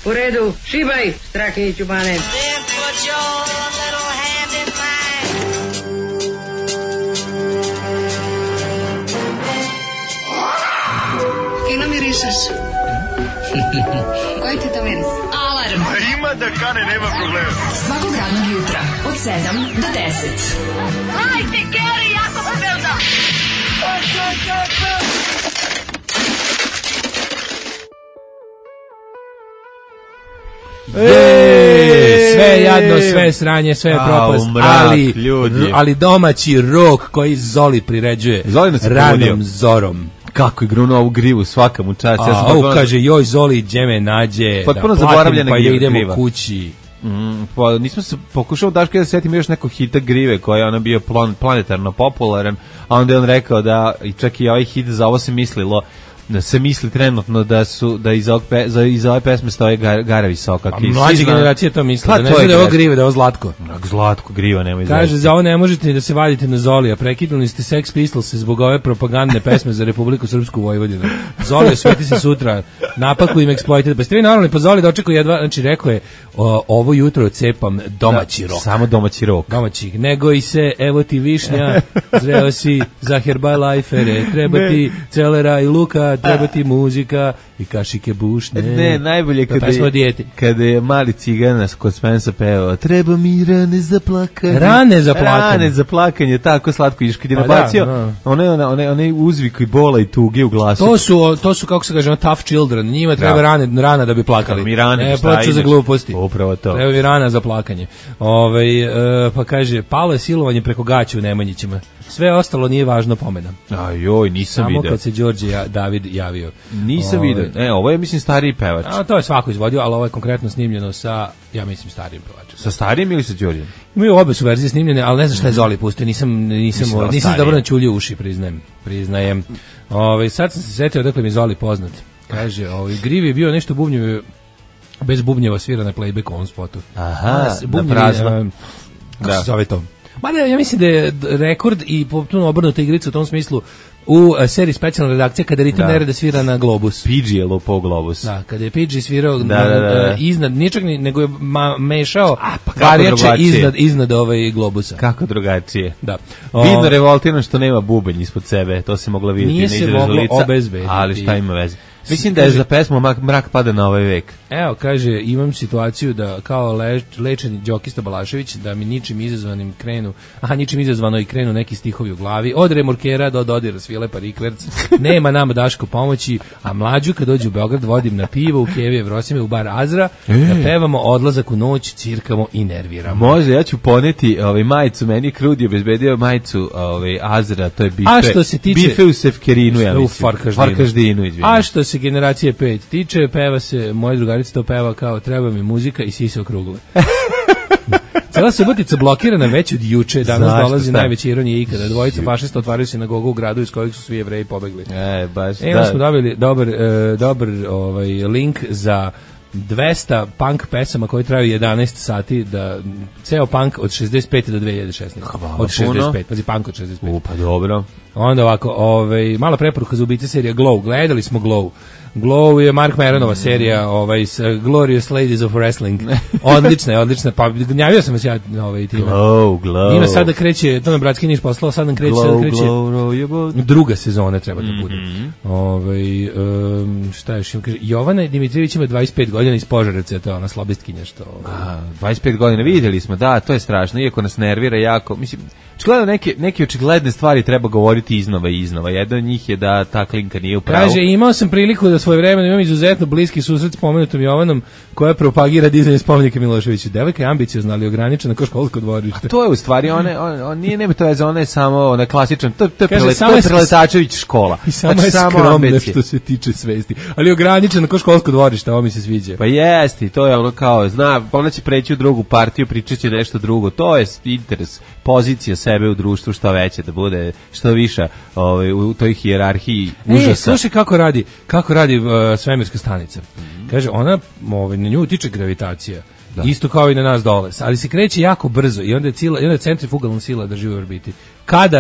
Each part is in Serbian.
U redu, šibaj, Strahinjiću Bane. Kino mirišeš? Koji ti to miris? Alarm. Ima da kane, nema problema. Svakog radnog jutra, od 7 do 10. Hajde, Geri, jako se velda! Sve jadno, sve sranje, sve propast, ali domaći rok koji Zoli priređuje ranom zorom. Kako je grunuo ovu grivu, svaka mu čast. Kaže, joj Zoli, gdje me nađe, potpuno da platim pa idemo kući. Pa nismo se pokušao Daška da setim još nekog hita grive koja je ona bio planetarno popularan, a onda je on rekao da čak i ovaj hit za ovo se mislilo, da se misli trenutno da iz ove pesme stoje Gara Visoka. A mlađe generacije to misle, da ne zna da je ovo grive, da je ovo Zlatko. Zlatko, griva, nema izvesti. Kaže, za ovo ne možete ni da se vadite na Zolija, prekinuli ste Sex Pistols zbog ove propagandne pesme za Republiku Srpsku Vojvodinu. Zolija, sveti se sutra, napaku im eksploited. Pa ste vi normalni, pa Zoli dočekao jedva, znači rekao je, ovo jutro cepam domaći rok. Samo domaći rok. Domaći, nego i se, evo ti višnja, zreo si za Herbalifere, treba ti celera i luka, treba ti muzika i kašike bušne. Ne, najbolje kada je mali cigana kod Spensa pevao, treba mi rane za plakanje. Rane za plakanje, tako slatko iš kad je nabacio. One uzvik i bola i tuge u glasu. To su kako se kaže, tough children. Njima treba rana da bi plakali. Mi rane, plaću za gluposti. Upravo to. Treba mi rana za plakanje. Pa kaže, palo je silovanje preko gaća u Nemanjićima. Sve ostalo nije važno, pomenam. Ajoj, nisam vidio. Samo kad se Đorđe David javio. Nisam vidio. Ovo je, mislim, stariji pevač. To je svako izvodio, ali ovo je konkretno snimljeno sa, ja mislim, starijim pevačem. Sa starijim ili sa Đorđem? Imaju obe su verzije snimljene, ali ne znam šta je Zoli pustio. Nisam dobro načuljio uši, priznajem. Sad sam se setio odakle mi Zoli poznat. Kaže, Grivi je bio nešto bubnjevo, bez bubnjeva svira na playback on spotu. Aha, na prazno. Kako se zove to? Ja mislim da je rekord i potpuno obrnuta igrica u tom smislu u seriji specijalna redakcija kada ritam nereda svira na Globus. Pidgey je lupao Globus. Da, kada je Pidgey svirao iznad, ničak nego je mešao varijače iznad Globusa. Kako drugačije. Da. Vidno revoltirano što nema bubanj ispod sebe, to se moglo vidjeti. Nije se moglo obezbediti. Ali šta ima veze? Mislim da je za pesmu Mrak pada na ovaj vek. Evo, kaže, imam situaciju da kao lečeni Đokista Balašević, da mi ničim izazvano i krenu neki stihovi u glavi. Od remorkera do dodira svile parikverc. Nema nama Daško pomoći, a mlađu kad dođe u Beograd vodim na pivo u Kevije Vrosime u bar Azra, da pevamo Odlazak u noć, cirkamo i nerviramo. Može, ja ću poneti majicu, meni Krudi obezbedio majicu Azra, to je bife u Sefkerinu, ja mislim. Farkaždinu, izvijem. A što se generacije 5 tiče, peva se, moja drugarica to peva kao treba mi muzika i sise okrugle. Cela Subotica blokirana već od juče, danas dolazi najveća ironija ikada. Dvojica fašista otvaraju sinagogu u gradu iz kojeg su svi Jevreji pobegli. Smo dobili dobar link za 200 punk pesama koje traju 11 sati, da ceo punk od 65. do 2016. Od 65, pazi, punk od 65. Pa dobro. Onda ovako, mala preporuka za ubice serija Glow. Gledali smo Glow. Glow je Mark Maronova serija, Glorious Ladies of Wrestling. Odlična. Pa gnjavio sam se ja na time. Glow. Ima sad da kreće, to nam bratski Niš poslao, sad nam kreće, druga sezona treba da bude. Šta još ima? Kaže, Jovana Dimitrijević ima 25 godina iz Požarevca, to je ona slobistkinja što... 25 godina, vidjeli smo, da, to je strašno, iako nas nervira jako, mislim, očigledno neke očigledne stvari treba govoriti iznova i iznova. Jedna od njih je da ta klinka nije u pravu. Kaže, imao sam priliku da svojevremeno imam izuzetno bliski susret s pomenutom Jovanom koja propagira dizanje spomenika Miloševiću. Devojka je ambiciozna, ali ograničena kao školsko dvorište. A to je u stvari, on nije, nema to veze, ona je samo klasičan, to je Preletačević škola. I samo je skromna što se tiče svesti. Ali ograničena kao školsko dvorište, ovo mi se sviđa. Pa jesti, to je ono kao, ona će preći u drugu partiju, pričat će nešto drugo. To je interes, pozicija sebe u društvu što veće, da bude što više u toj hijerarhiji užasa. Slušaj kako radi svemirska stanica. Kaže, ona na nju utiče gravitacija. Da. Isto kao i na nas dole, ali se kreće jako brzo i onda je centrifugalna sila drži u orbiti. Kad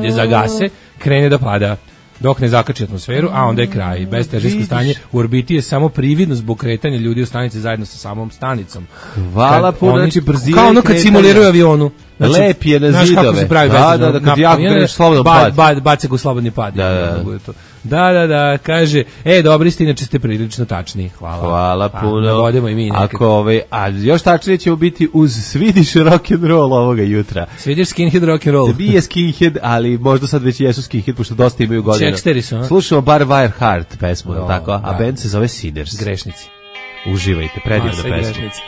je zagase, krene da pada. dok ne zakači atmosferu, a onda je kraj. Bestežinsko stanje u orbiti je samo prividno zbog kretanja ljudi u stanici zajedno sa samom stanicom. Hvala puno, znači brzina. Kao ono kad simuliraju avionu. Znači, lep je na zidove. Znaš kako se pravi da, kad jako kreneš slobodan pad. Bace ga u slobodni pad. Da, kaže, dobri ste, inače ste prilično tačni. Hvala puno. Navodimo i mi nekako. Ako a još tačnije ćemo biti uz Swedish rock'n'roll ovoga jutra. Swedish skinhead rock'n'roll. Nije skinhead, ali možda sad već jesu skinhead, pošto dosta imaju godina. Čeksteri su, a? Slušamo bar Wire Heart pesmu, tako? A band se zove Sinners. Grešnici. Uživajte, predivna pesma. Grešnici.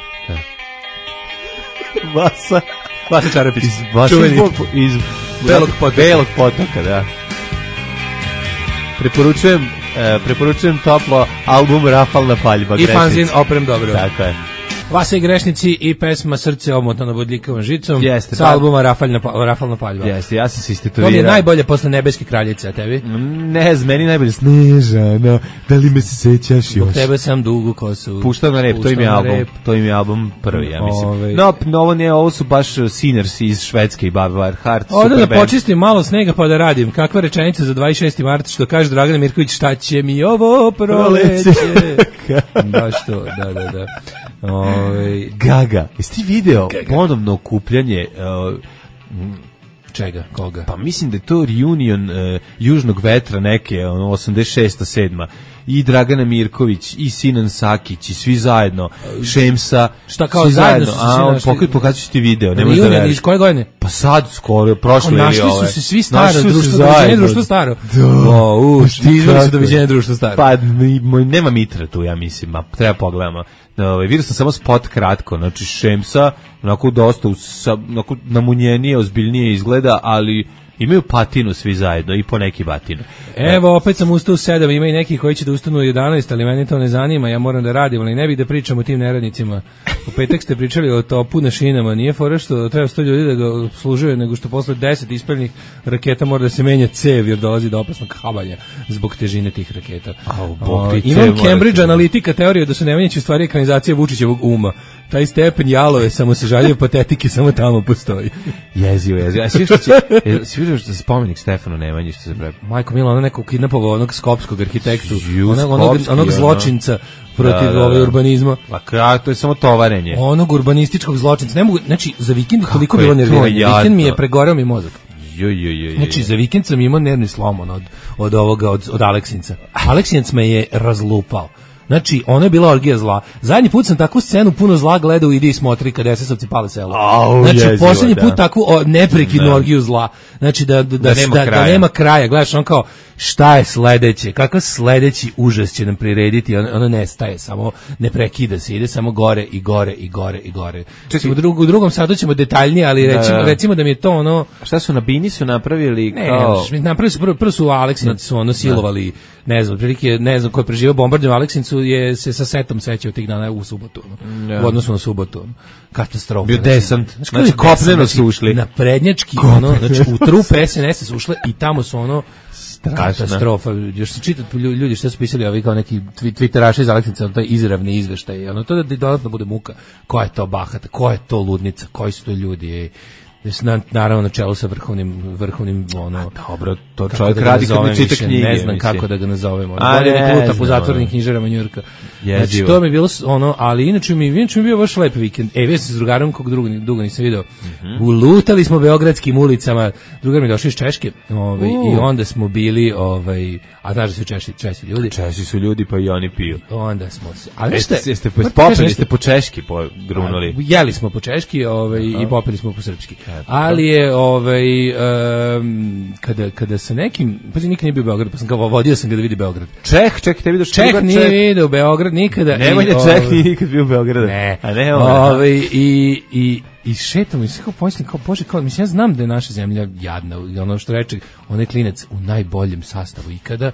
Vasa Čarapić. Iz Belog potoka, da. Preporučujem toplo album Rafalna paljba. I fanzin Oprem dobro. Tako je. Vasa i Grešnici i pesma Srce omotano bodljikavom žicom. Jeste, sa albuma Rafalna paljba. Jeste, ja sam se istetovirao. To mi je najbolje posle Nebeske kraljice, a tebi? Ne, meni najbolje Snežana, da li me se sećaš još? Zbog tebe sam dugu kosu. Puštao na rep, to im je album prvi, ja mislim. No, ovo su baš Sinners iz Švedske i Wire Heart. Ovdje da počistim malo snega pa da radim. Kakva rečenica za 26. mart, što kaže Dragana Mirković, šta će mi ovo proleće? Baš to, da. Gaga, jesi ti video ponovno okupljanje čega, koga? Pa mislim da je to reunion Južnog vetra neke, 86. 7. I Dragana Mirković, i Sinan Sakić, i svi zajedno, Šemsa, šta kao zajedno? Pokazat ću ti video, ne možeš da veriš. Iz koje godine? Pa sad, skoro, prošle ili ove. Našli su se svi staro, doviđenje društvo staro. Izvali su doviđenje društvo staro. Pa nema Mitra tu, ja mislim, treba pogledamo. Vidio sam samo spot kratko, znači Šemsa, onako dosta namunjenije, ozbiljnije izgleda, ali imaju patinu svi zajedno i po neki batinu. Evo, opet sam ustao u 7, ima i neki koji će da ustanu u 11, ali meni to ne zanima, ja moram da radim, ali ne bih da pričam o tim neradnicima. U petak ste pričali o topu na šinama, nije fora što treba 100 ljudi da ga obslužuje, nego što posle 10 ispaljenih raketa mora da se menja cev, jer dolazi do opasnog habanja zbog težine tih raketa. Imam Cambridge Analytica teoriju da su Nemanjići u stvari ekranizacija Vučićevog uma. Taj stepen jalove, samo se žaljive patetike, samo tamo postoji. Jezivo. A svi vidio što se spomenik Stefanu Nemanji, što se pravi. Majko Milo, ona nekog kidnapovao onog skopskog arhitektu, onog zločinca protiv urbanizma. A to je samo tovarenje. Onog urbanističkog zločinca. Ne mogu, znači, za vikend koliko bilo nerviranje. Vikend mi je pregorao mi mozak. Znači, za vikend sam imao nervni slom od Aleksinca. Aleksinac me je razlupao. Znači, ono je bila orgija zla. Zadnji put sam takvu scenu puno zla gledao, idi i smotri kada SS-ovci pale selo. Znači, posljednji put takvu neprekidnu orgiju zla. Znači, da nema kraja. Gledaš, on kao, šta je sledeće? Kakav sledeći užas će nam prirediti? Ono nestaje, samo ne prekida se, ide samo gore i gore i gore i gore. U drugom satu ćemo detaljnije, ali recimo da mi je to ono... Šta su na Bini su napravili kao... Ne, napravili su, prvo su Aleksinci su ono silovali, ne znam, prilike, ne znam ko je preživao bombardom Aleksincu je se sa setom sećao tih dana u subotu. U odnosu na subotu. Katastrofa. Bio desant. Znači, kopneno su ušli. Na prednjački, znači u trupe SNS su ušle i tamo su ono katastrofa. Još se čitati ljudi što su pisali ovi kao neki twitteraši iz Aleksinca, taj izravni izveštaj. Ono to da dodatno bude muka. Ko je to bahata? Ko je to ludnica? Koji su to ljudi? Naravno na čelu sa vrhovnim ono. Dobro, to čovjek radi kad ne čita knjige. Ne znam kako da ga nazovemo. Godine pluta po zatvorenim knjižarama Njujorka. Znači to mi je bilo ono, ali inače mi bio baš lep vikend. Bio sam s drugarom kog dugo nisam video. Ulutali smo beogradskim ulicama. Drugar mi došao iz Češke, i onda smo bili a znaš da su Česi ljudi. Česi su ljudi, pa i oni piju. Onda smo se. Ali ste po češki grunuli. Jeli smo po češki, i popili smo po srpski. Ali je kada sa nekim, pa nikad nije bio u Beogradu, pa sam kao vodio sam ga da vidi Beograd. Čeh, te vidiš Čeh nije vidio Beograd nikada. Nemanja Čeh nije nikad bio u Beogradu. Ne. A ne i šetam i sve kao pomislim, kao Bože, kao, mislim, ja znam da je naša zemlja jadna, ono što reče, on je klinac u najboljem sastavu ikada,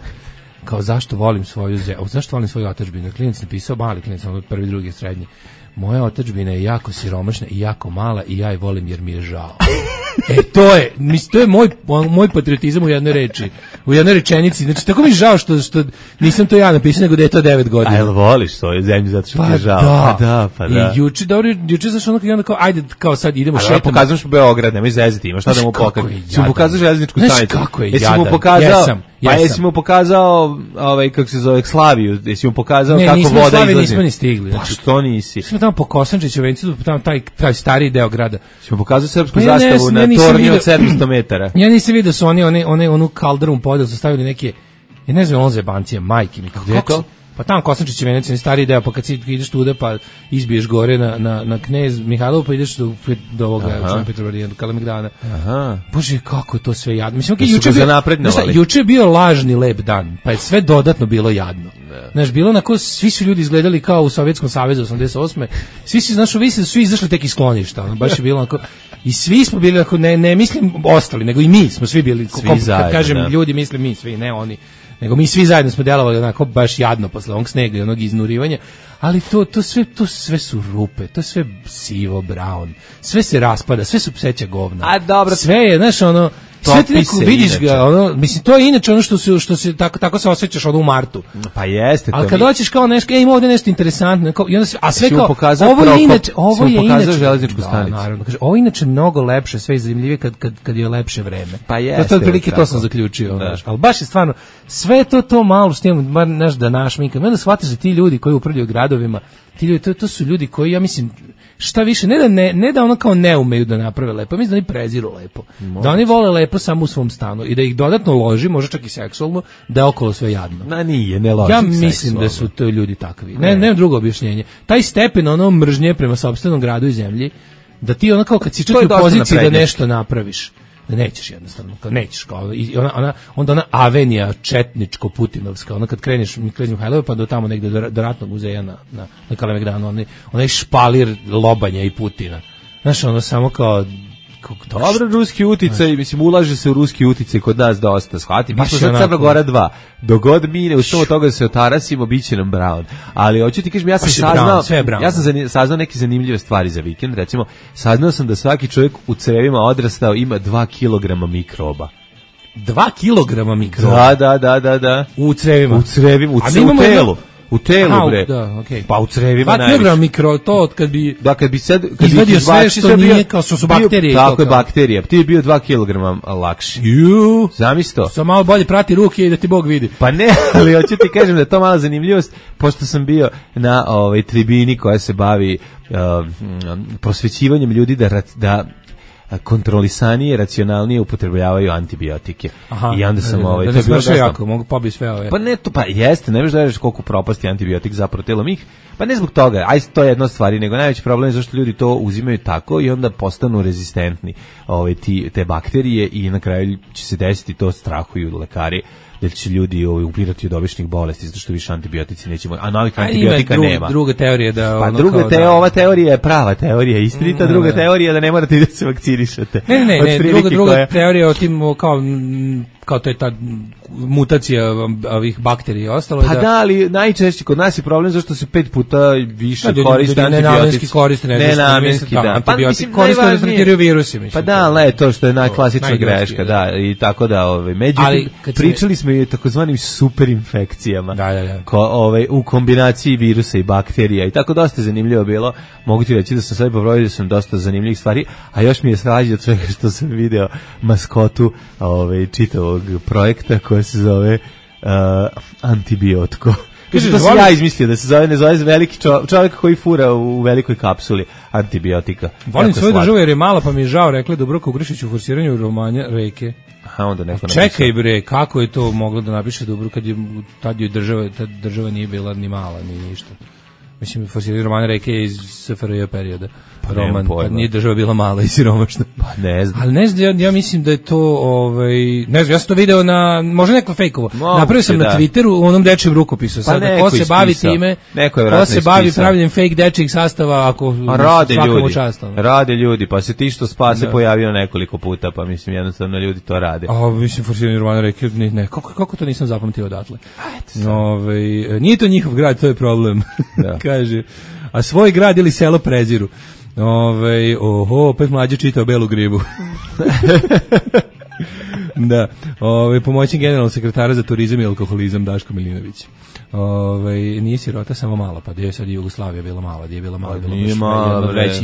kao zašto volim svoju zemlju, zašto volim svoju otadžbinu. Klinac napisao, mali klinac, ono prvi, drugi, srednji. moja otadžbina je jako siromašna i jako mala i ja je volim jer mi je žao. To je moj patriotizam u jednoj reči, u jednoj rečenici. Znači, tako mi je žao što nisam to ja napisao, nego da je to 9 godina. A jel voliš svoju zemlju zato što ti je žao? Pa da. I juče zašto ono onda kao, ajde, kao sad idemo šetamo. Ali pokazuješ Beograd, nemoj zezati, ima šta da mu pokažeš. Si mu pokazao železničku stanicu. Kako je jadan. Jesi mu pokazao, kako se zove, Slaviju, jesi mu pokazao kako voda izlazi. Ne, nismo Slaviju, nismo ni stigli. Pa što nisi? Smo tamo po Kosančiću, Vencu, tamo taj stariji deo grada. Si mu pokazao srpsku zastavu na tornji od 700 metara. Ja nisam vidio da su onu kalderu podel su stavili neke, ja ne znam, on zebancije, majke mi. Gde je to? Pa tamo Kosančić je Venecija, stariji deo, pa kad ideš tuda, pa izbiješ gore na Knez Mihajlovu, pa ideš do ovoga Petrovarijana, do Kalemegdana. Bože, kako je to sve jadno. Mislim, juče je bio lažni lep dan, pa je sve dodatno bilo jadno. Znaš, bilo onako, svi su ljudi izgledali kao u Sovjetskom savezu 88. Svi su izašli tek iz skloništa, baš je bilo onako, i svi smo bili, ne mislim ostali, nego i mi smo svi bili, kad kažem ljudi, mislim mi svi, ne oni. Nego mi svi zajedno smo delovali onako baš jadno posle onog snega i onog iznurivanja, ali to sve su rupe, to sve sivo, brown, sve se raspada, sve su pseća govna. A dobro, sve je, znaš, ono, sve ti neko vidiš ga, ono, mislim, to je inače ono što se tako se osjećaš u martu. Pa jeste to. Ali kad dođeš kao nešto, ima ovdje nešto interesantno, i onda a sve kao, ovo je inače železničku stanicu. Naravno, kaže, ovo je inače mnogo lepše, sve zanimljivije kad je lepše vreme. Pa jeste. To sam zaključio, znaš. Ali baš je stvarno, sve to malo što imamo, bar naš da našminka. Onda shvatiš da ti ljudi koji upravljaju gradovima, ti ljudi, to su ljudi koji, ja mislim, šta više, ne da ono kao ne umeju da naprave lepo, mislim da oni preziru lepo. Da oni vole lepo samo u svom stanu i da ih dodatno loži, možda čak i seksualno, da je okolo sve jadno. Ne loži. Ja mislim da su to ljudi takvi. Nemam drugo objašnjenje. Taj stepen ono mržnje prema sopstvenom gradu i zemlji, da ti ono kao kad si čak u poziciji da nešto napraviš, da nećeš jednostavno, kao nećeš, kao onda ona avenija četničko-putinovska, ona kad kreneš Mihajlove pa do tamo negde do ratnog muzeja na Kalemegdanu, onaj špalir lobanja i Putina. Znaš, ono samo kao dobro, ruski uticaj, mislim, ulaže se u ruski uticaj kod nas dosta, shvati. Mi smo sad Crna Gora 2. Dogod mi ne ustavimo toga da se otarasimo, bit će nam Brown. Ali hoću ti kažem, ja sam saznao neke zanimljive stvari za vikend. Recimo, saznao sam da svaki čovjek u crevima odrastao ima 2 kilograma mikroba. 2 kilograma mikroba? Da. U crevima? U telu. U telu, bre. Da, okay. Pa u crevima najviše. 2 kilograma mikro, to od kad bi... Da, kad bi sad... izvadio sve što nije, kao su bakterije. Tako je, bakterije. Ti je bio 2 kilograma lakši. Zamisli to. Samo malo bolje prati ruke i da ti Bog vidi. Pa ne, ali hoću ti kažem da je to mala zanimljivost, pošto sam bio na tribini koja se bavi prosvećivanjem ljudi da kontrolisanije, racionalnije upotrebljavaju antibiotike. I onda sam to je bilo jako, mogu pobiti sve ove. Pa ne, to pa jeste, ne možeš da veriš koliko propasti antibiotik zapravo telom ih. Pa ne zbog toga, to je jedna stvar, nego najveći problem je zašto ljudi to uzimaju tako i onda postanu rezistentni te bakterije i na kraju će se desiti to, strahuju lekari da će ljudi upirati od običnih bolesti zato što više antibiotici neće moći, a novih antibiotika nema. Druga teorija da ova teorija je prava teorija, istinita, druga teorija da ne morate da se vakcinišete. Ne, druga teorija o tim kao to je ta mutacija ovih bakterija i ostalo. Pa da, ali najčešće kod nas je problem zašto se 5 puta više koriste antibiotici. Nenamenski, da. Antibiotik koriste da tretiraju virusi. Pa da, ali to što je najklasična greška, da, i tako da, međutim, pričali smo i o takozvanim superinfekcijama, u kombinaciji virusa i bakterija i tako dosta zanimljivo bilo. Mogu ti reći da sam sad pobrodio da sam dosta zanimljivih stvari, a još mi je svađa od svega što sam video maskotu čitavog projekta koja se zove Antibiotko. Kaže, to sam ja izmislio da se zove, ne zove veliki čovjek koji fura u velikoj kapsuli antibiotika. Volim svoju državu jer je mala, pa mi je žao, rekla Dubravka Ugrišić u forsiranju romana Reke. Onda neko čekaj bre, kako je to moglo da napiše Dubravka kad je ta država nije bila ni mala, ni ništa. Mislim, forsiranje romana Reke je iz SFRJ perioda. Roman, pa nije država bila mala i siromašna. Pa ne znam. Ali ne znam, ja mislim da je to, ne znam, ja sam to video na, možda neko fejkovo. Napravio sam na Twitteru u onom dečijem rukopisu. Sad, ko se bavi time, ko se bavi pravljenjem fake dečijeg sastava, ako svakom učastom. Rade ljudi, pa se ti što spase pojavio nekoliko puta, pa mislim, jednostavno ljudi to rade. Mislim, forsiranje romana Reke, ne, kako to nisam zapamtio odatle? Nije to njihov grad, to je problem. kaže, a svoj grad ili selo preziru. Opet mlađe čitao Belu gribu. Da, pomoćnik generalnog sekretara za turizam i alkoholizam Daško Milinović. Nije sirota samo mala, pa gdje je sad Jugoslavija bila mala, gdje je bila mala,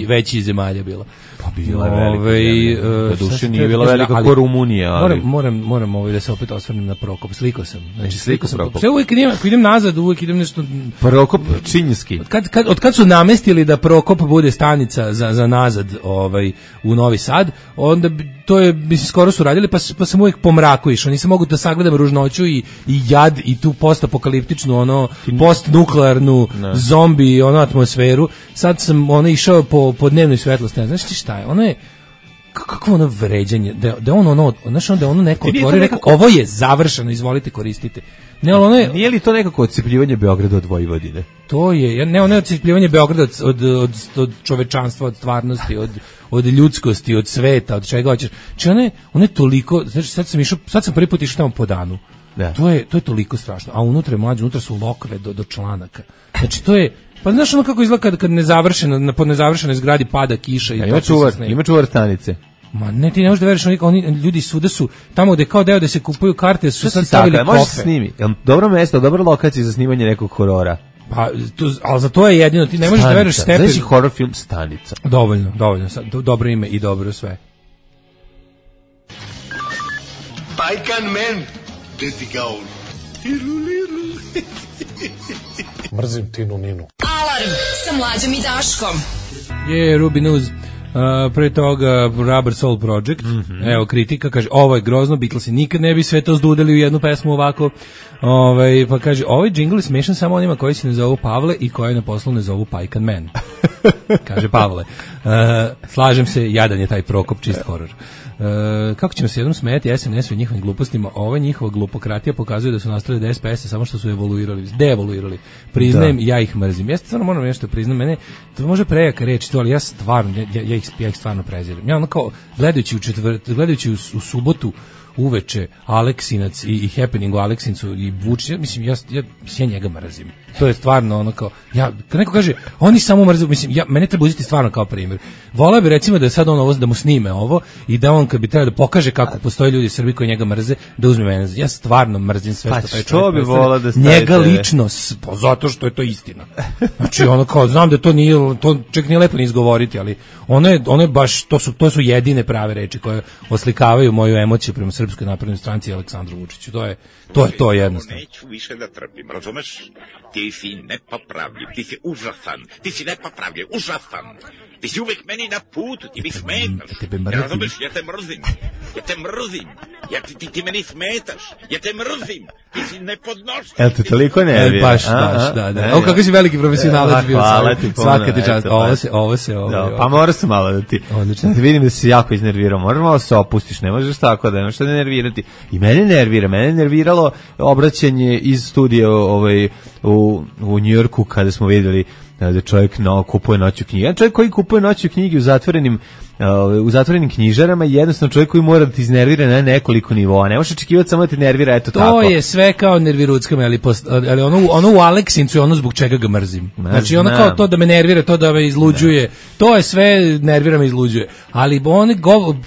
veći zemalja bila. Pa bila je velika. Da duše nije bila velika kao Rumunija. Ali... Moram da se opet osvrnem na Prokop. Sliko sam. Znači, sliko sam. Sve uvijek idem nazad, uvijek idem nešto... Prokop Činjski. Od kad su namestili da Prokop bude stanica za nazad u Novi Sad, onda to je, mislim, skoro su radili, pa sam uvijek po mraku išao. Nisam mogu da sagledam ružnoću i jad i tu postapokaliptičnu, postnuklearnu zombi, atmosferu. Sad sam išao po dnevnoj svetlosti. Znaš ti šta je? Ono je kako ono vređanje, da ono neko otvori, rekao, ovo je završeno, izvolite, koristite. Nije li to nekako odsipljivanje Beograda od Vojvodine? To je, ono je odsipljivanje Beograda od čovečanstva, od stvarnosti, od ljudskosti, od sveta, od čega hoćeš. Znači ono je toliko, znači sad sam prvi put išao tamo po danu. Da. To je toliko strašno. A unutra su lokve do članaka. Znači to je, pa znaš ono kako izgleda kad po nezavršenoj zgradi pada kiša i ima čuvar stanice. Ma ne, ti ne možeš da veriš, oni ljudi svuda su tamo gde kao deo da se kupuju karte, su sad stavili kofe. Možeš se snimi. Dobro mesto, dobra lokacija za snimanje nekog horora. Pa, ali za to je jedino, ti ne možeš da veriš stepen. Znači horor film Stanica. Dovoljno, dobro ime i dobro sve. Pajkan men, gde ti ga on? Mrzim Tinu Ninu. Alarm sa Mlađom i Daškom. Ruby News. Pre toga Rubber Soul Project. Evo kritika, kaže, ovo je grozno, Beatlesi nikad ne bi sve to zdudeli u jednu pesmu ovako. Pa kaže, ovaj džingl je smešan samo onima koji se ne zovu Pavle i koji na poslu ne zovu Pajkan Man. Kaže Pavle. Slažem se, jadan je taj Prokop, čist horor. Kako ćemo se jednom smijeti SNS-u i njihovim glupostima, ova njihova glupokratija pokazuje da su nastali da SPS-a samo što su deevoluirali. Priznajem, ja ih mrzim. Ja stvarno moram nešto priznam, mene, to može prejaka reći to, ali ja stvarno, ja ih stvarno preziram. Ja ono kao, gledajući u subotu uveče Aleksinac i Happening u Aleksincu i Vučić, mislim, ja njega mrzim. To je stvarno ono kao, kad neko kaže, oni samo mrze, mislim, mene treba uzeti stvarno kao primjer. Voleo bi recimo da je sad da mu snime ovo i da on kad bi trebao da pokaže kako postoje ljudi u Srbiji koji njega mrze, da uzme mene. Ja stvarno mrzim sve što taj čovjek bi volao da stavite njega lično, zato što je to istina. Znači ono kao, znam da to nije, to čak nije lepo ni izgovoriti, ali ono je baš, to su jedine prave reči koje oslikavaju moju emociju prema Srpskoj naprednoj stranci i Aleksandru Vučiću. To je jednostavno. Neću više da trpim, razumeš? Ti si nepopravljiv, ti si užasan, ti si nepopravljiv, užasan. Ti si uvek meni na putu, ti mi smetaš. Ja razumeš, ja te mrzim. Ti meni smetaš. Ja te mrzim. Ti si nepodnošljiv. Jel te toliko nervira? Baš, da. Ovo kako si veliki profesionalac bio. Hvala ti puno. Svaka ti čast. Ovo se. Pa mora se malo da ti vidim da si jako iznervirao. Moraš malo se opustiš, ne možeš tako da nemaš šta da nervirati. I mene nerviralo obraćanje iz studija u Njujorku kada smo vidjeli da čovjek kupuje noću knjige. Jedan čovjek koji kupuje noću knjige u zatvorenim knjižarama je jednostavno čovjek koji mora da ti iznervira na nekoliko nivoa. Ne možeš očekivati samo da ti nervira, eto tako. To je sve kao nerviruckama, ali ono u Aleksincu je ono zbog čega ga mrzim. Znači ono kao to da me nervira, to da me izluđuje, to je sve, nervira me, izluđuje. Ali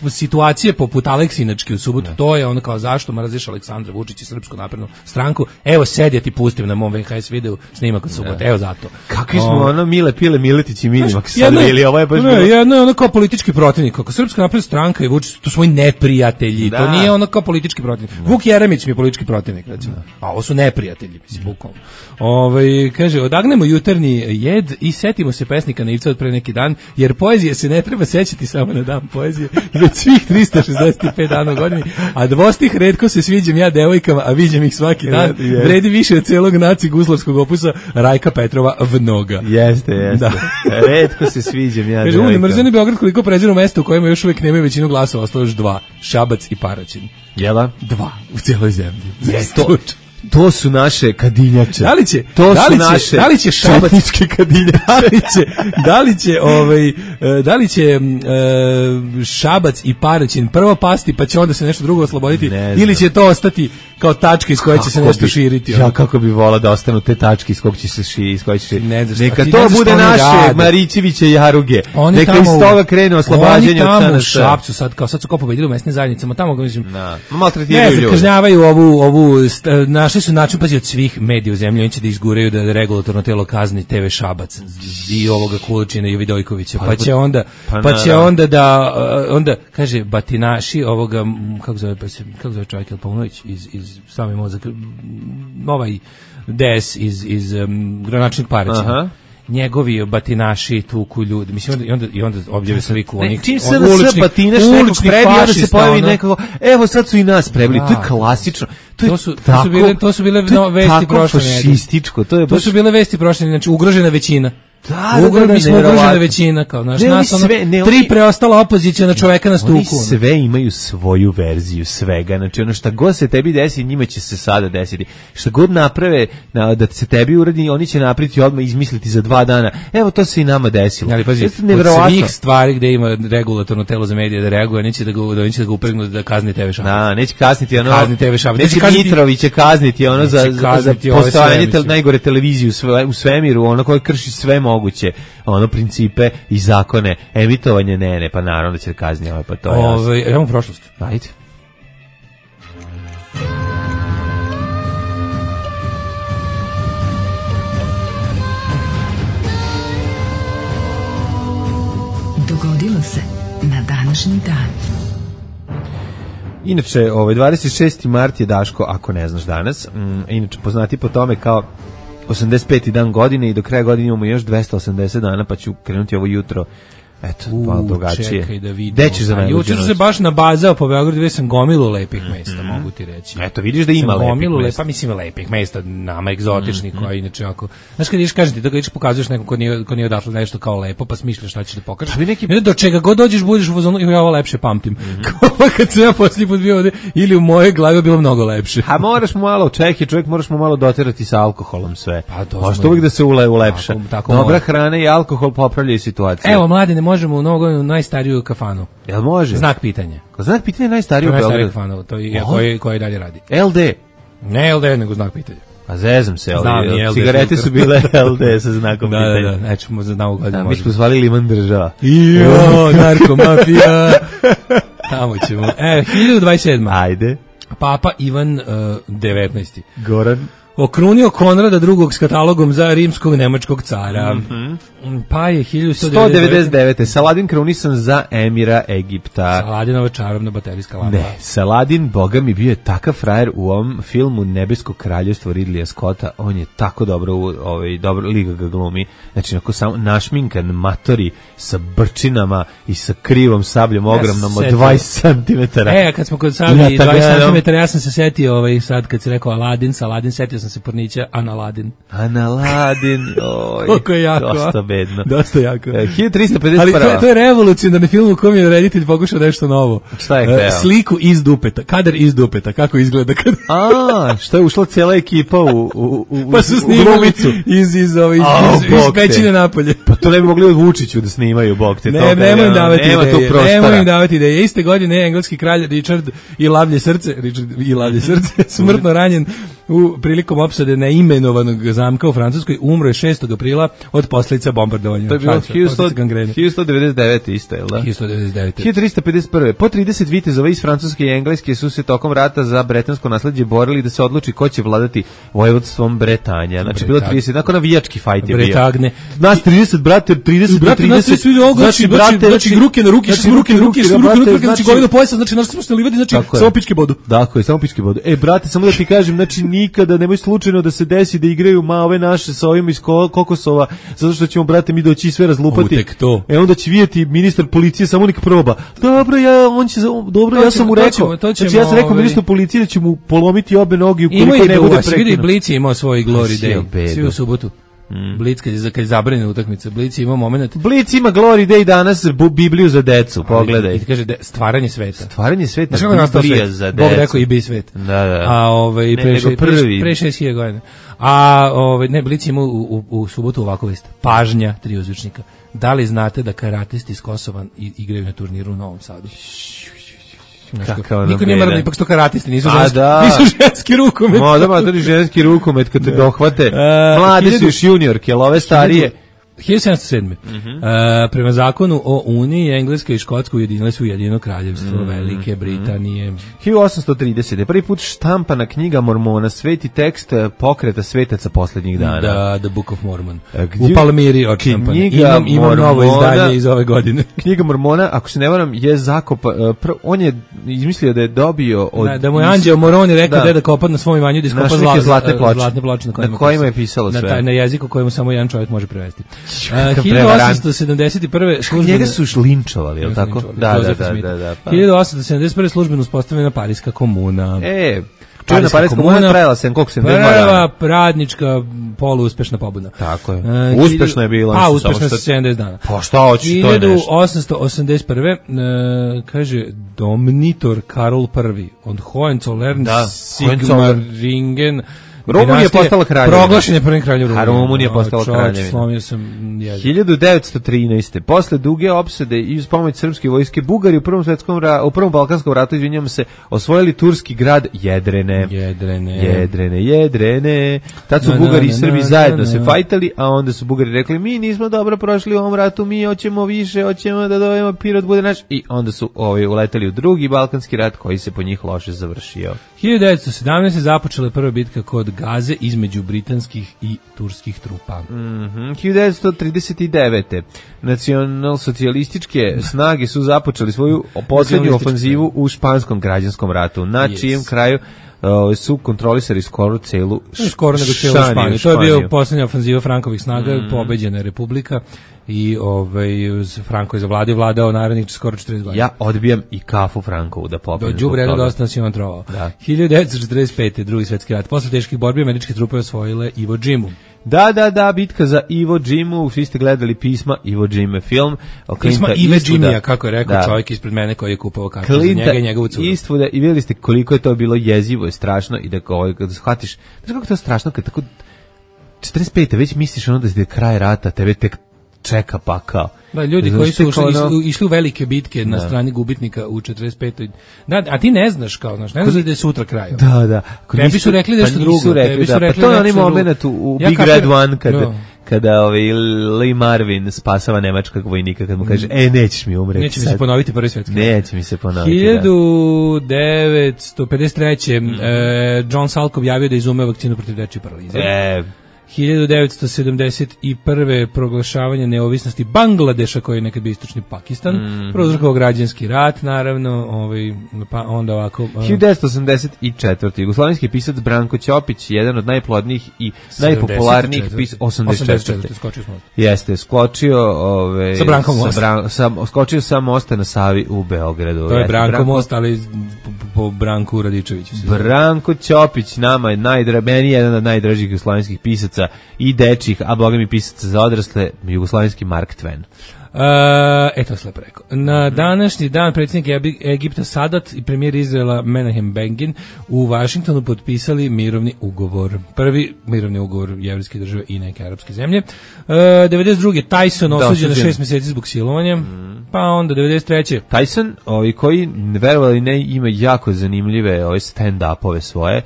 situacije poput Aleksinačke u subotu, to je ono kao zašto mrziš Aleksandra Vučića i Srpsku naprednu stranku. Evo sedi, ja ti pustim na mom VHS videu snimak od subote, evo zato. Kakvi smo Mile Pile Miletić i Minimak sad bili, ovo je baš jedno je ono kao politički protivnik, kako Srpska napredna stranka i Vučić, to su moji neprijatelji, to nije ono kao politički protivnik. Vuk Jeremić mi je politički protivnik, recimo. A ovo su neprijatelji, mislim, bukvalno. Kaže, odagnemo jutarnji jed i setimo se pesnika Naivca od pre neki dan, jer poezije se ne treba sećati samo na dan poezije, već svih 365 dana u godini, a dvostih retko se sviđam ja devojkama, a viđem ih svaki dan, vredi više od celog naci guslarskog opusa Rajka Petrova Vnoga. Jeste. Retko se sviđam ja devojkama. Kaže, mrzeni Beograd koliko preziru mesta u kojima još uvijek nemaju većinu glasova, ostalo još 2, Šabac i Paraćin. Jela? 2 u cijeloj zemlji. To su naše kadinjače. Da li će Šabac, četničke kadinjače. Da li će Šabac i Paraćin prvo pasti, pa će onda se nešto drugo osloboditi, ili će to ostati kao tačka iz koje će se nešto širiti. Ja kako bi volao da ostanu te tačke iz kojih će se širiti. Ne znaš, neka to bude naše Marićeviće jaruge. Neka iz toga krene oslobađanje od tamo u Šapcu sad su kao pobedili u mesnim zajednicama, tamo ga mislim. Maltretiraju ljude. Kažnjavaju ovu našli su način pazi od svih medija u zemlji, oni će da izguraju da regulatorno telo kazni TV Šabac i ovoga Kulučina i Vidojkovića. Pa će onda da onda kaže batinaši ovoga kako zove čovjek Paunović iz same mozak ovaj DS iz gradonačelnik Paraćina. Njegovi batinaši tuku ljudi. Mislim i onda objave sliku onih čim se batinaš nekog prebi, onda se pojavi nekako, evo sad su i nas prebili. To je klasično. To su bile vesti prošle fašističko. To su bile vesti prošle, znači ugrožena većina. Ugrožena većina kao naš tri preostala opoziciona čoveka na stuku. Oni sve imaju svoju verziju svega. Znači ono šta god se tebi desi, njima će se sada desiti. Šta god naprave da se tebi uradi, oni će napraviti odmah izmisliti za 2 dana. Evo to se i nama desilo. Ali pazi, od svih stvari gde ima regulatorno telo za medije da reaguje, neće da ga upregnu da kazni TV Šabac. Neće kazniti ono. Neće Mitrović će kazniti ono za postojanje najgore televizije u svemiru, ono koje krši sve moguće, ono principe i zakone, emitovanje ne, pa naravno da će kazni pa to je jasno. Imamo prošlost. Ajde. Dogodilo se na današnji dan. Inače, 26. mart je Daško, ako ne znaš danas, inače poznati po tome kao 85. dan godine i do kraja godine imamo još 280 dana, pa ću krenuti ovo jutro. Eto, malo drugačije. Čekaj da vidimo. Gde ćeš za najluđu noć? Juče se baš nabazao po Beogradu, gdje sam gomilu lepih mesta, mogu ti reći. Eto, vidiš da ima lepih mesta. Pa mislim lepih mesta, nama egzotičnih, koja inače ako... Znaš kad ideš, kažem ti, da ga ideš pokazuješ nekom ko nije odašlo nešto kao lepo, pa smišljaš šta ćeš da pokažeš. Do čega god dođeš, budeš u fazonu, ja ovo lepše pamtim. Kao kad sam ja posljednji put bio ovde, ili u moje glavi bilo mnogo lepše. A moraš mu malo, čovjek moraš mu malo doterati sa alkoholom sve. Možeš uvijek da se ulepša. Dobra hrana i alkohol popravljaju situaciju. Evo, mladine, možemo u Novu godinu najstariju kafanu. Jel može? Znak pitanja. Znak pitanja je najstariji u Beogradu. Kafanu, to je koji dalje radi. LD. Ne LD, nego znak pitanja. A zezam se, cigarete su bile LD sa znakom pitanja. Da, nećemo za Novu godinu. Mi smo zvali Liman država. Jo, narkomafija. Tamo ćemo. 1027. Ajde. Papa Ivan 19. Goran. Okrunio Konrada II. S katalogom za rimskog nemačkog cara. Pa je 199. Saladin krunisan za emira Egipta. Saladinova čarobna baterijska lampa. Ne, Saladin, boga mi, bio je takav frajer u ovom filmu Nebesko kraljevstvo Ridleya Scotta. On je tako dobro liga ga glumi. Znači, ako samo našminkan, matori sa brčinama i sa krivom sabljom ogromnom od 20 cm. Kad smo kod sablji 20 cm, ja sam se setio sad kad si rekao Saladin, setio sam se pornića Analadin. Koliko je jako. Dosta bedno. Dosta jako. 1351. Ali to je revolucionarni film u kom je reditelj pokušao nešto novo. Šta je hteo? Sliku iz dupeta, kadar iz dupeta, kako izgleda kad... što je ušla cijela ekipa u pa su snimali iz pećine napolje. Pa to ne bi mogli od Vučiću da snimaju, bog te. Nemoj im davati ideje. Iste godine engleski kralj Richard i lavlje srce smrtno ranjen prilikom opsade neimenovanog zamka u Francuskoj, umro je 6. aprila od posljedica bombardovanja. To je bilo 1199. isto, je li da? 1199. 1351. Po 30 vitezova iz Francuske i Engleske su se tokom rata za bretansko nasledđe borili da se odluči ko će vladati vojvodstvom Bretanja. Znači, bilo 30, nakon navijački fajt je bio. Bretagne. Nas 30, brate, 30 do 30. Znači, ruke na ruke, znači, govino pojasa, znači, smo se livati, znači, samo pičke bodu. Dakle, samo pičke bodu. Brate, samo da ti kažem, znači, nikada nemoj slučajno da se desi da igraju ove naše sa ovim iz Kokosova, zato što ćemo, brate, mi doći sve razlupati. Onda će vidjeti ministar policije, samo nek proba. Dobro, ja sam mu rekao. Znači, ja sam rekao ministru policije da će mu polomiti obe noge ukoliko ne bude prekrenuo. Vidi, Blic je imao svoj Glory Day. Svi u subotu. Blic kad je zabranjena utakmica, Blic ima moment. Blic ima Glory Day danas, Bibliju za decu, pogledaj. I ti kaže stvaranje sveta. Stvaranje sveta, Biblija za decu. Bog rekao i bi svet. Da. A pre 6000 godina. Ne, Blic ima u subotu ovako vest. Pažnja, 3 uzvičnika. Da li znate da karatisti iz Kosova igraju na turniru u Novom Sadu? Niko nije mrda, ipak sto karatisti, nisu ženski rukomet. Da, matori ženski rukomet kad te dohvate. Mlade su još juniorke, ali ove starije. 1707. Prema zakonu o Uniji, Engleska i Škotska ujedinile su Ujedinjeno kraljevstvo Velike Britanije. 1830. Prvi put štampana knjiga Mormona, sveti tekst pokreta svetaca poslednjih dana. Da, The Book of Mormon. U Palmiri odštampana. Imam novo izdanje iz ove godine. Knjiga Mormona, ako se ne varam, je zakopa. On je izmislio da je dobio od... Da mu je Anđeo Moroni rekao da je da kopa na svom imanju, da iskopa zlatne ploče na kojima je pisalo sve. Na jeziku kojemu samo jedan čovjek može prevesti. 1871. Njega su linčovali, je li tako? Da. 1871. službeno uspostavljena Pariska komuna. Čujena Pariska komuna trajala se, koliko se prva radnička poluuspešna pobuna. Tako je. Uspešna je bila. Uspešna se 70 dana. Pa šta hoćeš, to je nešto. 1881. Kaže Domnitor Karol I od Hohenzollern Sigmaringen. Rumunija je postala kraljevina. Proglašen je prvim kraljem Rumunije. Rumunija je postala kraljevina. Slomio sam jezik. 1913. Posle duge opsade i uz pomoć srpske vojske Bugari u prvom Balkanskom ratu, izvinjam se, osvojili turski grad Jedrene. Tad su Bugari i Srbi zajedno se fajtali, a onda su Bugari rekli, mi nismo dobro prošli u ovom ratu, mi hoćemo više, hoćemo da dovemo Pirot bude naš, i onda su uleteli u drugi Balkanski rat koji se po njih loše završio. 1917. započela je prva bitka kod Gaze između britanskih i turskih trupa. 1939. Nacionalsocijalističke snage su započeli svoju posljednju ofanzivu u španskom građanskom ratu, na čijem kraju su kontrolisali skoro celu Španiju. To je bio posljednja ofanziva Frankovih snaga, pobeđena je Republika i Franko je vladao narednih skoro 40 godina. Ja odbijam i kafu Frankovu da pobedim. Do đubreda dosta nas je on trovao. 1945. drugi svetski rat. Posle teških borbi američke trupe osvojile Iwo Jimu. Da, bitka za Iwo Jimu, svi ste gledali pisma Iwo Jime film. Pisma Iwo Jimija, kako je rekao čovjek ispred mene koji je kupovao kartu za njega i njegovu curu. Eastwooda, i vidjeli ste koliko je to bilo jezivo i strašno i da shvatiš, znaš kako to je strašno kad tako 45. već misliš ono da je kraj rata, tebe tek čeka pakao. Da, ljudi koji su išli u velike bitke na strani gubitnika u 45. Da, a ti ne znaš ne znaš da je sutra kraj. Da. Tebi su rekli da je što drugo. Pa to je onaj moment u Big Red One kada Lee Marvin spasava nemačkog vojnika kad mu kaže, nećeš mi umreti. Neće mi se ponoviti prvi svetski. Neće mi se ponoviti. 1953. John Salk objavio da izumeo vakcinu protiv dečje paralize. 1971. proglašavanje neovisnosti Bangladeša, koji je nekad bio istočni Pakistan, prouzrokovao građanski rat, naravno, pa onda ovako... 1984. Jugoslovenski pisac Branko Ćopić, jedan od najplodnijih i najpopularnijih pisaca... 84. Skočio s mosta. Jeste, skočio... Sa Brankom mosta. Skočio sa mosta na Savi u Beogradu. To je Branko most, ali po Branku Radičeviću. Branko Ćopić, nama je meni jedan od najdražih jugoslovenskih pisaca i dečih, a boga mi pisaca za odrasle, jugoslovenski Mark Twain. To se lepo rekao. Na današnji dan predsjednik Egipta Sadat i premijer Izraela Menahem Begin u Vašingtonu potpisali mirovni ugovor. Prvi mirovni ugovor jevrejske države i neke arapske zemlje. 92. Tyson osuđen na 6 mjeseci zbog silovanja. Pa onda 93. Tyson, koji verovali ne ima jako zanimljive stand-upove svoje,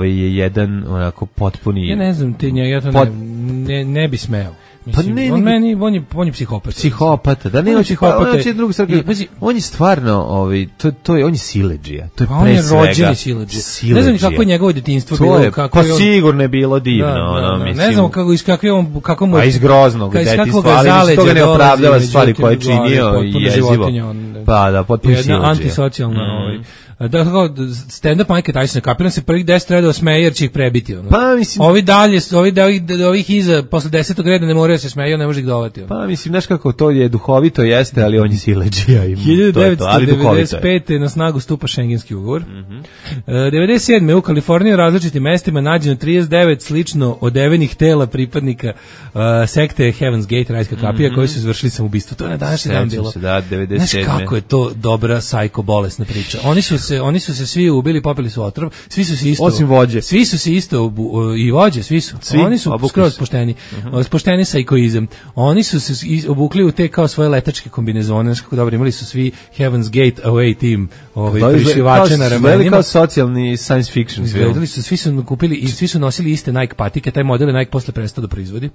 je jedan onako potpuni... Ja ne znam, ja to ne bi smeo. Mislim, on je psihopat. Psihopata, da nema psihopata. On je stvarno, on je siledžija. To je on je rođeni siledžija. Ne znam kako je njegovo djetinjstvo bilo. Pa sigurno je bilo divno. Ne znam kako mu... A iz groznog djetinjstva, ali iz toga ne opravdava stvari koje je činio i jezivo. Pa da, potpuno siledžija. Jedna antisocijalna... Da, stand-up Mike Tyson, kapiram se prvih 10 redova smeje jer će ih prebiti. Pa mislim... Ovih iza, posle 10. reda ne moraju se smeju, ne može ih dovati. Pa mislim, znaš kako to je duhovito jeste, ali on je siledžija. 1995. na snagu stupa Schengenski ugovor. 97. u Kaliforniji u različitim mestima nađeno 39 slično odevenih tela pripadnika sekte Heaven's Gate, rajska kapija, koji su izvršili samoubistvo. To je na današnji dan bilo. Da, 97. Znaš kako je to dobra sajko bolesna priča. Oni su oni su se svi ubili, popili su otrov, svi su se isto osim vođe. Svi su se isto i vođe, svi su. Oni su skroz pošteni. Pošteni sa ikoizam. Oni su se obukli u te kao svoje letačke kombinezone, znači kako dobro, imali su svi Heaven's Gate away team, prišivače na ramenima. Kao socijalni science fiction film. Izgledali su, svi su kupili i svi su nosili iste Nike patike, taj model je Nike posle prestao da proizvodi.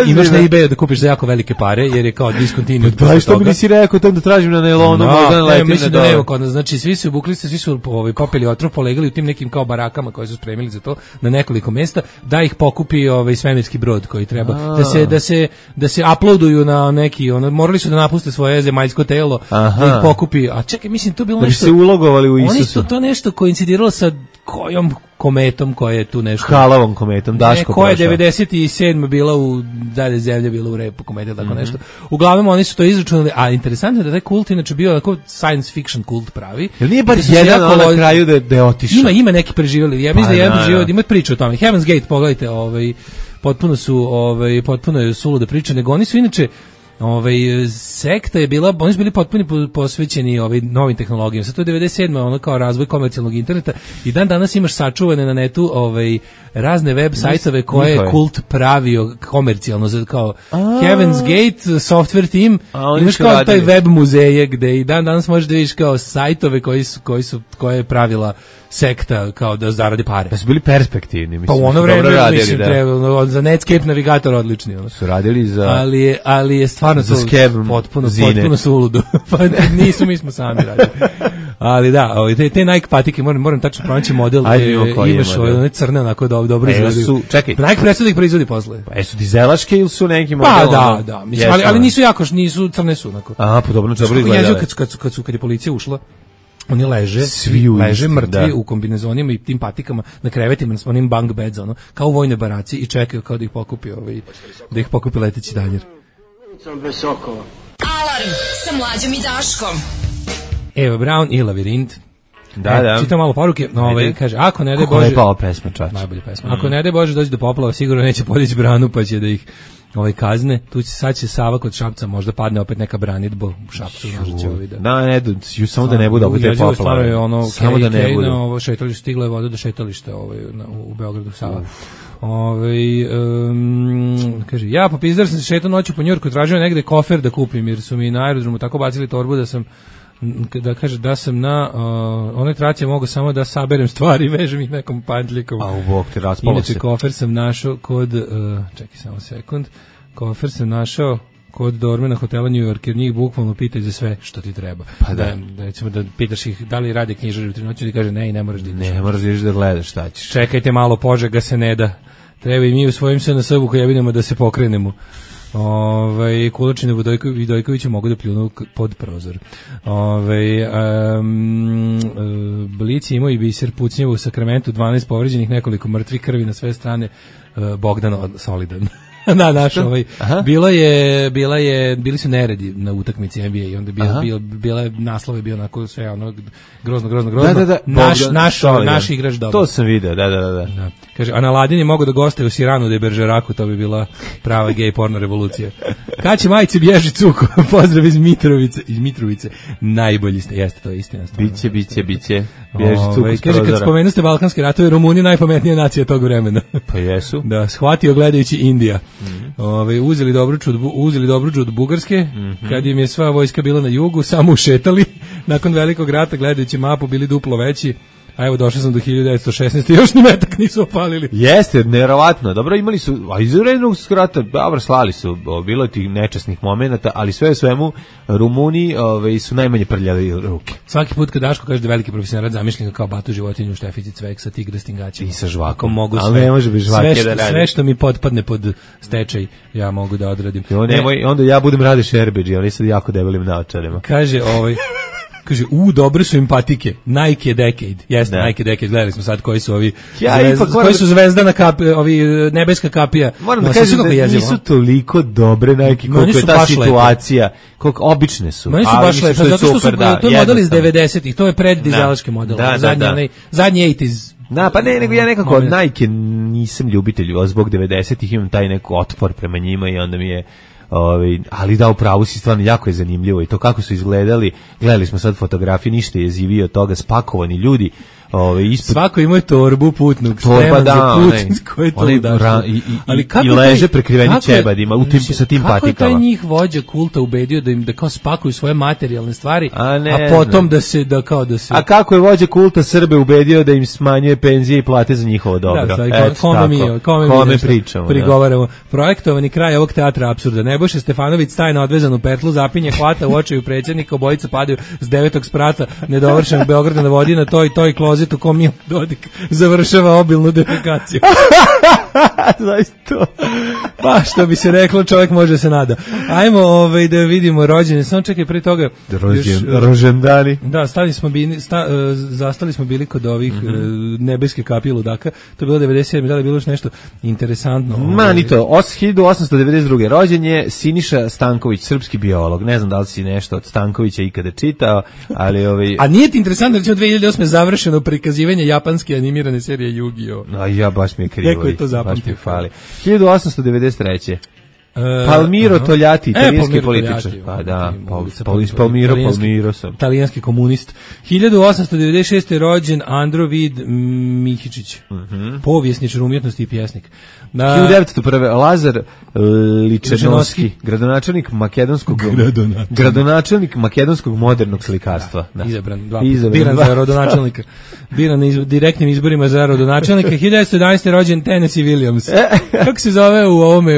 Imaš na eBayu da kupiš za jako velike pare, jer je kao discontinued. Da, što mi nisi rekao tam da tražim na nailonu, možda letim mislim da nema kod nas. Znači svi su obukli se, svi su popili otrov, polegali u tim nekim kao barakama koje su spremili za to na nekoliko mesta, da ih pokupi svemirski brod koji treba da se uploaduju na neki, morali su da napuste svoje zemaljsko telo, da ih pokupi. A čekaj, mislim to bilo nešto. Da se ulogovali u Isusu. Oni su to nešto koincidiralo sa kojom kometom koja je tu nešto. Halavom kometom, Daško koja je 97 bila u dalje zemlje bila u repu komete, tako nešto. Uglavnom oni su to izračunali, a interesantno je da taj kult inače bio onako science fiction kult pravi. Jel nije bar jedan na kraju da je otišao? Ima neki preživjeli. Ja mislim da jedan preživio, ima priču o tome. Heaven's Gate, pogledajte, potpuno je suluda priča, nego oni su inače sekta je bila, oni su bili potpuno posvećeni novim tehnologijama. Sad to je 97. ono kao razvoj komercijalnog interneta i dan danas imaš sačuvane na netu razne web sajtove koje je kult pravio komercijalno, kao Heaven's Gate, software team, imaš kao taj web muzeje gde i dan danas možeš da vidiš kao sajtove koje je pravila sekta kao da zaradi pare. Da su bili perspektivni, mislim. Pa ono vreme, mislim, za Netscape navigator odlični. Su radili za... Ali je stvarno to potpuno suludo. Pa nisu, mi smo sami radili. Ali da, te Nike patike, moram tačno pronaći model gde imaš one crne, onako dobro izgledaju. Čekaj. Nike prestao da ih proizvodi posle. Pa jesu dizelaške ili su neki model? Pa da, mislim, ali nisu jako, nisu crne su, onako. A, pa dobro izgledale. Kad je policija ušla, oni leže mrtvi u kombinezonima i tim patikama na krevetima, na onim bunk beds, kao u vojnoj baraci i čekaju kao da ih pokupi leteći danjer. Alarm sa Mlađom i Daškom. Eva Braun i Lavirint. Da. Čitam malo poruke. Kaže, ako ne daj Bože... Kako lepa pesma, čač. Najbolja pesma. Ako ne daj Bože dođe do poplava, sigurno neće podići branu, pa će da ih kazne. Sad će Sava kod Šapca, možda padne opet neka branidba u Šapcu. Samo da ne bude opet te poplave. Samo da ne bude. Šetalište, stigla je voda do šetališta u Beogradu Sava. Kaže, ja popizdar sam se šetao noću po Njurku, tražio negde kofer da kupim, jer su mi na aerodromu tako bacili torbu da sam da sam na onoj traci mogu samo da saberem stvari i vežem ih nekom pandljikom. A u bok te raspalo se. Inače, kofer sam našao kod, čekaj samo sekund, kofer sam našao kod dormena hotela New York, jer njih bukvalno pitaju za sve što ti treba. Pa da. Recimo da pitaš ih da li rade knjižari u 3 noći, ti kaže ne i ne moraš da ideš. Ne moraš da ideš da gledaš šta ćeš. Čekajte malo, Požega se ne da. Treba i mi u svojim SNS-u koji jebinemo da se pokrenemo. Kulačine Vidojkovića mogu da pljunu pod prozor. Blici imao i biser pucnjevo u Sakramentu, 12 povređenih, nekoliko mrtvih, krvi na sve strane, Bogdan solidan. Bili su neredi na utakmici NBA i onda naslov je bio onako sve grozno. Da. Naš igrač dobro. To sam video, da. Kaže, a na Ladini mogu da goste u Siranu de Beržeraku, to bi bila prava gej porno revolucija. Kad će majice bježi cuko, pozdrav iz Mitrovice, najbolji ste, jeste, to je istina. Biće, bježi cuko iz prozora. Kaže, kad spomenu ste Balkanske ratove, Rumuni najpametnija nacija tog vremena. Pa jesu. Da, shvatio gledajući Indija. Uzeli Dobruđu od Bugarske, kad im je sva vojska bila na jugu, samo ušetali, nakon velikog rata gledajući mapu bili duplo veći, a evo došao sam do 1916. još ni metak nisu opalili. Jeste, nevjerovatno. Dobro, imali su, a iz rednog rata, dobro, slali su, bilo je tih nečasnih momenata, ali sve u svemu Rumuni su najmanje prljali ruke. Svaki put kad Daško kaže da veliki profesionalac zamišljen kao Batu životinju, Štefici Cvek sa tigra stingačima. I sa žvakom. Mogu ali ne može bez žvake da radi. Sve što mi potpadne pod stečaj, ja mogu da odradim. Onda ja budem Rade Erbeđi, ali sad jako debelim naočarima. Kaže, kaže, dobre su im patike. Nike Decade. Jeste, Nike Decade. Gledali smo sad koji su ovi koji su zvezdana kapija, ovi nebeska kapija. Moram da kažem da nisu toliko dobre Nike koliko je ta situacija. Koliko obične su. Meni su baš lepe, zato što su to je model iz 90-ih. To je preddizelaški model. Zadnji 80s. Pa ne, nego ja nekako od Nike nisam ljubitelj, zbog 90-ih imam taj neko otpor prema njima i onda mi je ali da, u pravu si, stvarno jako je zanimljivo i to kako su izgledali. Gledali smo sad fotografije, ništa je jezivio od toga, spakovani ljudi. Ispod... Svako ima torbu putnog, spreman za put, koji to i leže prekriveni ćebadima sa tim patikama. Kako je taj njih vođa kulta ubedio da kao spakuju svoje materijalne stvari, a potom da se... A kako je vođa kulta Srbe ubedio da im smanjuje penzije i plate za njihovo dobro? Kome pričamo. Prigovaramo. Projektovani kraj ovog teatra apsurda. Nebojša Stefanović staje na odvezanu petlu, zapinje, hvata u očaju predsjednika, obojica padaju s 9. sprata nedovršenog Beograda na vodi na toj klozet u kom Dodik završava obilnu defekaciju. Znaš to? Pa što bi se reklo, čovjek može se nada. Ajmo da vidimo rođene. Samo čekaj, pre toga rođendani. Da, zastali smo bili kod ovih nebeske kapije ludaka. To je bilo 97. Da li je bilo još nešto interesantno? Manito, 1892. rođen je Siniša Stanković, srpski biolog. Ne znam da li si nešto od Stankovića ikada čitao, ali A nije ti interesantno, recimo 2008. završeno prikazivanje japanske animirane serije Yu-Gi-Oh? A ja baš mi je krivo. Neko je to zapamtio. 1893. Palmiro Togliatti, italijanski političar. Pa da, Palmiro sam. Italijanski komunist. 1896. rođen Andro Vid Mihičić. Povjesničar umjetnosti i pjesnik. 1901. Lazar Ličenovski, gradonačelnik makedonskog modernog slikarstva. Izabran za rodonačelnika. Biran na direktnim izborima za rodonačelnika. 1911. rođen Tennessee Williams. Kako se zove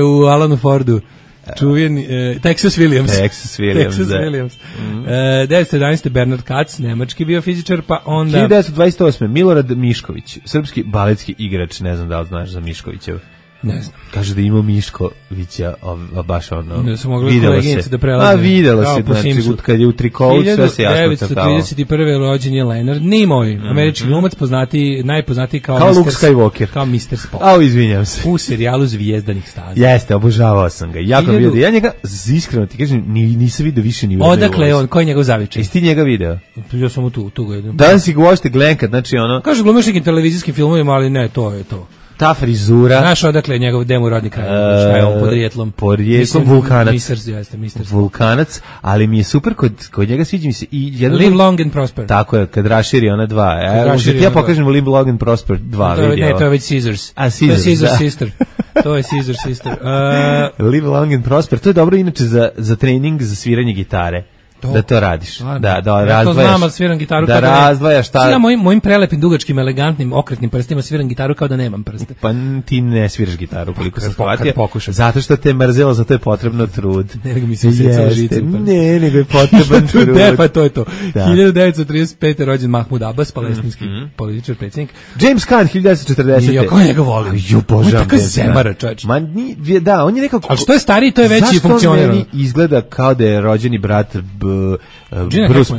u Alanu Fordu? Čuveni Texas Williams. 1911. Bernard Katz, nemački biofizičar, pa onda 1928. Milorad Mišković, srpski baletski igrač, ne znam da li znaš za Miškovićev. Ne znam. Kaže da ima Miškovića, baš ono. Ne su mogli koleginice da prelaze. A videlo se, znači, kad je u trikovu, sve se jasno crtalo. 1931. rođen je Leonard Nimoy, američki glumac, najpoznatiji kao Luke Skywalker. Kao Mr. Spock. Au, izvinjam se. U serijalu Zvijezdanih staza. Jeste, obožavao sam ga. Jako mi vidio. Ja njega, iskreno ti kažem, nisam vidio više ni u Odakle je on, koji je njegov zavičaj? Jesi ti njega video? Ja sam tu ga jedem. Danas si ga uošte glenkat, znači ono... Kaže, glumiš nekim televizijskim filmovima, ali ne, to je to. Ta frizura. Znaš odakle je njegov demo rodni kraj, šta je on podrijetlom? Podrijetlom Vulkanac. Mr. Vulkanac, ali mi je super, kod njega sviđa mi se i jedan... Live Long and Prosper. Tako je, kad raširi ona dva. Ja pokažem Live Long and Prosper 2 video. Ne, to je već Scissors. A, Scissors, to je Scissors Sister. To je Scissors Sister. Live Long and Prosper, to je dobro inače za trening, za sviranje gitare. Da to radiš. Da ja to znam, ali sviram gitaru da razdvajaš šta. Ja mojim prelepim, dugačkim, elegantnim, okretnim prstima sviram gitaru kao da nemam prste. Pa ti ne sviraš gitaru koliko sam shvatio. Zato što te mrzelo, zato je potrebno trud. Ne, nego mi se usjecalo žice. Ne, nego je potreban trud. Pa to je to. 1935. rođen Mahmud Abbas, palestinski političar, predsjednik. James Caan, 1940. Ja, ko njega volim? On je tako zemara, čovječ. Da, on je nekako... Ali što je stariji, to je veći funkcioner. Zašto meni izgleda kao da je rođeni brat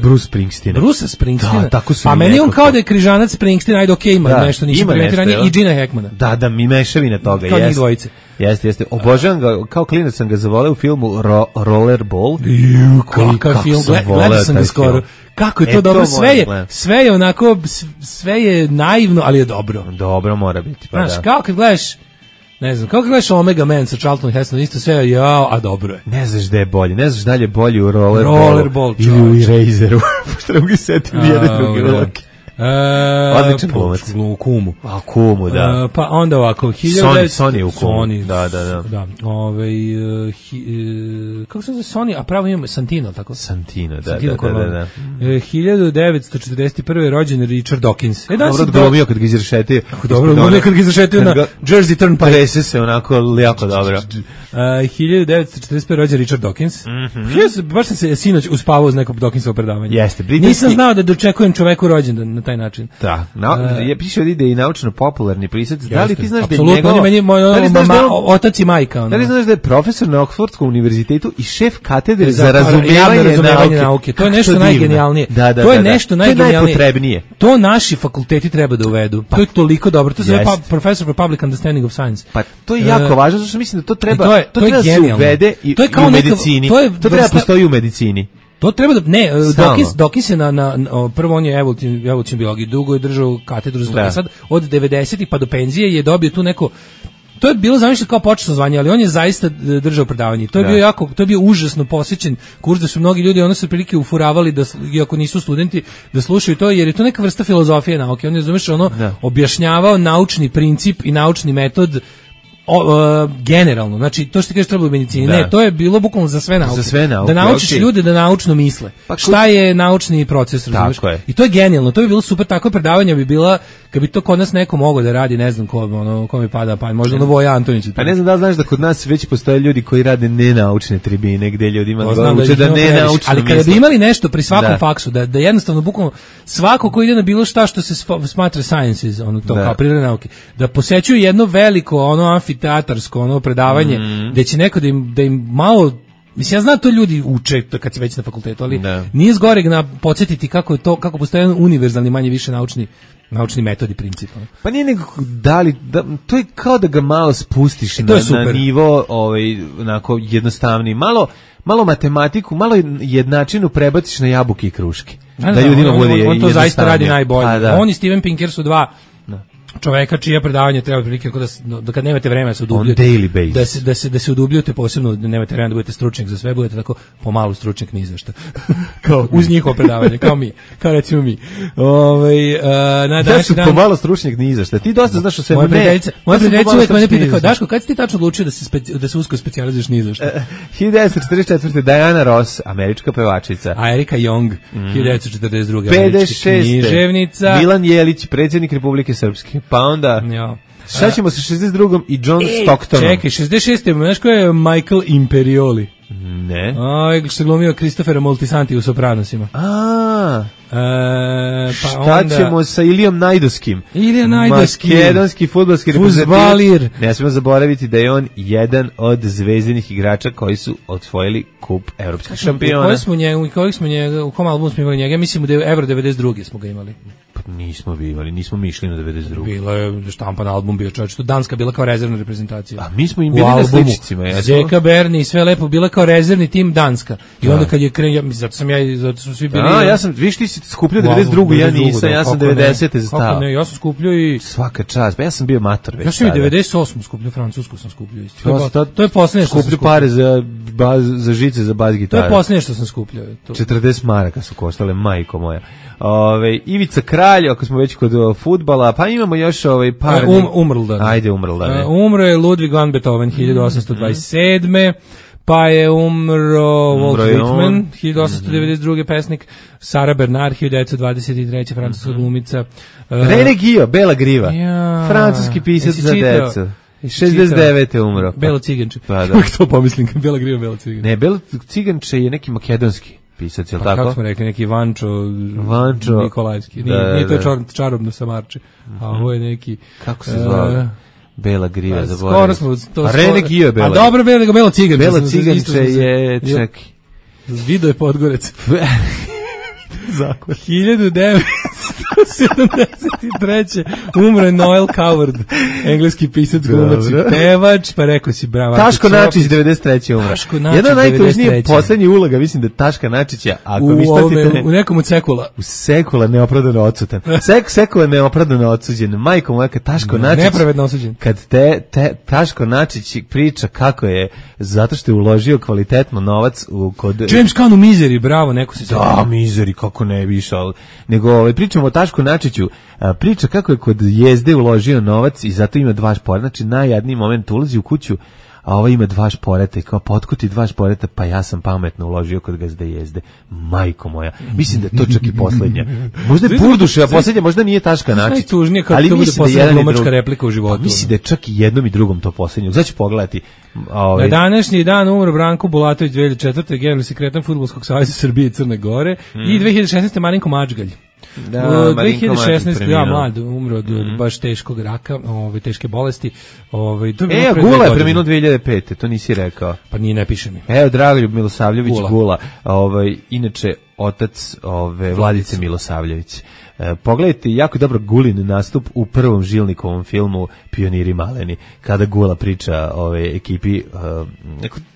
Bruce Springsteen. Bruce Springsteen. Da, tako su. A meni on kao da je križanac Springsteen, ajde okej, ima nešto, nisam primetio i Gina Hackmana. Da, mi mešavina toga, kao njih dvojice. Jeste. Obožavam ga, kao klinac sam ga zavoleo u filmu Rollerball. Kakav film, gledao sam ga skoro. Kako je to dobro, sve je onako, sve je naivno, ali je dobro. Dobro mora biti, pa da. Znaš, kao kad gledaš, ne znam, kako gledaš Omega Man sa Charlton Heston, isto sve je, a dobro je. Ne znaš da je bolji, ne znaš da je bolji u Rollerball ili u Eraseru. Pošto ne mogu setim nijedan drugi ulog. Odličan glumac. U Kumu. A Kumu, da. Pa onda ovako, Sony je u Kumu. Da. Kako se zove Sony? A pravo imamo Santino, tako? Santino, da. 1941. rođen Richard Dawkins. Dobro odglumio kad ga izrešetio. Dobro odglumio kad ga izrešetio na Jersey Turnpike. Trese se onako jako dobro. 1945. rođen Richard Dawkins. Baš sam se sinoć uspavao uz neko Dawkinsovo predavanje. Jeste. Nisam znao da dočekujem čoveku rođendan na taj način. Da. Je piše ovdje da je naučno-popularni pisac. Da li ti znaš da je njegov... otac i majka. Da li znaš da je profesor na Oxfordskom univerzitetu i šef katedre za razumijevanje nauke? To je nešto najgenijalnije. To je nešto najgenijalnije. Najpotrebnije. To naši fakulteti treba da uvedu. To je toliko dobro. To se zove Professor for Public Understanding of Science. Pa to je jako važno, zato što mislim da to treba da se uvede i u medicini. To treba postoji u medicini. To treba da, ne, Dawkins je prvo on je evolucion biologiji, dugo je držao katedru za to. Sad od 90-ih pa do penzije je dobio tu neko to je bilo zamišljeno kao počasno zvanje, ali on je zaista držao predavanje. To je bio užasno posjećen kurs da su mnogi ljudi ono se prilike ufuravali da iako nisu studenti da slušaju to, jer je to neka vrsta filozofije nauke. On je objašnjavao naučni princip i naučni metod generalno, znači to što ti kažeš treba u medicini, ne, to je bilo bukvalno za sve nauke. Da naučiš ljude da naučno misle. Šta je naučni proces, razumiješ? I to je genijalno, to bi bilo super, takvo predavanje bi bila, kad bi to kod nas neko mogao da radi, ne znam ko mi pada pa možda Voja Antonić. Pa ne znam da li znaš da kod nas već postoje ljudi koji rade nenaučne tribine, gde ljudima uče da nenaučno misle. Ali kada bi imali nešto pri svakom faksu, da jednostavno bukvalno svako ko ide na bilo šta što se smatra sciences, to kao prirodne nauke, da posećuju jedno veliko amfiteatarsko predavanje, gde će neko da im malo, mislim, ja znam to ljudi uče kad si već na fakultetu, ali nije zgoreg podsjetiti kako postoje jedan univerzalni manje više naučni metodi princip. Pa nije nego to je kao da ga malo spustiš na nivo onako jednostavniji, malo matematiku, malo jednačinu prebaciš na jabuke i kruške. Da ljudima bude on to zaista radi najbolje. On i Steven Pinker su dva čoveka čija predavanja treba prilike da kad nemate vremena se udubljujete, da se udubljujete, posebno da nemate vremena da budete stručnjak za sve, budete tako pomalo stručnjak ni za šta. Kao uz njihovo predavanje, kao recimo mi. Da su pomalo stručnjak ni za šta. Ti dosta znaš o svemu. Moja prijateljica uvijek mene pita kao, Daško, kad si ti tačno odlučio da se usko specijalizuješ ni za šta? 1944. Diana Ross, američka pevačica. A Erika Jong, 1942. 56. književnica. Milan Jelić, predsjednik Republike Srpske. Pa onda, šta ćemo sa 62. i John Stocktonom? Čekaj, 66. Znaš ko je Michael Imperioli? Ne. Što se glumio Christophera Moltisanti u Sopranosima. Šta ćemo sa Ilijom Najdovskim? Ilija Najdovski. Makedonski fudbalski reprezentativac. Ne smijemo zaboraviti da je on jedan od zvezdinih igrača koji su osvojili kup evropskih šampiona. U kom albumu smo imali njega? Ja mislim da je Euro 92. smo ga imali. Pa nismo mi išli na 92. Bilo je štampan album bio, čovječ, to Danska bila kao rezervna reprezentacija. A mi smo im bili na sličicima. Zeka Berni i sve lepo bila kao rezervni tim Danska. I onda kad je zato su svi bili... Ja sam, viš ti si skupljio 92. Ja nisam, ja sam 90. zastao. Ja sam skupljio i... Svaka čast, pa ja sam bio mator već. Ja sam i 98. skupljio, francusku sam skupljio isto. To je posljednje što sam skupljio. Skuplju pare za žice, za bas gitare. To je posljednje što sam skupljio. 40 maraka su koštale, majko moja. Ivica Kralj, ako smo već kod fudbala, pa imamo još par... Umrldan. Ajde, Umrldan. Umro je Ludwig van Beethoven 1827. Pa je umro Walt Whitman, 1892. pesnik, Sara Bernard, 1923. francuska glumica. René Guillaume, Bela griva, francuski pisac za decu. 69. umro. Belo ciganče. Pa da. Uvijek to pomislim, Bela griva, Belo ciganče. Ne, Belo ciganče je neki makedonski pisac, je li tako? Kako smo rekli, neki Vančo Nikolajski. Nije to čarobno samarče, a ovo je neki... Kako se zvao? Bela griva, zaboravim. Skoro smo to... René Guillaume, Bela. A dobro, Belo ciganče. Belo ciganče je... Čekaj. Video je Podgorec. Zakon. 1973. umro je Noel Coward, engleski pisac, glumac i pevač, pa rekao si bravo. Taško Načić, 93. umro. Jedna najtužnije poslednji uloga, mislim da Taška Načića, ako vi štatite... U nekom od Sekula. U Sekula neopravdano odsutan. Sekula neopravdano odsuđen. Majko moja, kad Taško Načić... Nepravedno osuđen. Kad Taško Načić priča kako je, zato što je uložio kvalitetno novac kod... James Caan u Mizeri, bravo, neko se... Da, Mizeri, kako ne bi išao. Nego pričamo o Tašku Načiću, priča kako je kod Jezde uložio novac i zato ima 2 šporeta. Znači najjadniji moment, ulazi u kuću, a ovo ima 2 šporeta i kao potkuti 2 šporeta, pa ja sam pametno uložio kod Gazde Jezde. Majko moja, mislim da je to čak i poslednja. Možda je Burduševa poslednja, možda nije Taška Načić. Najtužnije kako to bude poslednja glumačka replika u životu. Mislim da je čak i jednom i drugom to poslednje. Znači pogledati. Na današnji dan umro Branko Bulatović, 2004. generalni sekretar Fudbalskog saveza Srbije i Crne Gore i 2016. Marinko Mačgalj. Da, 2016. ja mlad umro od baš teškog raka, teške bolesti. Gula je preminuo 2005. To nisi rekao. Pa nije, ne piše mi. Evo, Dragoljub Milosavljević Gula, inače otac Vladice Milosavljević. Pogledajte jako dobro Gulin nastup u prvom Žilnikovom filmu Pioniri maleni, kada Gula priča ekipi,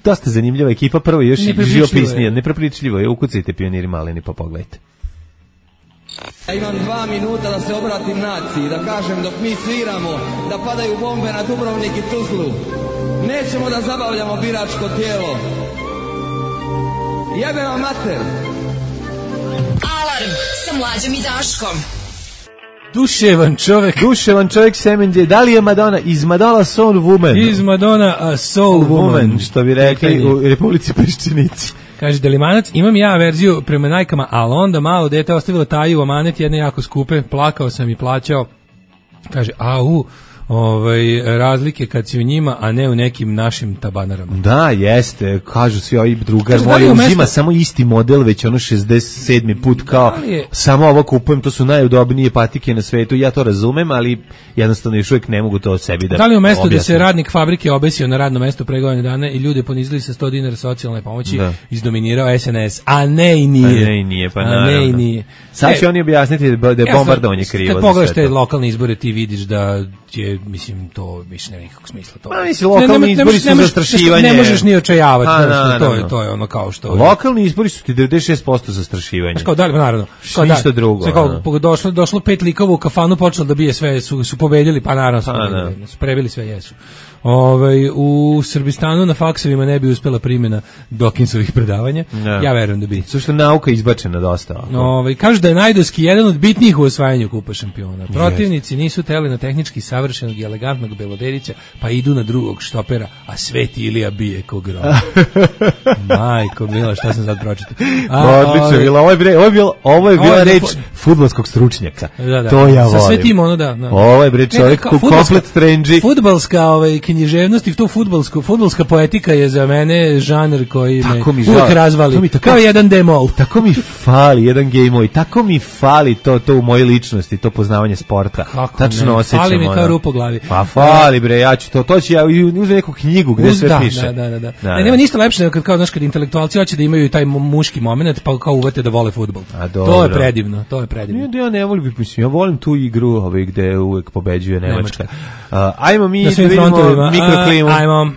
dosta zanimljiva ekipa, prvo još živopisnije, neprepričljivo je, ukucajte Pioniri maleni pa pogledajte. Ja imam 2 minuta da se obratim naciji, da kažem dok mi sviramo, da padaju bombe na Dubrovnik i Tuzlu. Nećemo da zabavljamo biračko tijelo. Jebe vam mater. Alarm sa Mlađom i Daškom. Duševan čovjek Semenđe. Da li je Madonna iz Madonna Soul Woman? Iz Madonna a Soul Woman. Što bi rekli u Republici Peščenici. Kaže Delimanac, imam ja verziju prema najkama, ali onda malo dete ostavilo taju u amanet jedne jako skupe, plakao sam i plaćao. Kaže, razlike kad si u njima, a ne u nekim našim tabanarama. Da, jeste, kažu svi ovi drugar moj uzima samo isti model, već ono 67. put kao samo ovo kupujem, to su najudobnije patike na svetu, ja to razumem, ali jednostavno još uvijek ne mogu to od sebi da Da li u mestu objasnim. da se radnik fabrike obesio na radno mesto pre godine dana i ljude ponizili sa 100 dinara socijalne pomoći, izdominirao SNS, a ne i nije. Pa naravno. Sad će oni objasniti da je bombardovanje krivo. Kad pogledaš te lokalne izbore, ti vidiš da je, mislim, to više nema nikakvog smisla. Pa mislim, lokalni izbori su zastrašivanje. Ne možeš ni očajavati, to je ono kao što... Lokalni izbori su ti 96% zastrašivanje. Kao da li, naravno. Ništa drugo. Došlo 5 likova u kafanu, počelo da bije sve, su pobedili, pa naravno su prebili sve, jesu. U Srbistanu na faksovima ne bi uspela primjena Dawkinsovih predavanja. Ja verujem da bi. Što nauka izbačena dosta. Kažu da je Najdovski jedan od bitnijih u osvajanju kupa šampiona. Protivnici nisu teli na tehnički savršenog i elegantnog Beloderića, pa idu na drugog štopera, a Sveti Ilija bije ko grom. Majko mila, šta sam sad pročitao? Odlično, ovo je bila reč fudbalskog stručnjaka. To ja volim. Sa sve tim ono da. Ovo je bre čovjek komplet trenđi. Fudbalska književnost i to fudbalska poetika je za mene žanr koji me uvijek razvali. Kao jedan demol. Tako mi fali jedan gejmoj, tako mi fali to u mojoj ličnosti, to poznavanje sporta. Tačno osjećam. Fali mi kao rupa u glavi. Pa fali bre, ja ću to ću ja uzeti neku knjigu gdje sve piše. Da. Nema ništa lepše nego kad intelektualci hoće da imaju taj muški moment, pa kao uvete da vole fudbal. To je predivno. Ja ne volim, ja volim tu igru gde uvek pobeđuje Nemačka. Ajmo mi da vidimo mikroklimu. Ajmo.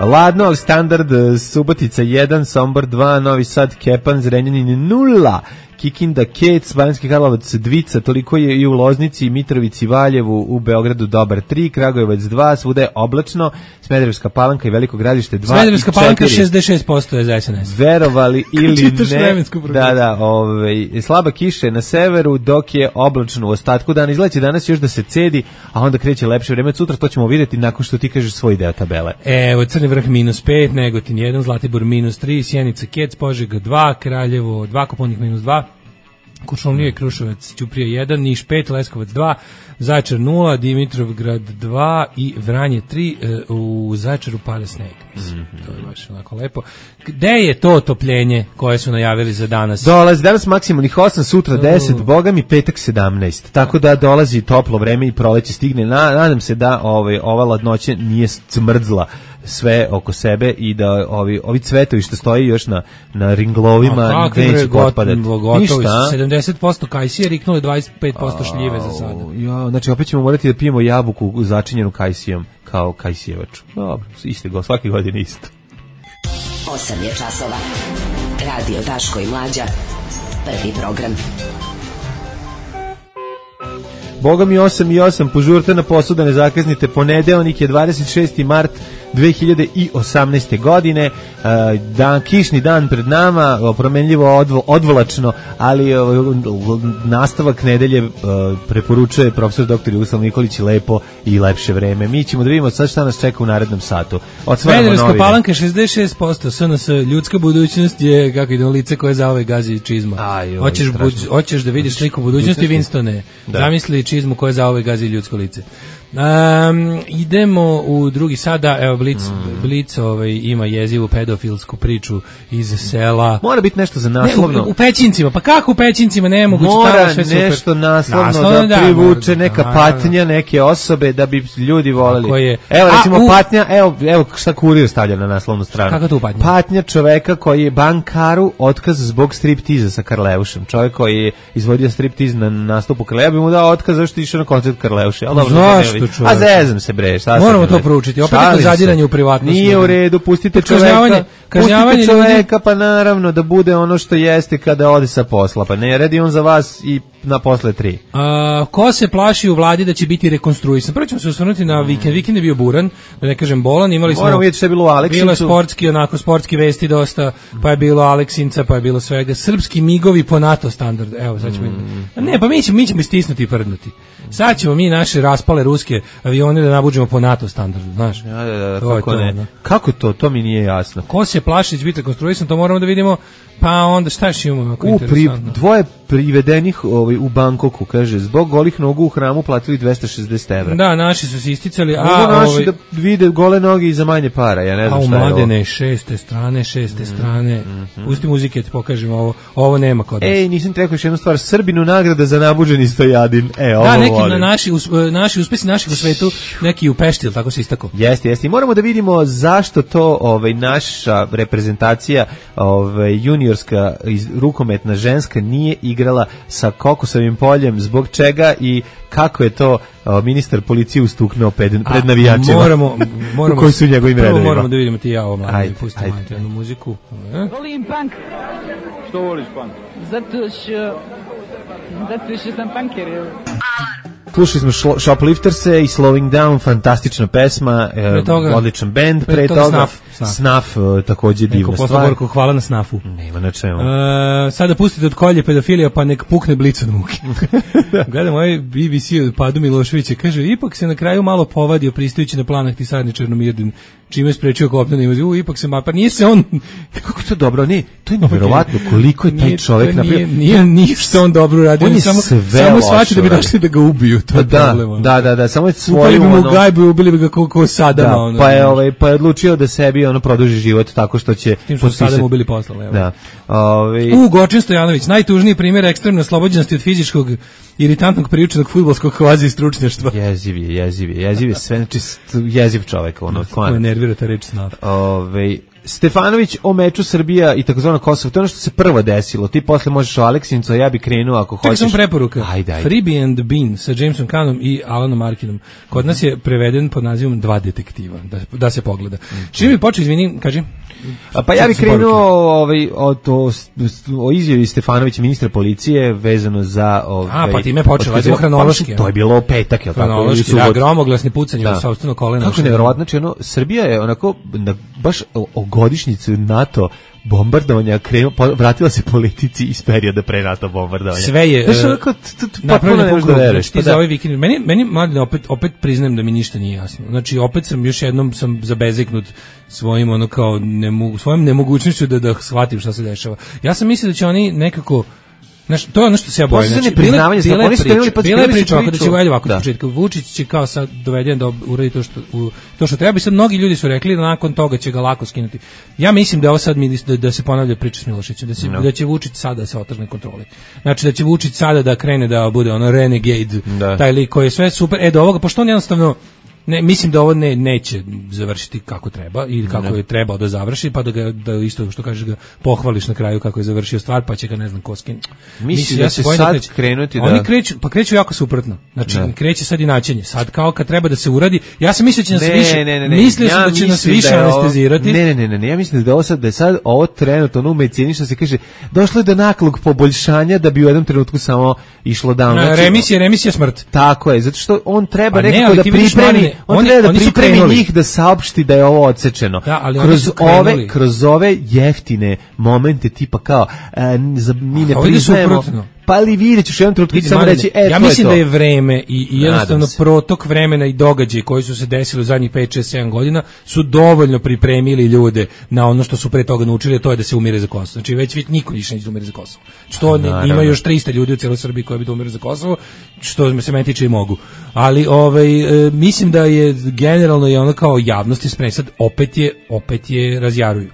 Ladno, ali standard, Subotica 1, Sombor 2, Novi Sad, Kepan, Zrenjanin 0, Kikinda, Kec, Banjski Karlovac, Dvica, toliko je i u Loznici, Mitrovici, Valjevu, u Beogradu dobar 3, Kragujevac 2, svuda je oblačno, Smederevska Palanka i Veliko Gradište 2 i 4. Smederevska Palanka 66% je za SNS. Verovali ili ne, slaba kiša je na severu, dok je oblačno u ostatku dana. Izgleda će danas još da se cedi, a onda kreće lepše vreme. Sutra to ćemo vidjeti nakon što ti kažeš svoj deo tabele. Evo, Crni Vrh -5, Negotin 1, Zlatibor -3, Sjenica, Kec, Požega 2, Kraljevo 2, Koponik -2, Kuršumlija i Kruševac, Ćuprija 1, Niš 5, Leskovac 2, Zaječar 0, Dimitrovgrad 2 i Vranje 3, u Zaječaru pada sneg. To je baš onako lepo. Gde je to otopljenje koje su najavili za danas? Dolazi danas maksimalnih 8, sutra 10, boga mi petak 17. Tako da dolazi toplo vreme i proleće stigne. Nadam se da ova ladnoća nije smrzla sve oko sebe i da ovi cvetovi što stoji još na ringlovima neće otpadati. Ništa. 70% kajsije, riknuli 25% šljive za sada. Znači opet ćemo morati da pijemo jabuku začinjenu kajsijom kao kajsijevaču. Dobro, isto, svake godine isto. 8 je časova. Radio Daško i Mlađa. Prvi program. Boga mi 8 požurte na posao da ne zakaznite. Ponedeljnik je 26. mart 2018. godine, kišni dan pred nama, promenljivo odvlačno, ali nastavak nedelje preporučuje profesor dr. Jugoslav Nikolić lepo i lepše vreme. Mi ćemo da vidimo sad šta nas čeka u narednom satu. Smederevska Palanka 66%, SNS, ljudska budućnost je, kako idemo, lice koje za ove gazi čizma. Hoćeš da vidiš sliku budućnosti, Winstone. Zamisli čizmu koje za ove gazi ljudsko lice. Idemo u drugi sada, evo Blic ima jezivu pedofilsku priču iz sela. Mora biti nešto za naslovno. U Pećincima, pa kako u Pećincima nemoguće? Mora nešto naslovno da privuče neka patnja neke osobe da bi ljudi voleli. Evo recimo patnja, evo šta Kurir stavlja na naslovnu stranu. Kako tu patnja? Patnja čoveka koji je bankaru otkaz zbog striptiza sa Karleušem. Čovek koji je izvodio striptiz na nastupu Karleuša, bi mu dao otkaz zašto je išao na koncert Karleuša. Zašto? A zezam se bre, šta moramo to proučiti. Opet je zadiranje u privatnost. Nije u redu, pustite čoveka. Pustite čoveka, pa naravno da bude ono što jeste kada ode sa posla. Pa ne radi on za vas i na posle 3. Ko se plaši u vladi da će biti rekonstruisan? Prvo ćemo se osvrnuti na vikend. Vikend je bio buran, da ne kažem bolan. Imali smo, moramo vidjeti što je bilo u Aleksincu. Bilo je sportski vesti dosta, pa je bilo Aleksinca, pa je bilo svega. Srpski migovi po NATO standardu. Evo, sad ćemo... Ne, pa mi ćemo istisnuti i prdnuti. Sad ćemo mi naše raspale ruske avione da nabuđemo po NATO standardu, znaš. Da, kako ne? No. Kako to? To mi nije jasno. Ko se plaši će biti rekonstruisan, to moramo da vidimo. Pa onda šta još imamo ako interesantno? Dvoje privedenih u Bangkoku, kaže, zbog golih nogu u hramu platili 260 evra. Da, naši su se isticali. Naši da vide gole noge i za manje para, ja ne znam šta je ovo. A u Mladene, šeste strane. Pusti muzike, ti pokažem ovo nema kod nas. Ej, nisam rekao još jednu stvar, Srbinu nagrada za nabuđeni Stojadin. Ovo da, neki naši uspesi naših u svetu, neki u Pešti, tako se istako. Jeste. I moramo da vidimo zašto to naša reprezentacija juniorska rukometna ženska nije igrala sa kokosovim poljem, zbog čega i kako je to ministar policije ustuknuo pred navijačima. Moramo koji su njegovim redovima. Moramo da vidimo ti ja ovo mladi. Pustimo jednu muziku. Volim punk. Što voliš punk? Zato što sam punker. Slušali smo Shoplifterse i Slowing Down, fantastična pesma, odličan bend, pre toga Snaf, takođe divna stvar. Neko hvala na Snafu. Nema na čemu. Sada pustite od kolje pedofilija, pa nek pukne blic od muke. Gledam ovaj BBC od Padu Miloševića, kaže, ipak se na kraju malo povadio pristajući na planak Tisarni Černomirdin, čime je sprečio kopnenu invaziju, ipak se pa nije se on... Kako to dobro, ne, to je nevjerovatno koliko je taj čovjek napravio. Nije što on dobro uradio, on je samo shvatio da bi došli da ga ubiju, to je problem. Da, samo je svoj... Ubili bi mu gajbu i ubili bi ga ko Sadama. Pa je odlučio da sebi produži život tako što će... Tim što Sadama ubili posla. Da. Gočin Stojanović, najtužniji primjer ekstremne oslobođenosti od fizičkog iritantnog priučenog fudbalskog kvazi stručnjaštva. Jeziv je sve, znači jeziv čovjek, stvarno nervira ta reč Snaf. Stefanović o meču Srbija i takozvano Kosovo, to je ono što se prvo desilo. Ti posle možeš o Aleksincu, a ja bi krenuo ako hoćeš. Tako sam preporuka. Freebie and Bean sa Jamesom Caanom i Alanom Arkinom. Kod nas je preveden pod nazivom Dva detektiva, da se pogleda. Čim mi počeo, izvini, kaži. Pa ja bih krenuo o izjavi Stefanovića, ministra policije, vezano za... pa time je počelo, ajde hronološki. To je bilo petak, je li tako? Hronološki, gromoglasni pucanje u sopstveno koleno. Kako je nevjerovatno, znači Srbija je onako, baš o godišnjicu NATO bombardovanja vratila se politici iz perioda pre NATO bombardovanja. Sve je napravljeno po krugu. Znači za ovaj vikend. Meni mladi, opet priznajem da mi ništa nije jasno. Znači opet sam još jednom zabezeknut svojim svojom nemogućnošću da shvatim šta se dešava. Ja sam mislio da će oni nekako... Znaš, to je ono što se ja bojim. Znači, bila je priča da će ovako od početka. Vučić će kao sad doveden da uradi to što treba i sad mnogi ljudi su rekli da nakon toga će ga lako skinuti. Ja mislim da ovo sad da se ponavlja priča s Milošićem, da će Vučić sada da se otrgne kontroli. Znači da će Vučić sada da krene da bude renegade, taj lik koji je sve super. Do ovoga, pošto on jednostavno mislim da ovo neće završiti kako treba i kako je trebao da završi, pa da isto što kažeš ga pohvališ na kraju kako je završio stvar, pa će ga ne znam ko skinuti. Mislim da će sad krenuti da... Oni kreću jako suprotno. Znači, kreće sad inačenje. Sad kao kad treba da se uradi, ja sam mislio da će nas više... Mislio sam da će nas više anestezirati. Ne, ja mislim da je sad ovo trenutno u medicini što se kaže, došlo je do naglog poboljšanja da bi u jednom trenutku samo išlo down. Remisija smrt. Tako je, zato što on treba nekako da pripremi. On treba da pripremi njih da saopšti da je ovo odsečeno. Kroz ove jeftine momente tipa kao mi ne priznajemo. Pa ali vidjet ćeš jedan trenutak samo reći, ja mislim da je vreme i jednostavno protok vremena i događaji koji su se desili u zadnjih 5, 6, 7 godina su dovoljno pripremili ljude na ono što su pre toga naučili, a to je da se umire za Kosovo. Znači već niko više neće da umire za Kosovo. Što ima još 300 ljudi u cijeloj Srbiji koji bi da umire za Kosovo, što se meni tiče i mogu. Ali mislim da je generalno je ono kao javnosti spremno. Sad opet je razjaruju.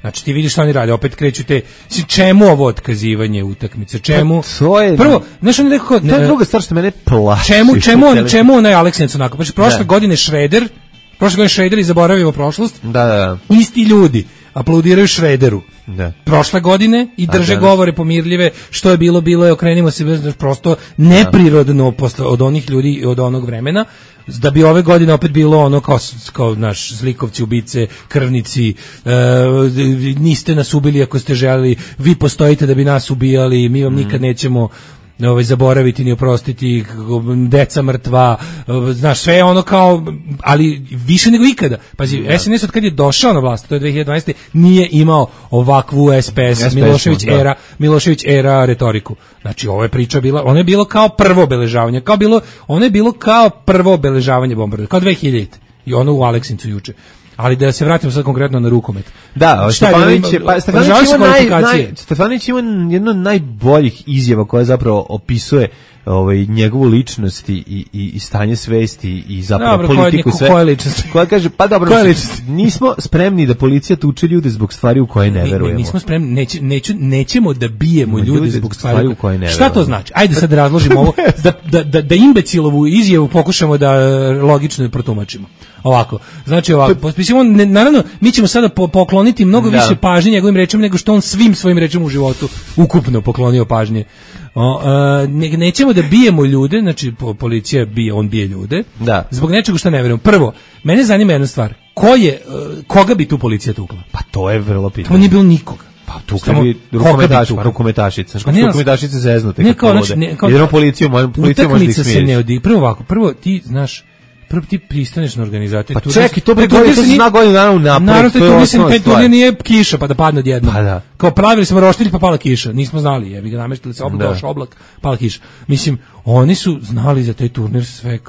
Znači ti vidiš šta oni rade, opet kreću te, čemu ovo otkazivanje utakmice, čemu? Prvo, znaš on nekako... To je druga stvar što mene plaši. Čemu onaj Aleksinac onako? Prošle godine Šreder i zaboravimo prošlost. Da. Isti ljudi. aplaudiraju Šrederu. Da. Prošle godine i drže govore pomirljive, što je bilo je, okrenimo se, prosto neprirodno posle, od onih ljudi od onog vremena, da bi ove godine opet bilo ono kao naš zlikovci, ubice, krvnici, niste nas ubili ako ste želeli, vi postojite da bi nas ubijali, mi vam nikad nećemo zaboraviti ni oprostiti, deca mrtva, znaš, sve ono kao, ali više nego ikada. Pazi, SNS od kad je došao na vlast, to je 2012. nije imao ovakvu SPS Milošević era retoriku. Znači, ova je priča bila, ono je bilo kao prvo obeležavanje, ono je bilo kao prvo obeležavanje bombardovanja, kao 2000. I ono u Aleksincu juče. Ali da se vratimo sad konkretno na rukomet. Da, Stefanović ima jedno od najboljih izjava koja zapravo opisuje njegovu ličnost i stanje svesti i zapravo politiku sve. Koja ličnost? Koja kaže, pa dobro, nismo spremni da policija tuče ljude zbog stvari u koje ne verujemo. Nismo spremni, nećemo da bijemo ljude zbog stvari u koje ne verujemo. Šta to znači? Ajde sad razložimo ovo, da imbecilovu izjavu pokušamo da logično protumačimo. Ovako, znači ovako, naravno, mi ćemo sada pokloniti mnogo više pažnje njegovim rečima nego što on svim svojim rečima u životu ukupno poklonio pažnje. Nećemo da bijemo ljude, znači policija on bije ljude, zbog nečega što ne vjerujem. Prvo, mene zanima jedna stvar, koga bi tu policija tukla? Pa to je vrlo pitanje. Tamo nije bilo nikoga. Pa tukla bi rukometašice. Rukometašice zeznute. Jednom policija može da ih smiješ. Prvo ti znaš, prvo ti pristaneš na organizaciju. Pa čekaj, to se zna godinu dana unapred. Naravno, to mislim, turnir nije kiša pa da padne odjednom. Kao pravili smo roštilj pa pala kiša. Nismo znali, jebi ga, nameštili se, došao oblak, pala kiša. Mislim, oni su znali za taj turnir sve,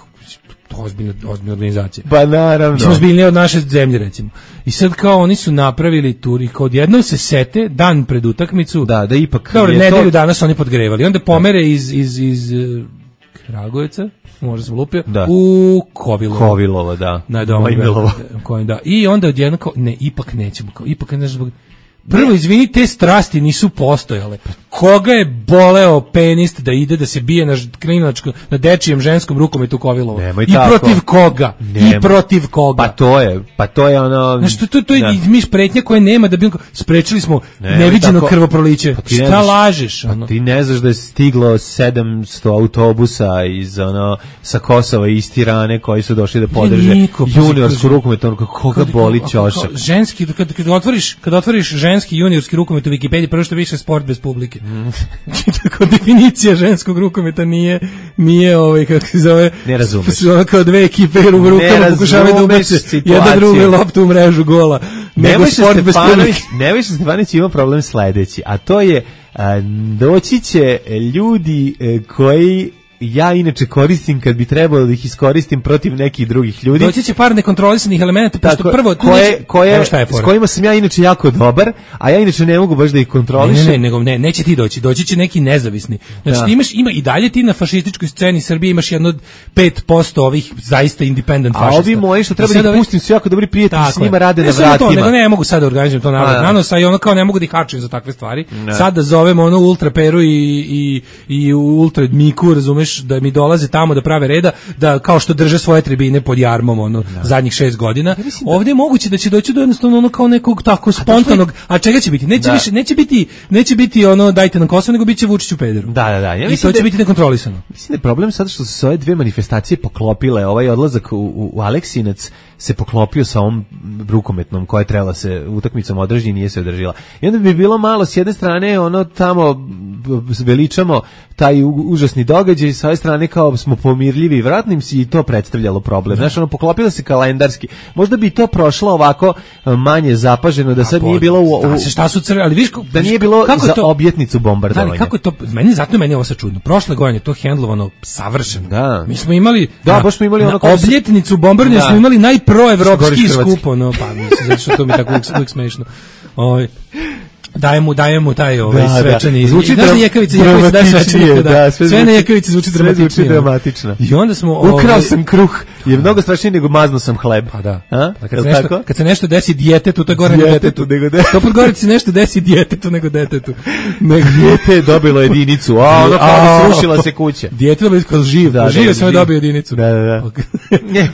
ozbiljna organizacija. Pa naravno. Mislim, ozbiljnije od naše zemlje, recimo. I sad kao oni su napravili tur i kao odjednom se sete, dan pred utakmicu. Da ipak. Dobro, nedelju danas oni podgrevali. Onda pomere iz Kragujevca, možda sam lupio, u Kovilovo, da. I onda odjedno kao, ipak nećemo, prvo, izvini, te strasti nisu postojale. Koga je boleo penist da ide da se bije na dečijem ženskom rukometu u Kovilovo? I protiv koga? I protiv koga? Pa to je ono... Znaš, to je mi spretnja koje nema da bi... Sprečili smo neviđeno krvoproliće. Šta lažeš? Ti ne znaš da je stiglo 700 autobusa sa Kosova i iz Tirane koji su došli da podrže juniorsku rukometu. Koga boli ćošak? Ženski, kad otvoriš ženski juniorski rukomet u Wikipediji, prvo što više sport bez publike. Tako definicija ženskog rukometa nije kako se zove, ne razumeš, kao dve ekipe u rukama pokušavaju da ubace jedna drugu loptu u mrežu gola. Nebojša Stefanović ima problem sledeći, a to je doći će ljudi koji ja inače koristim kad bi trebalo da ih iskoristim protiv nekih drugih ljudi. Doći će par nekontrolisanih elemenata, pošto prvo... s kojima sam ja inače jako dobar, a ja inače ne mogu baš da ih kontrolišem. Neće ti doći će neki nezavisni. Znači ima i dalje ti na fašističkoj sceni Srbije imaš jedno 5% ovih zaista independent fašista. A ovi moji što treba da ih pustim su jako dobri prijatelji, s njima rade na vratima. Ne mogu sad da organizujem to nanos, a i ono kao ne mogu da ih hačujem za takve stvari. Sad da zovem ono Ultra Peru i Ultra Miku, razumeš, da mi dolaze tamo da prave reda, da kao što drže svoje tribine pod jarmom zadnjih 6 godina. Ovdje je moguće da će doći do jednostavno ono kao nekog tako spontanog, a čega će biti? Neće biti ono dajte nam Kosovo, nego biće Vučić u pederu. Da. I to će biti nekontrolisano. Mislim da je problem sada što su se ove dve manifestacije poklopile, ovaj odlazak u Aleksinac se poklopio sa ovom rukometnom koja je trebala se utakmicom održati i nije se održila. I onda bi bilo malo s jedne strane ono tamo veličamo taj užasni događaj, sa ove strane kao smo pomirljivi i vratnim si i to predstavljalo problem. Znaš, ono poklopilo se kalendarski. Možda bi to prošlo ovako manje zapaženo, da sad nije bilo šta su ali viš da nije bilo za objetnicu bombardovanja. Kako to meni je ovo sad čudno. Prošle godine to hendlovano savršeno. Da. Mi smo imali baš smo imali ono objetnicu bombardovanja, smo imali najproevropski skup, pa mislim zato što to mi tako uvijek smešno. daje mu taj svečani. Zvuči znaš da Jekavica daje svečani. Sve na Jekavici zvuči dramatično. I onda smo... Ukrao sam kruh, je mnogo strašnije nego maznuo sam hleb. Pa da. Kad se nešto desi djetetu, to je gore nego detetu. To pod gore se nešto desi djetetu nego detetu. Dijete je dobilo jedinicu, ono kao srušila se kuća. Dijete je dobilo kao živ, žive sam je dobio jedinicu. Da.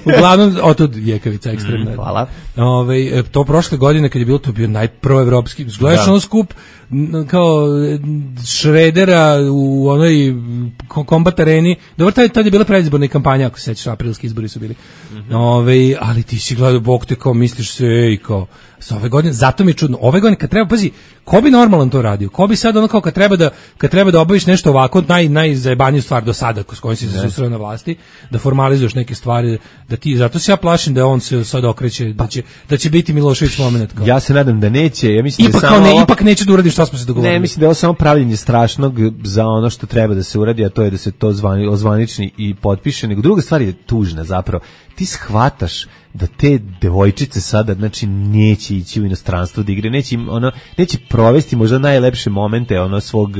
Uglavnom, otud Jekavica ekstremna. Hvala. To prošle godine kad je bilo to bio najproevropski, gledaš ono skup kao Šredera u onoj kombat areni. Dobro, tad je bila predizborna kampanja, ako se sećaš, aprilski izbori su bili. Ali ti si gledao, bog te kao misliš se, kao sa ove godine, zato mi je čudno. Ove godine kad treba, pazi, ko bi normalan to radio? Ko bi sad ono kao kad treba da obaviš nešto ovako, najzajebaniju stvar do sada s kojom si se susreo na vlasti, da formalizuješ neke stvari, da ti, zato se ja plašim da on se sad okreće, da će biti Milošević moment. Kao. Ja se nadam da neće, ja mislim ipak, da samo ipak neće da uradi što smo se dogovorili. Ne, mislim da je ovo samo pravljenje strašnog za ono što treba da se uradi, a to je da se to ozvanični i potpiše, nego druga stvar je tužna zapravo. Ti shvataš da te devojčice sada, znači, neće ići u inostranstvo da igre, neće provesti možda najlepše momente svog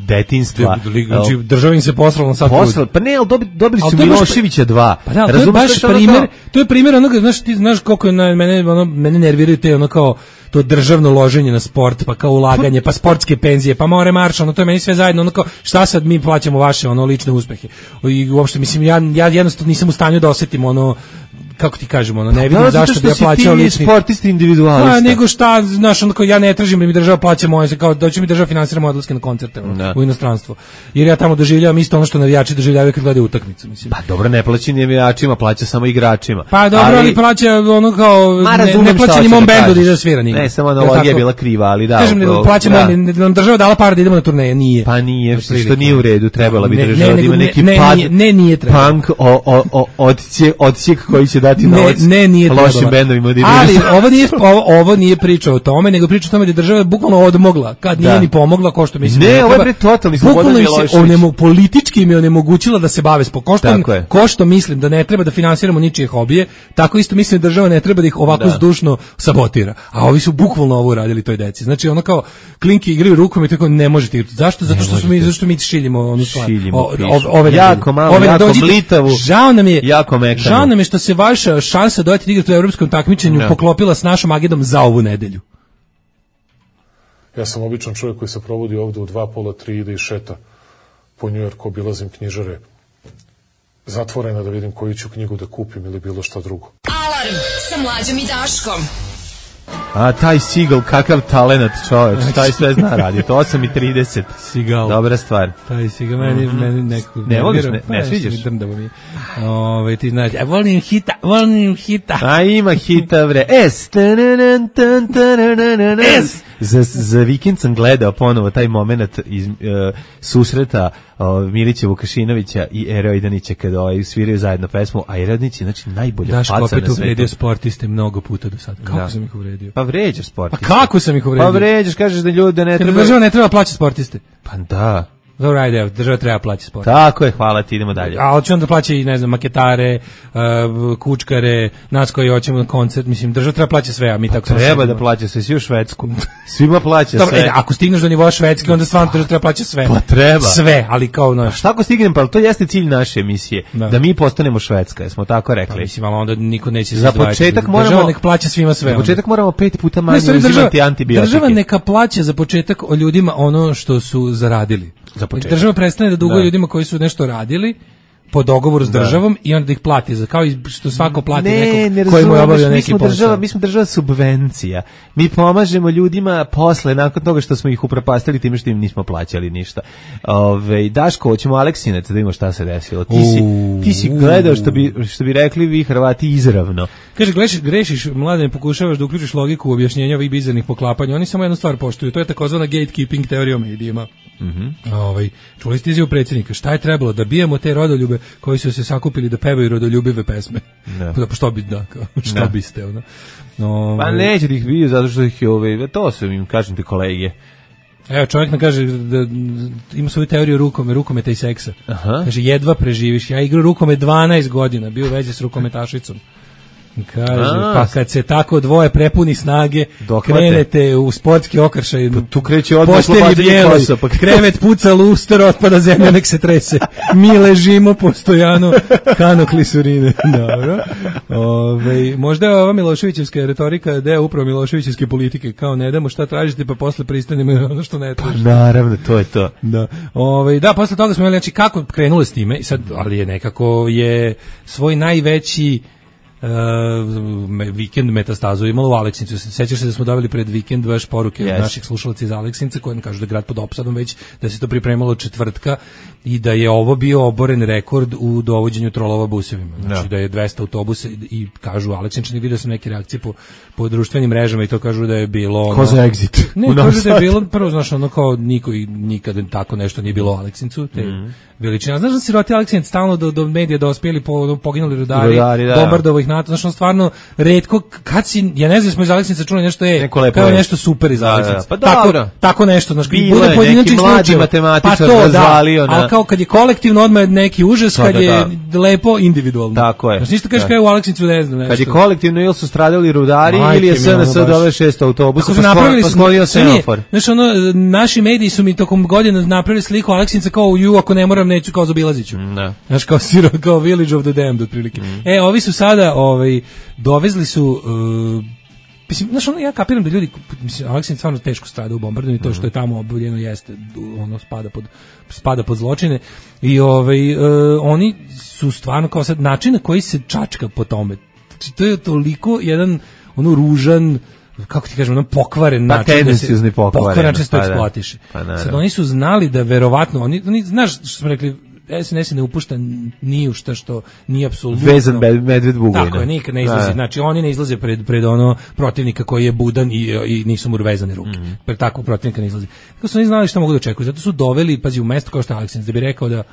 detinjstva. Znači, država im se poslala sad. Pa ne, ali dobili su Miloševića 2. Pa da, to je baš primjer, to je primjer onoga, znaš, ti znaš koliko mene nerviraju te kao to državno loženje na sport, pa kao ulaganje, pa sportske penzije, pa more marš, to je meni sve zajedno, kao šta sad mi plaćamo vaše lične uspehe. I uopšte, mislim, ja jednostavno nisam u stanju da osetim kako ti kažemo, ne vidim zašto bi ja plaćao lični sportisti individualista. Pa nego šta, znaš, ja ne tražim da mi država plaća moje, kao da će mi država finansira moje odlaske na koncerte u inostranstvo. Jer ja tamo doživljavam isto ono što navijači doživljavaju kad gledaju utakmicu, mislim. Pa dobro, ne plaća navijačima, plaća samo igračima. Pa dobro, ali plaća kao ne plaća ni mom bendu da ide svira nigde. Ne, samo analogija je bila kriva, ali da. Kažem, plaćamo, nam država dala para da idemo na turneje, nije. Pa nije, što nije u redu, trebala bi država da ima neki pad. Ne, nije trebalo. Punk odsjek koji će dati novac lošim bendovima. Ali ovo nije priča o tome, nego priča o tome da je država bukvalno odmogla, kad nije ni pomogla, ko što mislim. Ne, ovo je totalni Slobodan Milošević. Politički im je onemogućila da se bave sportom. Ko što mislim da ne treba da finansiramo ničije hobije, tako isto mislim da država ne treba da ih ovako zdušno sabotira. A ovi su bukvalno ovo uradili toj deci. Znači ono kao klinki igraju rukom i tako ne možete igrati. Zašto? Zato što mi šiljimo onu stvar. Jako malo, jako mlitavu, jako mekanu. Žao nam je što se vaša šansa dojeti da igrati u evropskom takmičenju poklopila s našom agendom za ovu nedelju. Ja sam običan čovjek koji se provodi ovde u 2, pola, 3, ide i šeta po Njujorku, obilazim knjižare zatvorena da vidim koju ću knjigu da kupim ili bilo šta drugo. Alarm sa Mlađom i Daškom. A taj Seagal, kakav talenat čovječ, taj sve zna raditi, 8:30. Seagal. Dobra stvar. Taj Seagal, meni neko... Ne voliš, ne sviđaš? Ti znaš, volim hita. A ima hita, bre. Za vikend sam gledao ponovo taj moment iz susreta Milića Vukašinovića i Ere Ojdanića kada sviraju zajedno pesmu, a Ere Ojdanić je znači najbolja faca na svetu. Daško opet uvredio sportiste mnogo puta do sada. Kako sam ih uvredio? Pa vređaš sportiste. Pa kako sam ih uvredio? Pa vređaš, kažeš da ljudi ne treba... Država ne treba plaćati sportiste. Pa da. Dobro, ajde, država treba plaćati sport. Tako je, hvala ti, idemo dalje. A hoće onda plaća i, ne znam, maketare, kučkare, nas koji hoćemo na koncert, mislim, država treba plaća sve, a mi tako... Treba da plaća sve, svi u Švedsku. Svima plaća sve. Ako stigneš do nivoa Švedske, onda stvarno država treba plaća sve. Pa treba. Sve, ali kao naš. Šta ako stignem, pa to jeste cilj naše emisije, da mi postanemo Švedska, jesmo tako rekli. Pa mislim, ali onda niko neće za početak moramo... Država neka plaća svima sve. Za početak moramo 5 puta manje uzimati antibiotike. Država neka plaća za početak o ljudima ono što su zaradili. Država prestane da duguje ljudima koji su nešto radili po dogovoru s državom i onda da ih plati, kao i što svako plati nekog koji mu je obavio neki posao. Mi smo država subvencija. Mi pomažemo ljudima posle, nakon toga što smo ih upropastili time što im nismo plaćali ništa. Daško, hoćemo Aleksinac da vidimo šta se desilo. Ti si gledao što bi rekli vi Hrvati izravno. Kaže, grešiš, mladen, pokušavaš da uključiš logiku u objašnjenja ovih bizarnih poklapanja. Oni samo jednu stvar poštuju, to je takozvana gatekeeping teorija o medijima. Čuli ste izjavu predsjednika, šta je trebalo da bijemo te rodoljube koji su se sakupili da pevaju rodoljubive pesme. Što biste ono. Pa neće da ih biju zato što ih to su im, kažem ti, kolege. Evo, čovjek nam kaže da ima svoju teoriju rukometa i seksa. Kaže, jedva preživiš. Ja igram rukomet 12 godina, bio u vezi s rukometašicom. Kaže, pa kad se tako dvoje prepuni snage, krenete u sportski okršaj, tu kreće odmah oslobađanje kosa, krevet puca, luster, otpada zemlja, nek se trese. Mi ležimo postojano, kano klisurine. Dobro. Možda je ova Miloševićevska retorika deo upravo Miloševićevske politike, kao ne damo šta tražite, pa posle pristanemo ono što ne tražite. Pa naravno, to je to. Da. Da, posle toga smo imali, znači, kako krenulo s time, sad, ali je nekako je svoj najveći vikend metastazu imalo u Aleksincu. Sećaš se da smo dobili pred vikend baš poruke od naših slušalaca iz Aleksinca koji nam kažu da je grad pod opsadom već, da se to pripremalo od četvrtka i da je ovo bio oboren rekord u dovođenju trolova busevima. Znači da je 200 autobusa i kažu Aleksinčani, vidio sam neke reakcije po društvenim mrežama i to kažu da je bilo ono... Ko za exit? Ne, kažu da je bilo prvo, znaš, ono kao niko i nikada tako nešto nije bilo u Aleksincu, te veličina. Znaš da siroti Aleksinc stalno do medija dospjeli poginuli rudari bombardovo ih NATO, znaš, on stvarno retko, kad si, ja ne znam, smo iz Aleksinca čuli nešto kao nešto super iz Aleksinca. Pa dobro. Tako nešto, znaš, bude pojedinačnih slučajeva. Pa to, da, ali kao kad je kolektivno odmah neki užas, kad je lepo individualno. Tako je. Znaš, ništa kažeš kao u Aleksincu, ne znam nešto. Kad je kolektivno ili su stradali rudari ili je SNS dove 6 autobusa, pa sklonio semafor. Znaš, ono, naši mediji su mi tokom godina napravili sliku Aleksinca kao ako ne moram, neću, kao zaobilaziću. Znaš, kao Village of the Damned, otprilike. Ovi su sada, dovezli su, mislim, znaš, ono, ja kapiram da ljudi, mislim, Aleksinc stvarno teško strada u bombardovanju, to što je tamo oboljeno jeste, ono, spada pod zločine i oni su stvarno kao sad način na koji se čačka po tome. Znači, to je toliko jedan, ono, ružan, kako ti kažem, pokvaren način, tendenciozni pokvaren način se to eksploatiše. Sad oni su znali da verovatno, oni znaš što smo rekli, SNS ne upušta ni u šta što nije apsolutno vezan medved Bugojna. Tako je, nikad ne izlazi. Znači oni ne izlaze pred ono protivnika koji je budan i nisu mu vezane ruke. Pred takvog protivnika ne izlazi. Kako su oni znali šta mogu da očekuju? Zato su doveli, pazi, u mesto kao što je Aleksinc, da bi rekao da,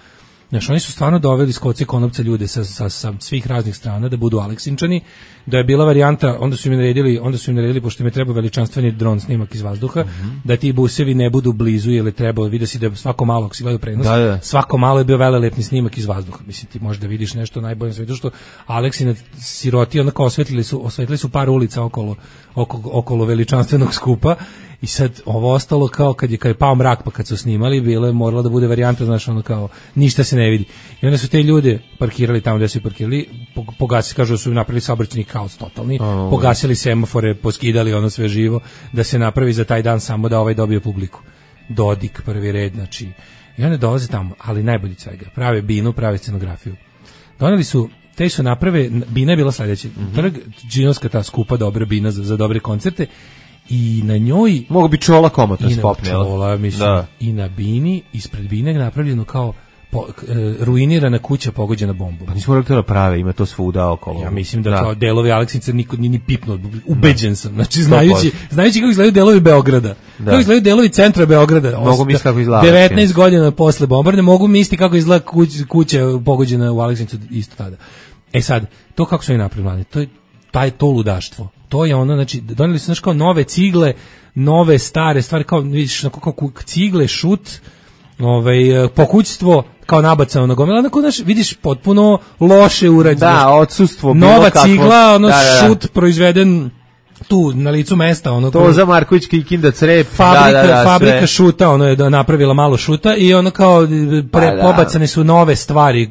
znaš, oni su stvarno doveli s koce konopca ljude sa svih raznih strana da budu Aleksinčani, da je bila varijanta, onda su im naredili, pošto im je trebao veličanstveni dron snimak iz vazduha, da ti busevi ne budu blizu, jer je trebalo, vidi se da svako malo, ako si gledao prenos, svako malo je bio velelepni snimak iz vazduha. Mislim, ti možda vidiš nešto najbolje na svetu, što Aleksinac siroti, onako osvetlili su par ulica okolo veličanstvenog skupa. I sad ovo ostalo kao kad je pao mrak, pa kad su snimali, bilo je morala da bude varijanta, znaš, ono kao ništa se ne vidi. I onda su te ljude parkirali tamo gde su parkirali, pogasili, kažu da su napravili saobraćajni haos totalni, pogasili semafore, poskidali ono sve živo, da se napravi za taj dan samo da ovaj dobije publiku. Dodik, prvi red, znači. I onda dolaze tamo, ali najbolji svega, prave binu, prave scenografiju. Doneli su, te su naprave, bina je bila sledeća, trg, džinovska ta skupa dobra bina za dobre koncerte, i na njoj mogu bi čola komotno spopne, i na bini, ispred bine je napravljeno kao ruinirana kuća pogođena bombom. Pa nismo rekli to da prave, ima to svuda okolo. Ja mislim da kao delovi Aleksinca niko nije ni pipnuo, ubeđen sam. Znači, znajući kako izgledaju delovi Beograda, kako izgledaju delovi centra Beograda, mogu misliti kako izgleda 19 godina posle bombardovanja, mogu misliti kako izgleda kuća pogođena u Aleksincu isto tada. Sad, to kako su oni napravili, to je to ludaštvo. To je ono, znači, doneli su, znaš, kao nove cigle, nove stare stvari, kao, vidiš, kao cigle, šut, pokućstvo, kao nabacano na gomila, onako, znaš, vidiš, potpuno loše urađeno. Da, odsustvo. Nova cigla, šut proizveden tu na licu mesta, ono to za Marković Kikinda crep, fabrika šuta, ono je napravila malo šuta i ono kao pobacane su nove stvari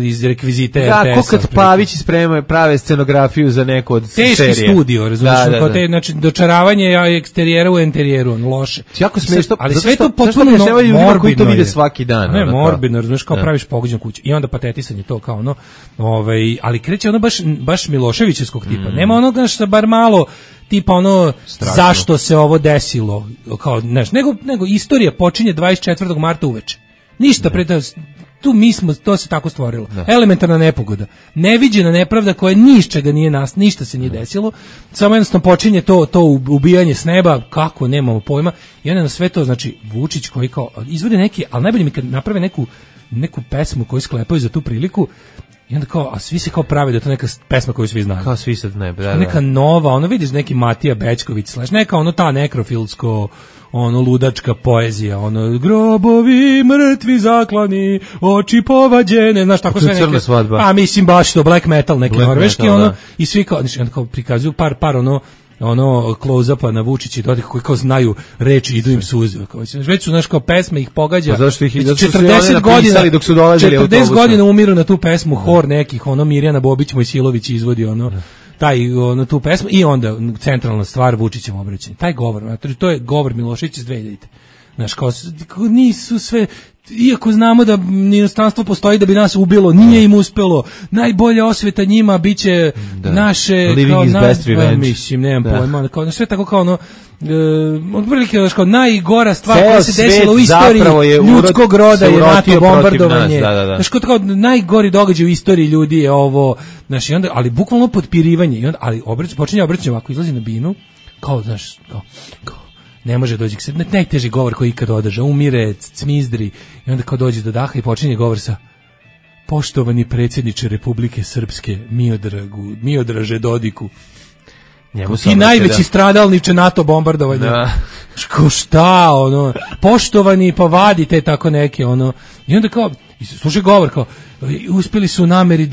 iz rekvizite RTS-a. Da, ko kad Pavić prave scenografiju za neko od serije. Teški studio, razumiješ, kao te, znači, dočaravanje eksterijera u enterijeru, loše. Jako smešno, ali sve to potpuno morbidno koji to vide svaki dan. Ne, morbidno, razumiješ, kao praviš pogođenu kuću i onda patetisanje to kao ono, ali kreće ono baš Miloševićevskog tipa, nema onoga što bar malo tipa ono strašno. Zašto se ovo desilo kao nego istorija počinje 24. marta uveče. Ništa pre tu to se tako stvorilo. Elementarna nepogoda, neviđena nepravda koja ničega nije ništa se nije desilo. Samo jednostavno počinje to ubijanje s neba, kako nemamo pojma. I onda na sve to, znači, Vučić koji kao izvode neki, ali najbolje mi kad naprave neku pesmu koju sklepaju za tu priliku. I onda kao, a svi se kao prave da je to neka pesma koju svi znaju. Kao svi sad ne, da. Neka nova, ono vidiš neki Matija Bećković, neka ono ta nekrofilsko, ono ludačka poezija, ono grobovi mrtvi zaklani, oči povađene, znaš tako sve neke. A mislim baš to black metal neki norveški, metal, ono da. I svi kao, znači, kao prikazuju par ono close-upa na Vučića i dodik koji kao znaju reči, idu im suze. Već su, znaš, kao pesme ih pogađa. Pa zašto ih 40 godina dok su dolazili 40 godina umiru na tu pesmu, hor nekih, ono Mirjana Bobić, Mojsilović izvodi, ono, tu pesmu i onda centralna stvar Vučićem obraćanje. Taj govor, to je govor Miloševića iz 2000. Znaš, kao nisu sve, iako znamo da inostranstvo postoji da bi nas ubilo, nije im uspelo. Najbolja osveta njima biće naše living kao is best revenge. Mislim, nemam pojma, kao sve tako kao ono otprilike kao najgora stvar koja se desila u istoriji ljudskog roda je NATO bombardovanje. Znaš, kao najgori događaj u istoriji ljudi je ovo, znaš, i onda, ali bukvalno potpirivanje, i onda, ali počinje obraćanje ovako, izlazi na binu, kao, znaš, kao ne može doći k sebi, najteži govor koji ikad održa, umire, cmizdri, i onda kao dođe do daha i počinje govor sa poštovani predsjedniče Republike Srpske, Miodraže Dodiku, ti najveći stradalniče NATO bombardovanja. Šta, ono, poštovani, pa vadite tako neke, ono, i onda kao, slušaj govor, kao, uspjeli su u nameri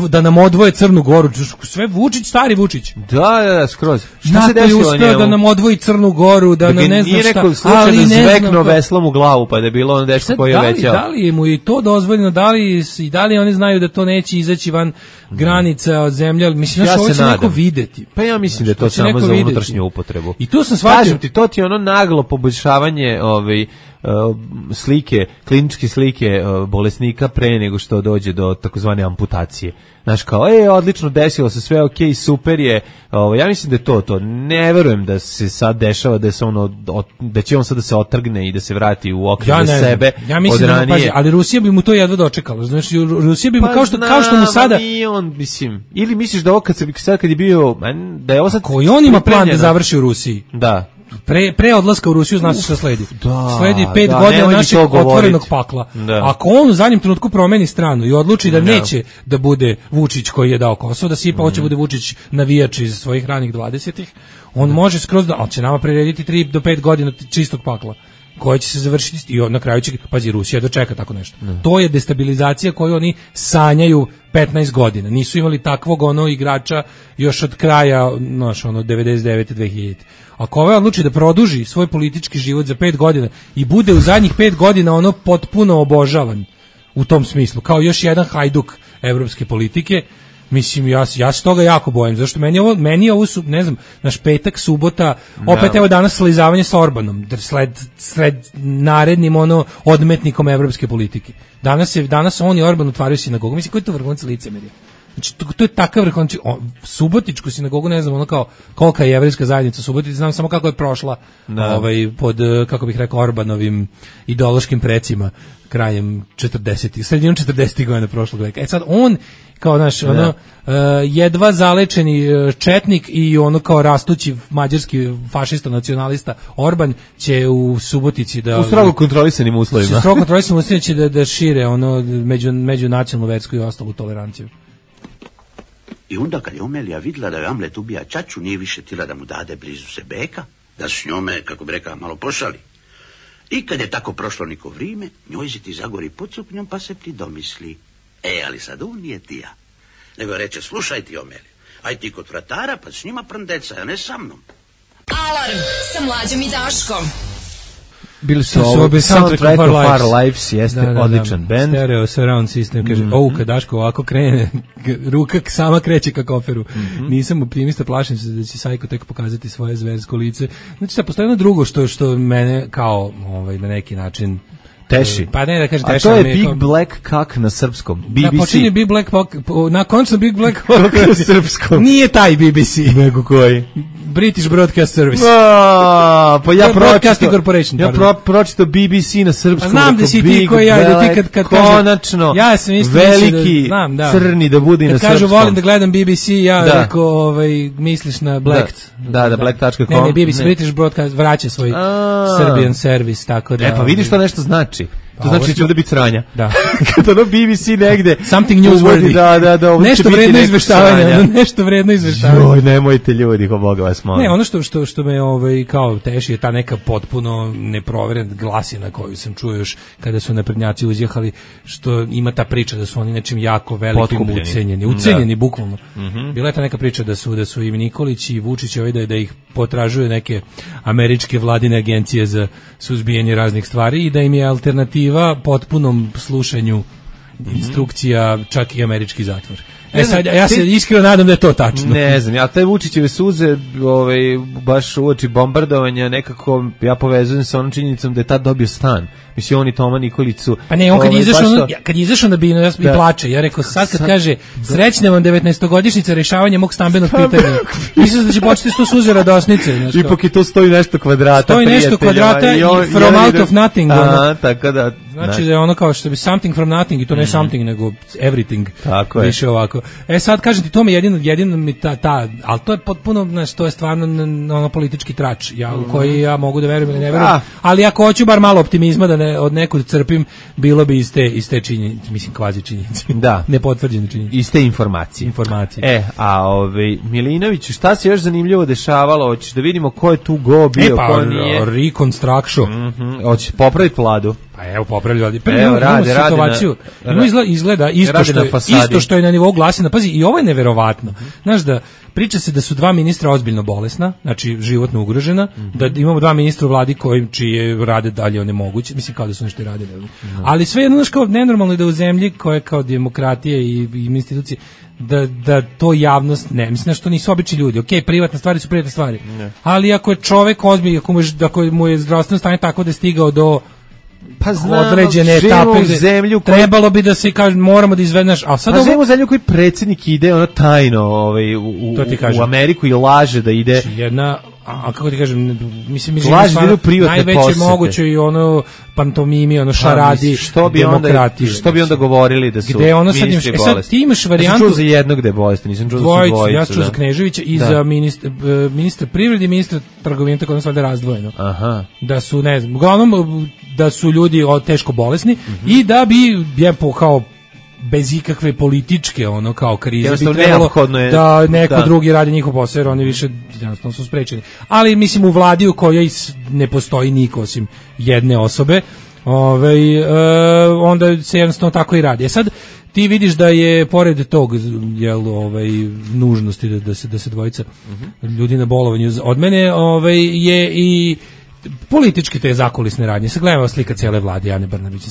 da nam odvoje Crnu Goru, sve Vučić, stari Vučić. Da, skroz. Šta se desilo njemu? Uspeo da nam odvoji Crnu Goru, da nam ne znam šta, ali ne znam. Zvekno veslom u glavu, pa da je bilo ono dečko koji je većao. Da li je mu i to dozvoljeno, da li oni znaju da to neće izaći van granica od zemlje, mislim da ovo će neko videti. Pa ja mislim da je to samo za unutrašnju upotrebu. I to sam shvatio. Kažem ti, to ti je ono naglo poboljšavanje slike, kliničke slike bolesnika pre nego što dođe do takozvane amputacije. Znaš, kao, odlično, desilo se sve, okej, super je. Ja mislim da je to. Ne verujem da se sad dešava da će on sad da se otrgne i da se vrati u okvir sebe. Ja mislim da pazi, ali Rusija bi mu to jedva dočekala. Znači, Rusija bi mu kao što mu sada on, mislim, ili misliš da ovo kad je bio, da je ovo sad koji on ima plan da završi u Rusiji. Da. Pre odlaska u Rusiju zna se šta sledi. Sledi 5 godina našeg otvorenog pakla. Ako on u zadnjem trenutku promeni stranu i odluči da neće da bude Vučić koji je dao Kosovo, da sipa hoće bude Vučić navijač iz svojih ranih 20-ih, on može skroz ali će nama prirediti 3 do 5 godina čistog pakla koje će se završiti i na kraju će, pazi, Rusija dočeka tako nešto. To je destabilizacija koju oni sanjaju 15 godina. Nisu imali takvog igrača još od kraja, 99-2000. Ako ovaj odluči da produži svoj politički život za 5 godina i bude u zadnjih 5 godina potpuno obožavan u tom smislu, kao još jedan hajduk evropske politike, mislim, ja se toga jako bojim, zašto meni je ovo, ne znam, naš petak, subota, opet evo danas slizavanje sa Orbanom, sled narednim odmetnikom evropske politike. Danas on i Orban otvaraju sinagogu, mislim, koji je to vrhunac licemerja? Znači, to je takav vrhunac, Subotičku sinagogu, ne znam, kao kolika je jevrejska zajednica u Subotici, znam samo kako je prošla pod, kako bih rekao, Orbanovim ideološkim precima krajem 40-ih, sredinom 40-ih godina prošlog veka. Sad on kao naš jedva zalečeni četnik i kao rastući mađarski fašista nacionalista Orban će u Subotici da u strogo kontrolisanim uslovima. Strogo kontrolisanim uslovima će da šire međunacionalnu, versku i ostalu toleranciju. I onda kad je Omelija vidjela da je Amlet ubija ćaću, nije više tila da mu dade blizu se beka, da s njome, kako bi rekao, malo pošali. I kad je tako prošlo neko vrijeme, njoj se ti zagori pod suknjom pa se ti domisli. Ali sad on nije ti ja. Nego reče, slušaj ti Omelija, aj ti kod vratara pa s njima prndeca, a ne sa mnom. Alarm sa Mlađom i Daškom. Bili su Soundtrack of Our Lives, jeste odličan band. Stereo surround system, kaže, kad Daško ovako krene, ruka sama kreće ka koferu. Nisam optimista, plašim se da će Sajko tek pokazati svoje zversko lice. Znači, sad postoji jedno drugo što mene kao na neki način teši. Pa ne da kaže teši. A to je Big Black Cock na srpskom. BBC. Da, počinje Big Black Cock, na koncu Big Black Cock na srpskom. Nije taj BBC. Nego koji? British Broadcast Service. Pa ja pročito BBC na srpskom. Znam da si ti koji ja, da ti kad konačno, ja sam isto veliki, crni da bude na srpskom. Kažu, volim da gledam BBC, ja rekao, misliš na Blacked. Da, black.com. Ne, BBC, British Broadcast vraća svoj Serbian Service, tako da. Pa vidiš što nešto znači. To znači da će ovde biti sranja. Da. Kad ono BBC negde... Something newsworthy. Da. Nešto vredno izveštavanja. Nešto vredno izveštavanja. Joj, nemojte ljudi, ko Boga vas molim. Ne, ono što me kao teši je ta neka potpuno neproverena glasina koju sam čuo još kada su naprednjaci uzjehali, što ima ta priča da su oni nečim jako velikim ucenjeni bukvalno. Bila je ta neka priča da su i Nikolić i Vučić da ih potražuju neke američke vladine agencije za suzbijanje raznih stvari i da im je alternativa potpunom slušanju instrukcija čak i američki zatvor. Sad, ja se iskreno nadam da je to tačno. Ne znam, ja te Vučićeve suze baš uoči bombardovanja nekako ja povezujem sa onom činjenicom da je tad dobio stan. Mislim, on i Toma Nikolić su... Pa ne, on kad je izašao na binu, ja plače. Ja rekao, sad kad kaže, srećne vam 19-godišnjica rešavanja mog stambenog pitanja. Mislim da će početi sto suze radosnice. Ipak i to stoji nešto kvadrata. Stoji nešto kvadrata i from out of nothing. Aha, tako da... Znači da je ono kao što bi something from nothing i to ne something, nego everything. Tako je. Više ovako. Sad kažem ti, to mi jedino mi ali to je potpuno, znači, to je stvarno ono politički trač, u koji ja mogu da verujem ili ne verujem. Ali ako hoću bar malo optimizma da od nekud crpim, bilo bi iz te činjenice, mislim kvazi činjenice. Da. Nepotvrđene činjenice. Iz te informacije. Milinović, šta se još zanimljivo dešavalo? Hoćeš da vidimo ko je tu bio, ko nije? Reconstruction. Hoćeš popraviti vladu? Pa evo popravljaju. Izgleda isto što je na nivou glasina. Pazi, i ovo je neverovatno. Znaš da priča se da su dva ministra ozbiljno bolesna, znači životno ugrožena, da imamo dva ministra u vladi čije rade dalje onemoguće, mislim kao da su nešto radili. Ali sve jedno, znaš, kao nenormalno je da u zemlji koja je kao demokratija i institucije, da to javnost ne, mislim da što nisu obični ljudi. Okej, privatne stvari su privatne stvari. Ali ako je čovek ozbiljan, ako mu je zdravstveno stanje tako da je stigao do određene etape zemlju trebalo bi da se kaže moramo da izvedeš, a sad živimo u zemlju koji predsjednik ide ono tajno u Ameriku i laže da ide kako ti kažem, mislim najveće moguće i ono pantomimi, ono šaradi demokratiji. Što bi onda govorili da su ministri bolesti? Ti imaš varijantu... Nisam čuo za jednog gde je bolesti, nisam čuo za dvojicu. Ja sam čuo za Kneževića i za ministra privrede i ministra trgovine, tako da su valjda razdvojeno. Da su, ne znam, uglavnom da su ljudi teško bolesni i da bi kao bez ikakve političke kao krize bi trebalo da neko drugi radi njihov posao, jer oni više jednostavno su sprečeni. Ali mislim u vladi u kojoj ne postoji niko osim jedne osobe, onda se jednostavno tako i radi. Sad ti vidiš da je pored tog nužnosti da se dvojica ljudi na bolovanju od mene je i politički te zakulisne radnje. Sad gledamo slika cijele vlade Ane Brnabić.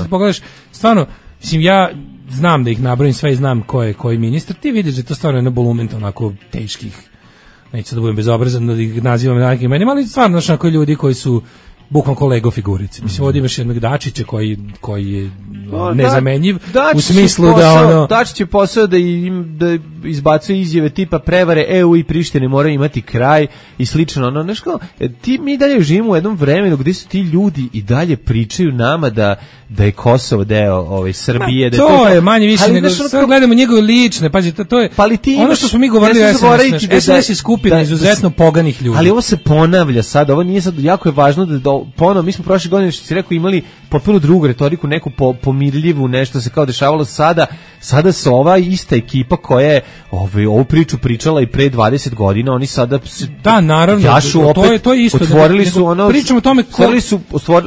Pogledaš, stvarno, mislim, ja znam da ih nabrojim sve i znam ko je koji ministar, ti vidiš da je to stvarno jedna bolumenta onako teških, neću da budem bezobrazan da ih nazivam nekim imenima, ali stvarno onako ljudi koji su bukvalno kolego figurice. Mislim, ovdje imaš jednog Dačića koji je nezamenjiv, u smislu da Dačić je posao da izbacuje izjave tipa prevare EU i Prištine moraju imati kraj i slično. Mi dalje živimo u jednom vremenu gdje su ti ljudi i dalje pričaju nama da je Kosovo deo Srbije. To je manje više nego sve gledamo njegove lične, pazi, to je ono što smo mi govorili, SNS je skupina izuzetno poganih ljudi. Ali ovo se ponavlja sad, ovo nije sad, jako je važno da ponovo, mi smo prošle godine, što si rekao, imali potpuno drugu retoriku, neku pomirljivu, nešto se kao dešavalo sada se ova ista ekipa koja je ovu priču pričala i pre 20 godina, oni sada naravno, jašu opet, to je isto, otvorili su ono, pričamo o tome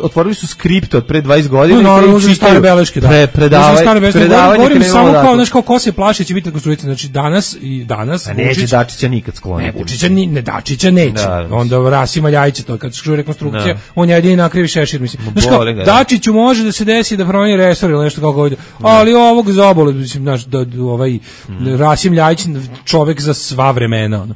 otvorili su skript od pre 20 godina, naravno, uzeli stare beleške, predavanje, govorim samo kao, znaš, kao ko se plaši će biti rekonstruica, znači danas a neće Dačića nikad skloniti. Dačića neće, onda Rasima Ljajića, to kad se rekonstrukcija, on je jedini nakrivi šešir, mislim. Znaš kao, Dačiću može da se desi da promeni resor ili nešto kako ovdje, ali ovog zabole, mislim, znaš, Rasim Ljajić, čovek za sva vremena.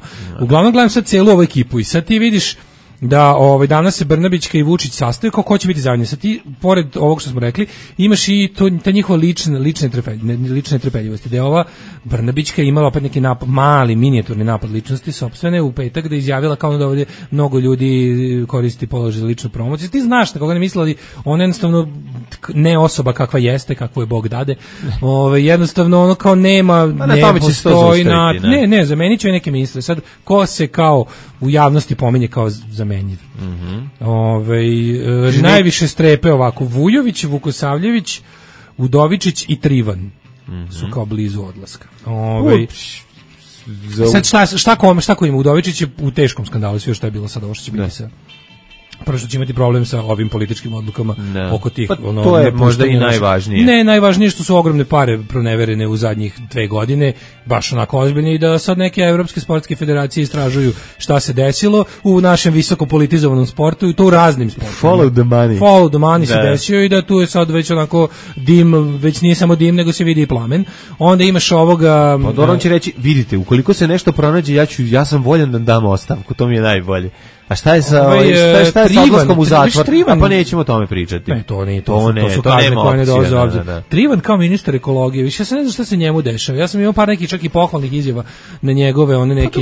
Uglavnom gledam sad cijelu ovu ekipu i sad ti vidiš da danas se Brnabićka i Vučić sastaju, kao ko će biti zajedno. Sad ti, pored ovog što smo rekli, imaš i ta njihova lične trepeljivosti, da je ova Brnabićka imala opet neki mali, minijaturni napad ličnosti sopstvene u petak, da je izjavila kao da ovdje mnogo ljudi koristi položaj za ličnu promociju. Ti znaš na koga ne mislila, ona jednostavno ne osoba kakva jeste, kakvu je Bog dade, jednostavno ono kao nema, ne postoji, zamenit će neke ministre. Sad, ko se kao u javnosti pominje kao za nezamenjiv. Najviše strepe ovako Vujović, Vukosavljević, Udovičić i Trivan su kao blizu odlaska. Sad šta ko ima? Udovičić je u teškom skandalu, sve što je bilo sad ovo što će biti sa... Prvo što će imati problem sa ovim političkim odlukama oko tih... Pa to je možda i najvažnije. Ne, najvažnije što su ogromne pare proneverene u zadnjih 2 godine, baš onako ozbiljne, i da sad neke evropske sportske federacije istražuju šta se desilo u našem visoko politizovanom sportu, i to u raznim sportima. Follow the money. Follow the money se desio, i da tu je sad već onako dim, već nije samo dim, nego se vidi i plamen. Onda imaš ovoga... Pa Doron će reći, vidite, ukoliko se nešto pronađe, ja sam voljan da dam ostavku, to mi je najbolje. A šta je sa odlaskom u zatvor? Pa nećemo o tome pričati. Ne, to nije, to su kazne koje ne dolaze u obzir. Trivan kao ministar ekologije, više se ne zna šta se njemu dešava. Ja sam imao par nekih čak i pohvalnih izjava na njegove, one neke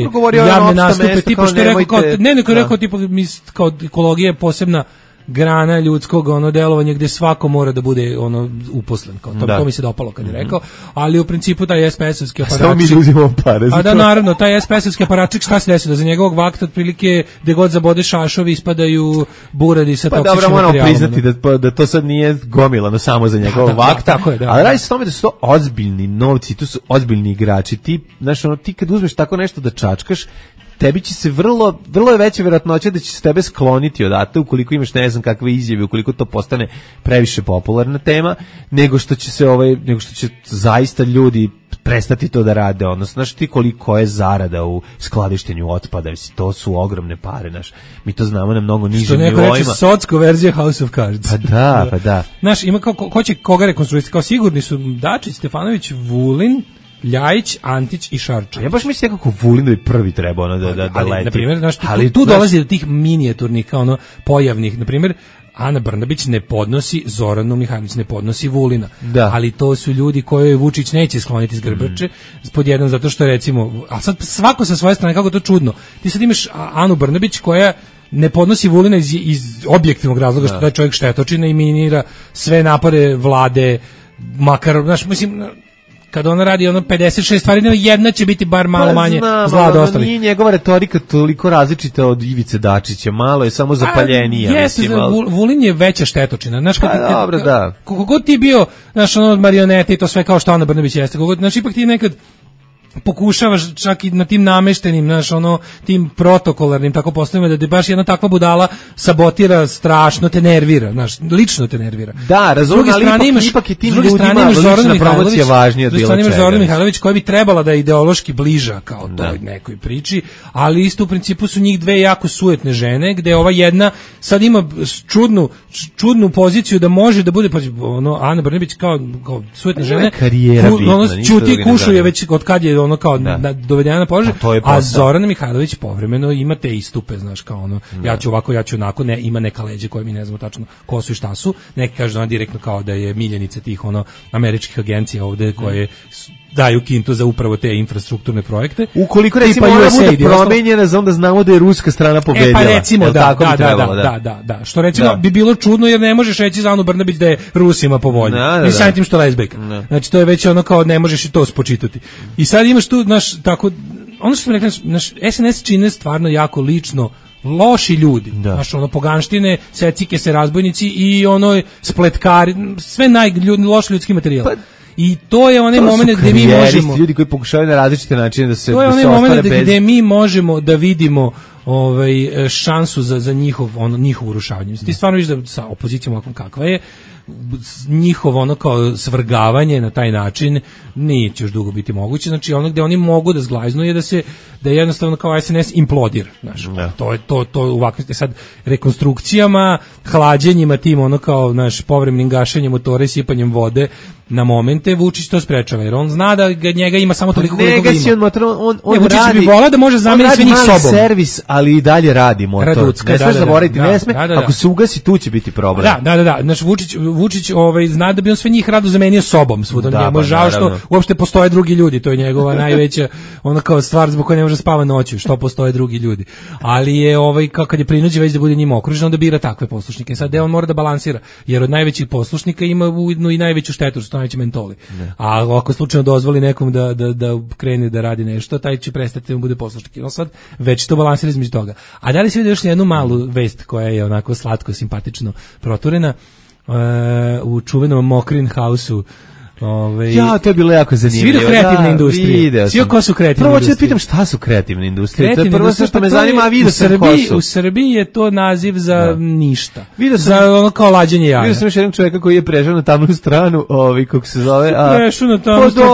javne nastupe, tipa što je rekao, rekao tipa kao ekologija je posebna grana ljudskog delovanja gde svako mora da bude uposlen, kao to mi se dopalo kad je rekao, ali u principu taj SPS-ovski aparatčik, samo mi uzimamo pare. A da, naravno, taj SPS-ovski aparatčik, šta se desi, da za njegovog vakta otprilike gde god zabode šašovi ispadaju buradi sa toksičnim materijalom. Pa dobro, moramo priznati da to sad nije gomilano samo za njegovog vakta, ali radi se o tome da su to ozbiljni novci, tu su ozbiljni igrači. Ti kad uzmeš tako nešto da čačkaš, tebi će se vrlo je veća vjerojatnoća da će se tebe skloniti odatle ukoliko imaš ne znam kakve izjave, ukoliko to postane previše popularna tema, nego što će zaista ljudi prestati to da rade, odnosno, znaš ti koliko je zarada u skladištenju otpada, to su ogromne pare, mi to znamo na mnogo nižim nivoima. Što neko reče, socko verzija House of Cards. Pa da. Znaš, ima ko će koga rekonstruisati, kao sigurni su Dačić, Stefanović, Vulin, Ljajić, Antić i Šarčević. Ja baš mislim kako Vulin bi prvi trebao da leti. Na primjer, tu dolazi do tih minijaturnih pojavnih, na primjer, Ana Brnabić ne podnosi Zoranu Mihajlović, ne podnosi Vulina. Da. Ali to su ljudi koje Vučić neće skloniti s grbače, pod jedan zato što recimo, a sad svako sa svoje strane, kako to čudno. Ti sad imaš Anu Brnabić koja ne podnosi Vulina iz objektivnog razloga što taj čovjek štetočina i minira sve napore vlade, makar, znaš, mislim, kada ona radi 56 stvari, jedna će biti bar malo manje zla od ostalih. Nije njegova retorika toliko različita od Ivice Dačića, malo je samo zapaljenija. Vulin je veća štetočina. Znaš, dobro, da. Koliko god ti bio, znaš, marionete i to sve kao što Ana Brnabić jeste, znaš, ipak ti nekad pokušavaš čak i na tim nameštenim, znaš, tim protokolarnim tako poslovima, da baš jedna takva budala sabotira, strašno te nervira, znaš, lično te nervira. Da, razumem, ali ipak i tim ljudima lična promocija važnija od bilo čega. Imaš Zorana Mihajlović koja bi trebala da je ideološki bliža kao toj nekoj priči, ali isto u principu su njih dve jako sujetne žene, gde ova jedna sad ima čudnu poziciju da može da bude, Ana Brnabić kao sujetne žene, čuti, kušuje već od kad je dovedena na položaj, a Zorana Mihajlović povremeno ima te istupe, znaš, kao ja ću ovako, ja ću onako, ima neka leđa koje mi ne znamo tačno ko su i šta su, neki kažu direktno kao da je miljenica tih američkih agencija ovde koje daju kintu za upravo te infrastrukturne projekte. Ukoliko recimo ona bude promenjena, onda znamo da je ruska strana pobedila. Pa recimo, da. Što recimo bi bilo čudno, jer ne možeš reći za Anu Brnabić da je Rusima po volji. Ni samim tim što lezbejka. Znači, to je već kao ne možeš i to spočitati. I sad imaš tu, tako, ono što sam rekla, SNS čine stvarno jako lično loši ljudi, znaš, poganštine, secike se razbojnici i spletkari, sve loši ljudski materijal. I to je onaj moment gdje mi možemo, ljudi koji pokušavaju na različite načine da se to je onaj moment gdje mi možemo da vidimo šansu za njihovo urušavanje. Ti stvarno vidiš da sa opozicijom ovakvom kakva je, njihovo kao svrgavanje na taj način neće još dugo biti moguće. Znači gde oni mogu da zglajznu je da jednostavno kao SNS implodira, znaš. To u ovakvim sad rekonstrukcijama, hlađenjima tim kao naš povremenim gašenjem motora i sipanjem vode na momente Vučić to sprečava, jer on zna da njega ima samo toliko koliko ima. On Vučić bi volao da može zameniti sve njih sobom. Servis, ali i dalje radi motor. Ne smiješ zaboraviti, ne sme. Ako se ugasi, tu će biti problem. Da. Znači Vučić zna da bi on sve njih rado zamenio sobom svuda. Njemu je žao što uopšte postoje drugi ljudi, to je njegova najveća kao stvar zbog koje ne može spava noću, što postoje drugi ljudi. Ali je kad je prinuđen već da bude njima okružen, onda bira takve poslušnike. Sad on mora da balansira, jer od najvećih poslušnika ima ujedno i najveću štetu, što najveći mentoli. A ako slučajno dozvoli nekom da krene da radi nešto, taj će prestati da mu bude poslušnik. No sad već to balansira između toga. A da li se vidi još jednu malu vest koja je onako slatko, simpatično proturena u čuvenom Mokrin House-u. Ja, to je bilo jako zanimljivo. Svi do kreativne industrije. Svi ko su kreativne industrije. Prvo ću da pitam šta su kreativne industrije. To je prvo sve što me zanima, a vidio sam ko su. U Srbiji je to naziv za ništa. Za ono kao lađenje jaja. Vidio sam još jednog čoveka koji je prešao na tamnu stranu, kako se zove. Prešao na tamnu stranu,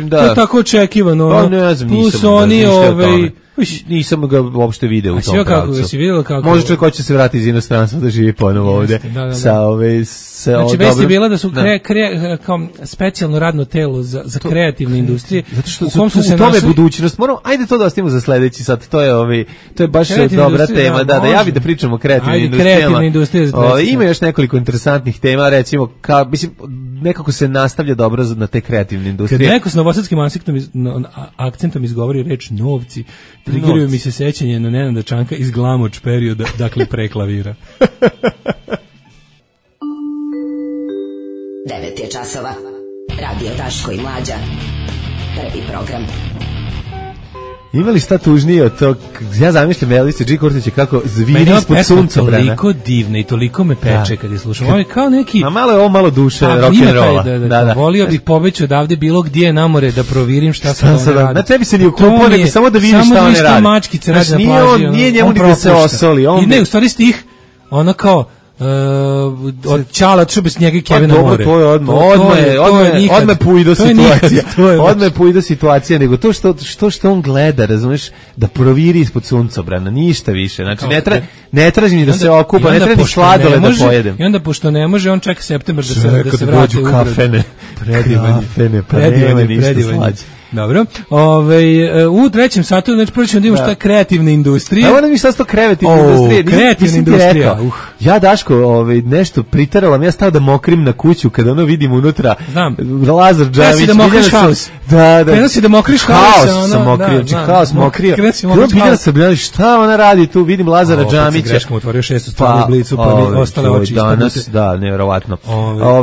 to je tako očekivano. Pa ne znam, nisam ga uopšte video u tom pravcu. Može čovjek hoće se vratiti iz inostranstva da živi ponovo ovde. Znači, vest je bila da su kao specijalno radno telo za kreativne industrije. Zato što u tome budućnost. Ajde to da ostavimo za sledeći sad. To je baš dobra tema. Da ja bih da pričamo o kreativnim industrijama. Ima još nekoliko interesantnih tema, recimo, mislim, nekako se nastavlja dobro na te kreativne industrije. Kad neko s novosadskim akcentom izgovori reč novci, trigiraju mi se sećanje na Nenada Čanka iz Glamoč perioda, dakle pre klavira. 9 je časova. Radio Daško i Mlađa. Prvi program. Ima li šta tužnije od tog? Ja zamišljam Elise G. Kurtića kako zviri ispod suncobrana. Toliko divna i toliko me peče kad je slušam. Ovo je kao neki... A malo je ovo malo duše rock'n'rolla. Da. Volio bih pobeći odavde bilo gdje na more da provirim šta se one radi. Na tebi se ni ukupao, nego samo da vidiš šta one radi. Mačkice radi na plaži. Nije njemu ni da se osoli. Ne, u stvari stih, ono kao... od Čala Čube s njega i Kevina More. To je odmah pujdo situacija. Odmah pujdo situacija, nego to što on gleda, razumeš, da proviri ispod suncobrana, ništa više. Znači, ne traži ni da se okupa, ne traži sladole da pojedem. I onda, pošto ne može, on čeka septembar da se vrati u kafene. Predivanje. Dobro. U trećem satu, znači prvo ćemo da imamo šta kreativne industrije. Evo nam mi šta su to kreativne industrije. Kreativne industrije. Ja, Daško, nešto priteralam, ja stao da mokrim na kuću kada ono vidim unutra. Znam. Lazar Džamić. Da mokriš haos. Da. Prenosi da mokriš haos. Haos sam mokrio, haos mokrio. Bilo sam gledali šta ona radi tu, vidim Lazara Džamića. Greškom otvorio 6. stranu Blicu, pa mi ostale oči danas, da, nevjerovatno.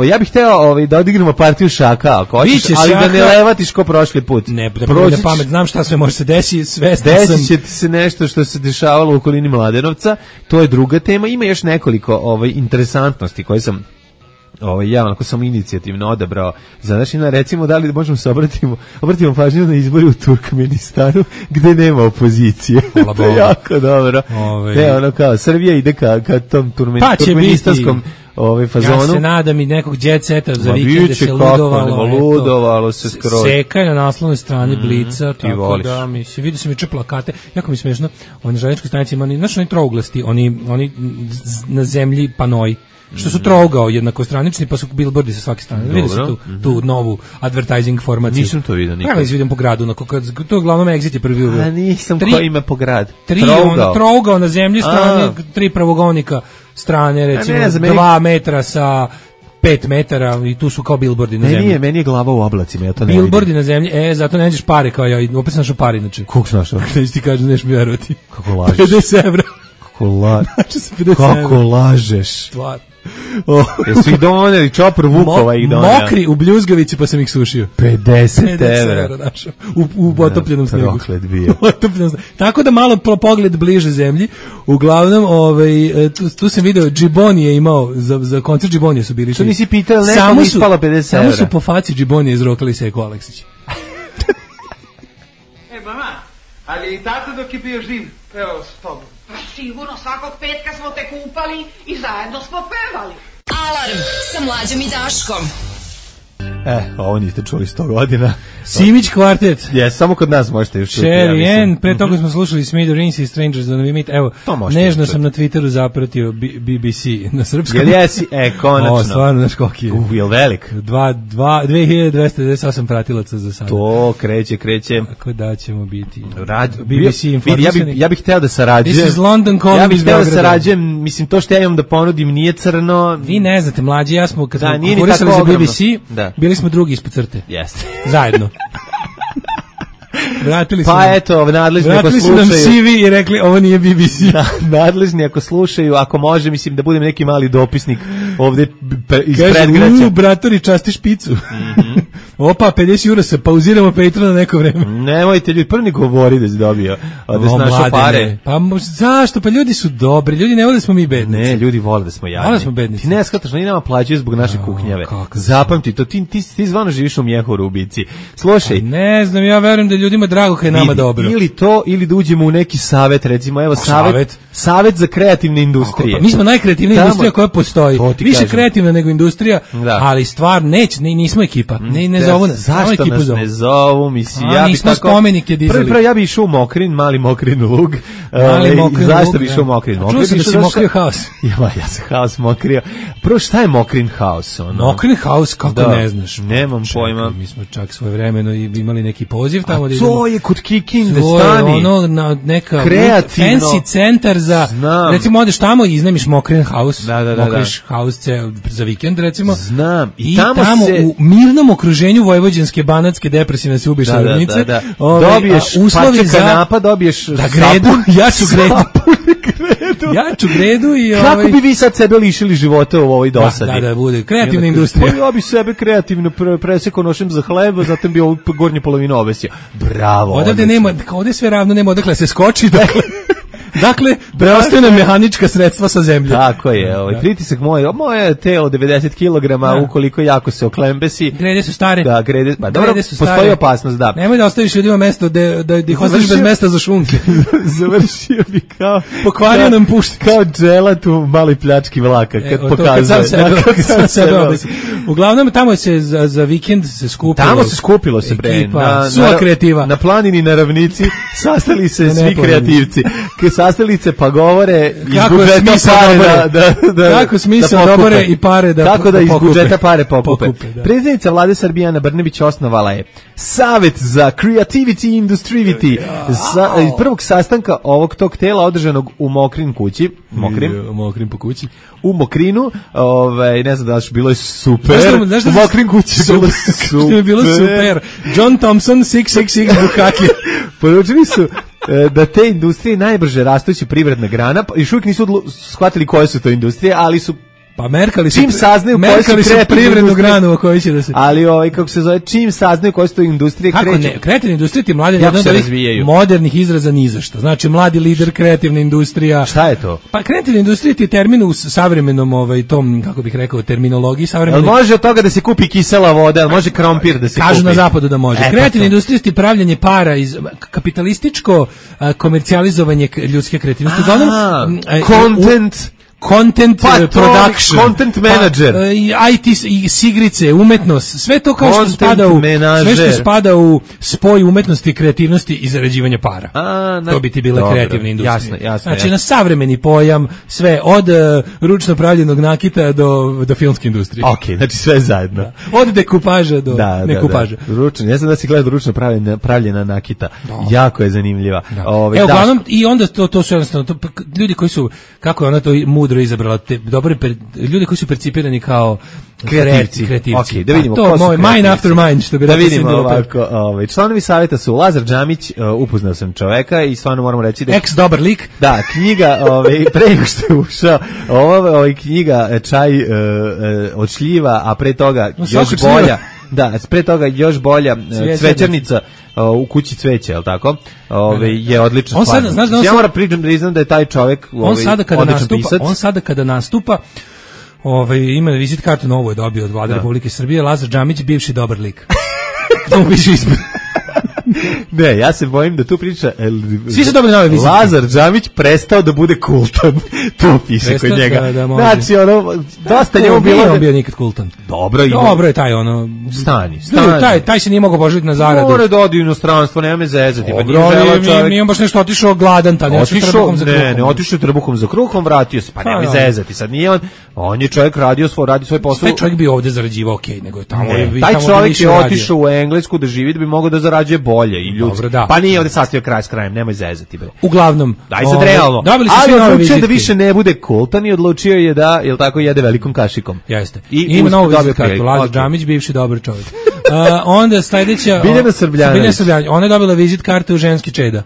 Ja bih hteo da odigramo partiju šaka, ako hoćeš, ali da ne levatiš ko prošli put. Ne, da prođe pamet, znam šta sve može se desiti, desit će ti se nešto što se dešavalo u okolini Mladenovca, to je druga tema. Ima još nekoliko interesantnosti koje sam ja onako sam inicijativno odabrao za našina, recimo da li možemo se obratimo pažnju na izbori u Turkmenistanu gde nema opozicije. To je jako dobro. Ono kao Srbija ide ka tom turkmenistanskom fazonu. Ja se nadam i nekog jet seta za vikende se ludovalo se skroz. Seka na naslovnoj strani Blica, tako da vidio sam juče plakate, jako mi smešno, na željezničkoj stanici ima, znaš oni trouglasti, oni na zemlji panoji, što su trougao jednakostranični, pa su billboardi sa svake strane. Vidio sam tu novu advertising formaciju. Nisam to vidio nikad. Evo izvidim po gradu, to je uglavnom Exit je prvi uveo. A nisam ko ima po grad. Trougao na zemlji strane, 3 pravogonika strane, recimo 2 metra sa 5 metara i tu su kao billboardi na zemlji. Meni je glava u oblacima, ja to ne vidim. Billboardi na zemlji, zato ne nađeš pare kao ja, opet sam našao pare inače. Koliko sam našao? Neći ti kažem, neš mi verovati. Kako lažeš? 50 evra. Kako lažeš? Stvar. Jesu ih doneli, Čopor Vukova ih doneli. Mokri u Bljuzgavici pa sam ih sušio. 50 evra našao. U otopljenom snegu. Proklet bio. Tako da malo pogled bliže zemlji. Uglavnom, tu sam video, Džiboni je imao, za koncert Džibonije su bili. Što nisi pitao, nekom ispala 50 evra. Samo su po faci Džibonije izrokali Seko Aleksić. Mama, ali i tata dok je bio živ, evo s tobom. Sigurno, svakog petka smo te kupali i zajedno smo pevali. Alarm sa Mlađom i Daškom. Ovo niste čuli 100 godina. Simić kvartet. Samo kod nas možete još čuti. Sherry Ann, pre toga smo slušali Smithereens i Strangers on We Meet. Evo, nežno sam na Twitteru zapratio BBC na srpskom. Jel jesi? Konačno. Stvarno, znaš koliki je. Jel velik? 2298 pratilaca za sada. To kreće. Tako da ćemo biti. BBC informisani. Ja bih hteo da sarađujem. This is London calling iz Beograda. Ja bih hteo da sarađujem, mislim, to što ja imam da ponudim nije crno. Vi ne znate, mlađi, ja smo, kad smo konkurisali za BBC, bili smo drugi ispod crte. Jeste. Zajedno. Vratili nadležni ako slušaju. Vratili su nam CV i rekli ovo nije BBC. Nadležni ako slušaju, ako može, mislim da budem neki mali dopisnik ovde iz kaže, predgraća. bratori, časti špicu. Opa, 50 eura se pauziramo Patreon na neko vreme. Nemojte ljudi, prvi govori da si dobio, da si našao pare. Pa zašto? Pa ljudi su dobri, ljudi ne vole da smo mi bednici. Ne, ljudi vole da smo jadni. Vole da smo bednici. Ti ne skataš, oni nama plaćaju zbog naše kuknjave. Zapamti to, ti zvano živiš u Mjehoru u Bici. Slušaj. Ne znam, ja verujem da ljudima drago kad je nama dobro. Ili to, ili da uđemo u neki savet, recimo, evo savet za kreativne industrije. Pa mi smo najkreativnija industrija koja postoji. Više kreativna nego industrija, ali stvar nismo ekipa. Ne zovu nas. Zašto nas ne zovu? Mislim, ja nismo spomenike dizali. Prvo ja bi išao u Mokrin, mali Mokrin lug. Zašto bi išao u Mokrin? Čuo sam da si mokrio haos. Ja sam haos mokrio. Prvo, šta je Mokrin haos? Mokrin haos, kako ne znaš? Nemam pojma. Mi smo čak svojevremeno imali neki poziv tamo. A to je kod Kikinde stani. Neka fancy centar za, recimo odeš tamo i iznajmiš Mokrin haus. Mokriš haus za vikend, recimo. Znam. I tamo u mirnom okruženju vojvođanske, banatske, depresivne se ubiš ravnice. Dobiješ parče kanapa, dobiješ sapun. Ja ću gredu i... Kako bi vi sad sebe lišili života u ovoj dosadi? Da, bude. Kreativna industrija. Ja bi sebe kreativno presekao nošem za hleba, zatim bi ovu gornju polovinu obesio. Bravo. Odavde nema, ovde je sve ravno, nema odakle se skoči, dakle, preostaje nam mehanička sredstva sa zemlje. Tako je, pritisak moje telo 90 kg, ukoliko jako se oklembesi. Grede su stare. Da, pa dobro, postoji opasnost, da. Nemoj da ostaviš ljudima mesto da ih ostaviš bez mesta za šunke. Završio bi kao... Pokvario nam pušti. Kao dželat u maloj pljački vlaka, kad pokazuje. Kad sam sebe obesi. Uglavnom, tamo se za vikend se skupilo. Tamo se skupilo se, bre. Suva kreativa. Na planini, na ravnici, sastali se svi kreativci. Sastali se pa govore iz budžeta pare kako smisao dobore i pare da kako da iz budžeta pare pokupe. Predsjednica vlade Srbije Ana Brnabić osnovala je Savet za Creativity Industrivity prvog sastanka ovog tog tela održanog u Mokrin kući. Mokrin po kući. U Mokrinu, ne znam da li bilo je super. U Mokrin kući je bilo super. John Thompson 666 Bukaki. Poručili su da te industrije najbrže rastući privredna grana, još uvijek nisu shvatili koje su to industrije, ali su čim saznaju koje su privrednu granu o kojoj će da se... Ali kako se zove, čim saznaju koje su to industrije kreću. Kako ne, kreativne industrije ti mladi jedan od modernih izraza ni za što. Znači mladi lider, kreativna industrija. Šta je to? Pa kreativna industrija ti je termin u savremenom tom, kako bih rekao, terminologiji savremenom. Jel može od toga da se kupi kisela voda, jel može krompir da se kupi? Kažu na zapadu da može. Kreativna industrija ti pravljanje para iz kapitalističko komercijalizovanje ljudske kreativnosti. Content production, content manager, IT sigrice, umetnost, sve to kao što spada u spoj umetnosti i kreativnosti i zarađivanja para. To bi ti bila kreativna industrija. Jasno. Znači na savremeni pojam, sve od ručno pravljenog nakita do filmske industrije. Ok, znači sve zajedno. Da. Od dekupaža do nekupaža. Ručno, ja sam da si gledao ručno pravljena nakita. Jako je zanimljiva. Uglavnom, i onda to su jednostavno ljudi koji su, kako je ona to mudro izabrala, ljudi koji su percipirani kao kreativci. Okay, da vidimo ko su mind after mind, što bi da vidimo ovako. Članovi savjeta su Lazar Džamić, upoznao sam čoveka i stvarno moramo reći da ex dobar lik. Da, knjiga, pre nego što je ušao, knjiga Čaj od šljiva, a pre toga još bolja. Da, pre toga još bolja Cvećarnica u kući cveća, je li tako? Je odlična stvar. Ja moram priznam da je taj čovjek odličan pisac. On sada kada nastupa, ima vizit kartu novu je dobio od Vlade Republike Srbije, Lazar Džamić, bivši dobar lik. To mu piše ispred. Ne, ja se bojim da tu priča svi su dobili nove vizitke. Lazar Džamić prestao da bude kultan. To piše kod njega. Znači, dosta njemu bilo... Nije on bio nikad kultan. Dobro je taj, Stani. Taj se nije mogao poželiti na zaradu. Mora da odi u inostranstvo, nema me zezati. Nije on baš nešto otišao gladan tad. Ne, otišao trbuhom za kruhom, vratio se. Pa nema me zezati. Sad nije on je čovjek radio svoj posao. Taj čovjek bi ovde zarađivao okej, nego je tamo... Taj čovjek je otišao u Englesku da živi, da bi mogao da zarađuje bolje i ljudski. Pa nije ovde sastavio kraj s krajem, nemoj zezati, bre. Uglavnom, daj sad realno. Ali odlučio da više ne bude kultan i odlučio je da, jel tako, jede velikom kašikom. Jeste. I ima novu vizit kartu, Lazar Džamić, bivši dobar čovjek. Onda sledeća... Biljana Srbljanović. Ona je dobila vizit kartu ženski čeda.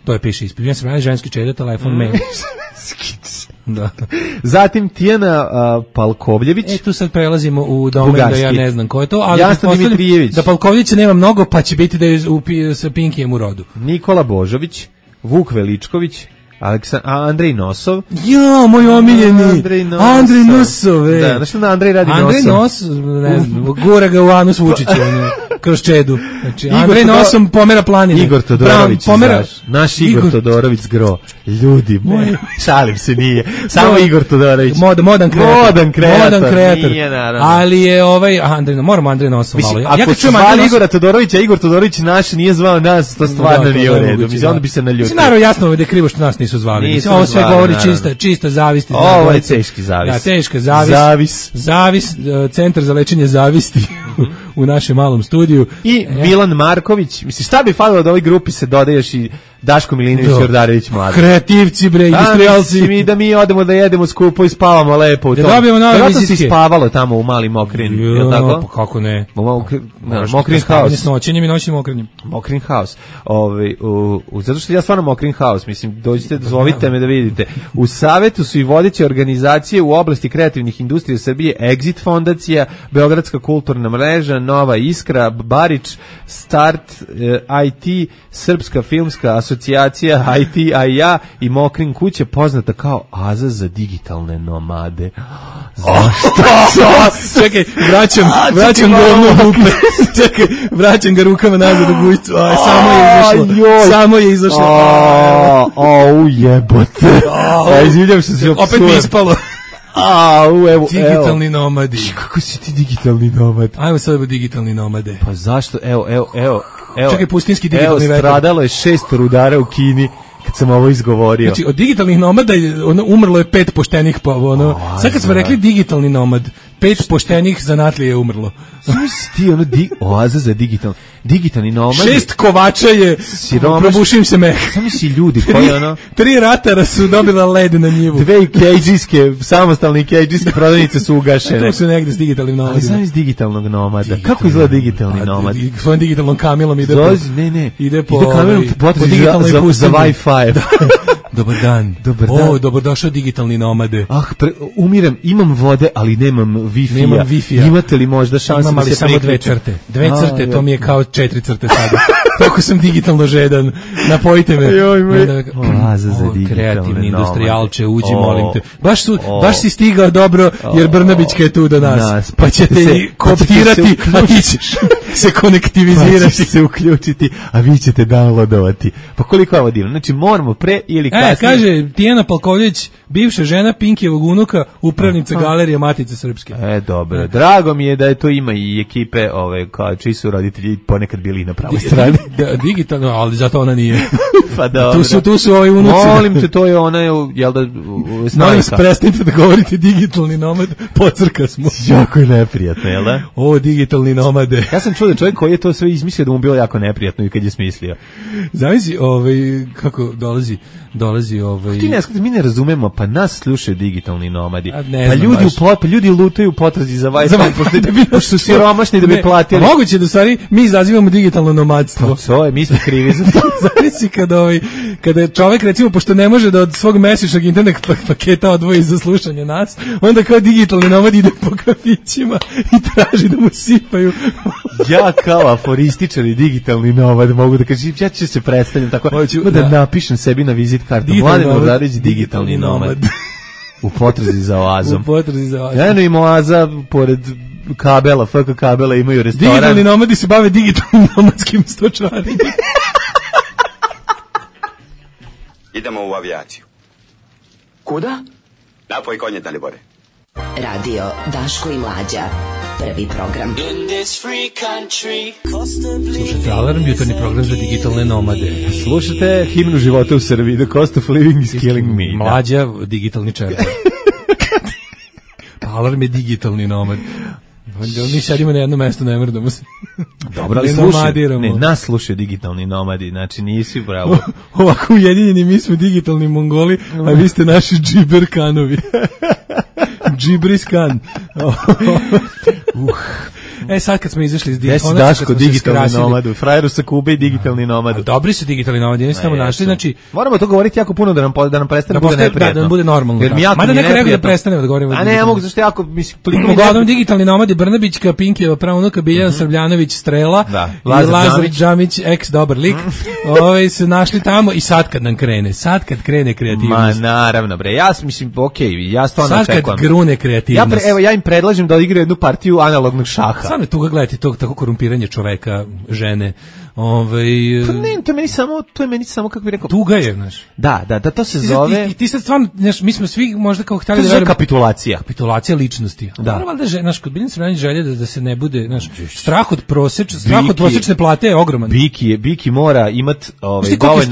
To je piše ispred. Biljana Srbljanović, ženski čeda, telefon, mail. Da. Zatim Tijana Palkovljević. Tu sad prelazimo u domen da ja ne znam ko je to, ali Jasna Dimitrijević. Da Palkovljevića nema mnogo, pa će biti da je sa Pinkijem u rodu. Nikola Božović, Vuk Veličković, Andrej Nosov. Jo, moj omiljeni. Andrej Nosov. Da, znaš da Andrej radi Nosom? Andrej Nosov, ne znam, gura ga u anus Vučića, kroz čedu. Znači, Andrej Nosom pomera planine. Igor Todorović, naš Igor Todorović zgro. Ljudi moji, šalim se, nije. Samo Igor Todorović. Modan kreator. Nije, naravno. Ali je moramo Andrej Nosov malo. Ako se zvali Igora Todorovića, Igor Todorović naš nije zvao nas, to stvarno nije u redu. Mislim, onda bi se naljutio. Naravno, jasno da je krivo što nas nisu zvali. Ovo sve govori čista zavist. Ovo je teški zavis. Da, teška zavis. Zavis, centar za lečenje zavisti u našem malom studiju. I Milan Marković. Mislim, šta bi falilo da ovoj grupi se dodaješ i Daško Milinović i Jordarević mladi. Kreativci, bre, industrijalci. Da mi odemo da jedemo skupo i spavamo lepo u tom. Da dobijemo nove vizitke. Vjerojatno si spavalo tamo u Mali Mokrin, je li tako? Pa kako ne? Mokrin House. S noćenjem i noćnim okrenjem. Mokrin House. Zato što ja stvarno Mokrin House, mislim, dođite, zovite me da vidite. U savetu su i vodeće organizacije u oblasti kreativnih industrija Srbije, Exit fondacija, Beogradska kulturna mreža, Nova Iskra, Barič, Start, IT, Srpska filmska asocijacija, IT, ja i Mokrin kuće, poznata kao Aza za digitalne nomade. Zašto? Čekaj, vraćam govno duple. Čekaj, vraćam ga rukama nazad u gujcu. Samo je izašlo. Ujebote. Izvidjam što se opet mi ispalo. Evo. Digitalni nomadi. Kako si ti digitalni nomad? Ajmo sad digitalni nomade. Pa zašto? Evo. Čekaj, pustinski digitalni vetar. Stradalo je 6 rudara u Kini kad sam ovo izgovorio. Znači, od digitalnih nomada umrlo je 5 poštenih, sad kad smo rekli digitalni nomad, 5 poštenih zanatlija je umrlo. Znaš ti, oaza za digitalni nomad. 6 kovača je, probušim se meh. Samo si ljudi koji 3 ratara su dobila led na njivu. 2 kejđijske, samostalne kejđijske prodavnice su ugašene. To su negde s digitalnim nomadima. Ali znam iz digitalnog nomada. Kako izgleda digitalni nomad? Svojim digitalnom kamilom ide po kamilom kamilom za Wi-Fi. Dobar dan. Dobrodošao digitalni nomade. Umiram, imam vode, ali nemam Wi-Fi-a. Imate li možda šanse da se samo 2 crte? 2 crte, to mi je kao 4 crte sada. Toliko sam digitalno žedan. Napojite me. Oaza za digitalne kreativni industrijalče, uđi, molim te. Baš si stigao dobro, jer Brnabićka je tu do nas. Pa ćete koptirati, a ti ćeš se konektivizirati. Pa ćeš se uključiti, a vi ćete downloadovati. Pa koliko je ovo divno? Znači, moramo pre ili kasnije. Kaže Tijana Palkovljević, bivša žena Pinkijevog unuka, upravnica Galerije Matice Srpske. Dobro. Drago mi je da je to ima i ekipe, čiji su roditelji ponekad bili na pravoj strani. Digitalno, ali zato ona nije. Pa dobro. Tu su ovi unuci. Molim te, to je ona, jel da, snajka. Molim se, prestanite da govorite digitalni nomad, pocrka smo. Jako je neprijatno, jel da? Digitalni nomade. Ja sam čuo da čovjek koji je to sve izmislio da mu bilo jako neprijatno i kad je smislio. Zamisli, kako dolazi mi ne razumemo, pa nas slušaju digitalni nomadi. Pa ljudi lutaju u potrazi za Wi-Fi, pošto su siromašni da bi platili. Moguće da stvari mi izazivamo digitalno nomadstvo. Mi smo krivi za to. Zamisli kada čovjek, recimo, pošto ne može da od svog mesečnog internet paketa odvoji za slušanje nas, onda kao digitalni nomad ide po kafićima i traži da mu sipaju. Ja kao aforističar i digitalni nomad mogu da kažem, ja ću se predstavljam tako, da napišem sebi na vizit kartu Mladen Bordarić, digitalni nomad. U potrazi za oazom. Ja im oaza pored kabela, FK kabela imaju restoran. Digitalni nomadi se bave digitalnim nomadskim stočarenjem. Idemo u avijaciju. Kuda? Napoj konje, Dalibore. Radio Daško i Mlađa. Prvi program. Slušajte Alarm, jutarnji program za digitalne nomade. Slušajte himnu života u Srbiji. The cost of living is killing me. Mlađa, digitalni čerpa. Alarm je digitalni nomad. Mi sedimo na jedno mesto, ne mrdamo se. Dobro, ali slušaj, nas slušaju digitalni nomadi, znači nisi bravo. Ovako ujedinjeni, mi smo digitalni Mongoli, a vi ste naši džiberkanovi. Džibriskan. Sad kad smo izašli iz Desi Daško, digitalni nomad, frajeru sa Kube i digitalni nomad. Dobri su digitalni nomadi, oni su tamo našli, znači... Moramo to govoriti jako puno da nam prestane bude neprijatno. Da nam bude normalno. Mada neko rekao da prestanemo da govorimo. A ne, ja mogu, zašto jako, mislim, toliko... Uglavnom digitalni nomadi, Brnabićka, Pinkijeva, pravunuka, Biljana Srbljanović, Strela, i Lazar Džamić, ex dobar lik, su našli tamo i sad kad nam krene, kreativnost. Ma naravno, bre, ja mislim, okej, ja stvarno očekujem. Sad kad grune kreativnost. Ja im predlažem da odigraju jednu partiju analognog šaha. Stvarno je tuga gledati to tako korumpiranje čoveka, žene. Pa ne, to je meni samo kako bih rekao. Tuga je, znaš. Da, to se zove. I ti sad stvarno, znaš, mi smo svi možda kao hteli da verujemo. Kapitulacija. Kapitulacija ličnosti. Da. Naravno da znaš, kod Biljana Srbljanić želje da se ne bude, znaš, strah od prosečne plate je ogroman. Biki mora imat dovoljno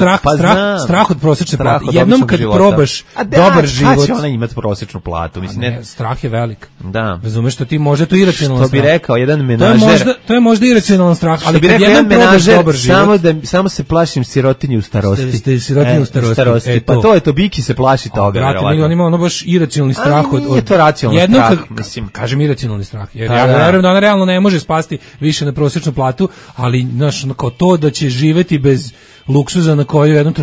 strah od prosečne plate. Jednom kad probaš dobar život. Kad će ona imat prosečnu platu? Mislim, ne, strah je velik. Da. Razumeš što ti možda to iracionalan strah. Što bi rekao jedan menažer. To je možda iracionalan strah, ali kad jednom probaš dobar život. Samo se plašim sirotinje u starosti. Sirotinje u starosti. Pa to je to, Biki se plaši toga. Brate, on ima ono baš iracionalni strah od... Nije to racionalni strah, mislim. Kažem iracionalni strah. Jer ja verujem da ona realno ne može spasti više na prosječnu platu, ali, znaš, kao to da će živeti bez luksuza na koju je u jednom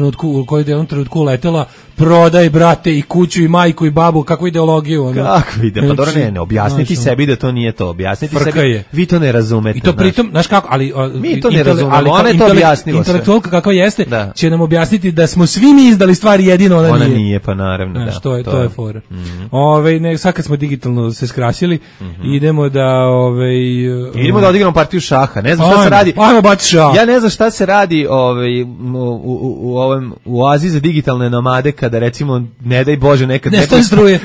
trenutku uletela, prodaj, brate, i kuću, i majku, i babu, kakvu ideologiju. Kako ide? Pa dobro, ne, objasniti sebi da to nije to. Objasniti sebi, vi to ne razumete. I to pritom, znaš kako, ali... Mi to ne razumemo, ona je to objasnila sve. Intelektualka kakva jeste, će nam objasniti da smo svi mi izdali stvari, jedino ona nije. Ona nije, pa naravno, da. To je fora. Sad kad smo digitalno se skrasili, idemo da... Idemo da odigramo partiju šaha, ne znam šta se radi. Ajmo bati šah. Ja ne znam šta se radi u oazi za digitalne nomade, kada recimo, ne daj Bože, nekad... Nestane struje.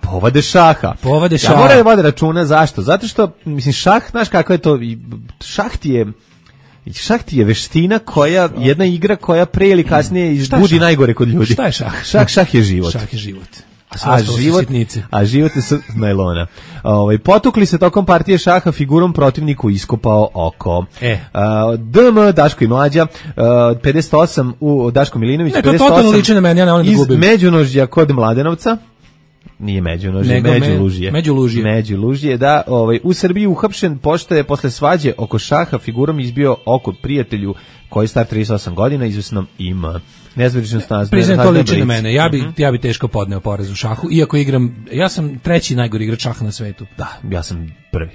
Povade šaha. Ja moram da vode računa, zašto? Zato što, mislim, šah, znaš kako je to, šah ti je veština koja, jedna igra koja pre ili kasnije izbudi najgore kod ljudi. Šta je šah? Šah je život. Šah je život. A život je s najlona. Potukli se tokom partije šaha, figurom protivniku iskopao oko. DM, Daško i Mlađa, 58 u Daško Milinović, 58 to totalno liči na meni, ja ne volim da gubim. Iz Međunožja kod Mladenovca. Nije Međunožje, Međulužje, da, u Srbiji uhapšen pošto je posle svađe oko šaha figurom izbio oko prijatelju koji je star 38 godina, izvesnom ima nezvoričnost nazve. Priznajem, to liči na mene. Ja bi teško podneo poraz u šahu, iako ja sam treći najgori igrač šaha na svetu. Da, ja sam prvi.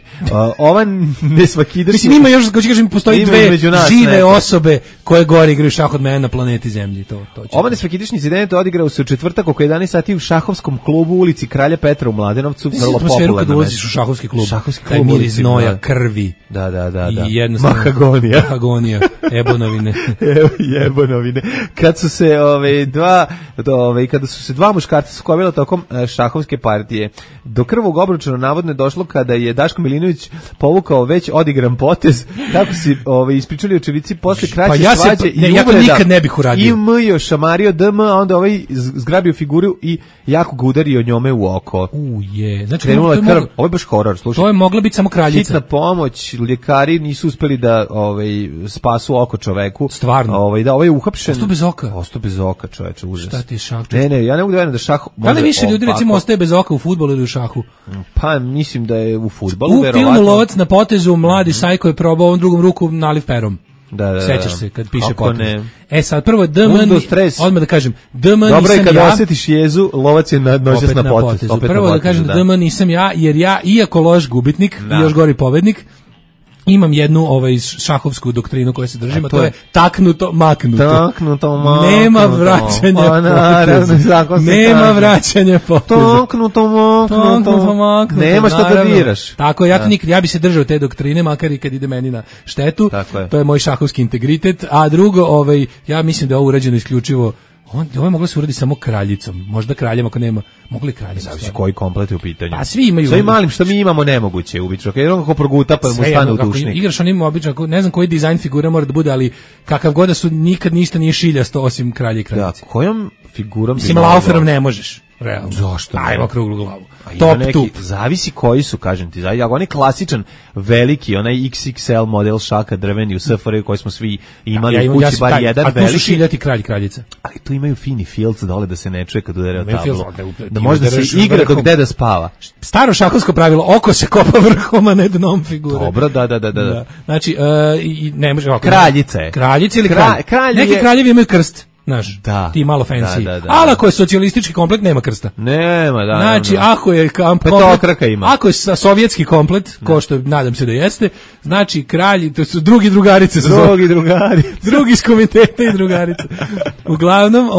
Ova nesvakidašnja... Mislim, ima još, ko će kažem, postoji dve žive osobe koje gore igraju šah od mene na planeti Zemlji. Ova nesvakidašnji incident odigrao se u četvrtak oko 11 sati u šahovskom klubu u ulici Kralja Petra u Mladenovcu. Vrlo popularno. Kad ulaziš u šahovski klub, taj miris znoja, krvi. Da. I jednostavno... Mahagonija. Jebonovine. Kad su se kada su se dva muškarca sukobila tokom šahovske partije, do krvog obruča navodno je došlo kada je Daško Milinović povukao već odigran potez, kako si ispričali očevici posle kraće svađe i uvreda. Ja to nikad ne bih uradio. I mjo šamario DM, a onda zgrabio figuru i jako ga udario njome u oko. Znači, krenula je krv. Ovo je baš horor, slušaj. To je mogla biti samo kraljica. Hitna pomoć, ljekari nisu uspeli da spasu oko čoveku. Stvarno. Da, ovaj je uhapšen. Ostao bez oka, čoveče, užas. Šta ti je šah? Ne, ja ne mogu da verujem da šah... Da li više ljudi recimo ostaje bez oka u fudbalu ili u šahu? Pa mislim da je u fudbalu, verovatno. U filmu Lovac na potezu mladi Sajko je probao ovom drugom ruku naliv perom. Da. Sećaš se kad piše potez. Sad prvo DM, odmah da kažem, DM nisam ja. Dobro je kada osjetiš jezu, Lovac je noćas na potezu. Prvo da kažem da DM nisam ja, jer ja, iako loš gubitnik i još gori pobednik, imam jednu šahovsku doktrinu koja se držim, a to je taknuto, maknuto. Nema vraćanja Nema vraćanja poteza. Taknuto, maknuto. Nema što da diraš. Tako, ja bi se držao te doktrine, makar i kad ide meni na štetu. To je moj šahovski integritet. A drugo, ja mislim da je ovo urađeno isključivo. Ovo je moglo se uraditi samo kraljicom. Možda kraljem ako nema. Mogli kraljicom. Zavisi koji komplet je u pitanju. A svi imaju. Sve malim što mi imamo nemoguće je ubično. Kad je on kako proguta pa mu stane u dušnik. Igraš on ima obično, ne znam koji dizajn figura mora da bude, ali kakav god da su, nikad ništa nije šiljasto osim kralja i kraljice. Da, kojom figurom mislim, lauferom ne možeš. realno. Zašto? Ajmo okruglu glavu. Top neki, zavisi koji su, kažem ti. Ako on je klasičan, veliki, onaj XXL model šaka drveni u SFRJ koji smo svi imali u kući, bar jedan veliki. A tu su šiljati kralj kraljica. Ali tu imaju fini filc dole da se ne čuje kad udare o tablu. Da može da se igra dok deda spava. Staro šahovsko pravilo, oko se kopa vrhom, a ne dnom figure. Dobro, da. Znači, ne može ovako. Kraljica je. Kraljica ili kralj? Neki kraljevi imaju krst. Znaš, ti malo fancy. Da. Ali ako je socijalistički komplet, nema krsta. Nema, da. Znači, ako je petokraka ima. Ako je sovjetski komplet, ko što nadam se da jeste, znači kralji, to su drugi drugarice. Drugi iz komiteta i drugarice. Uglavnom,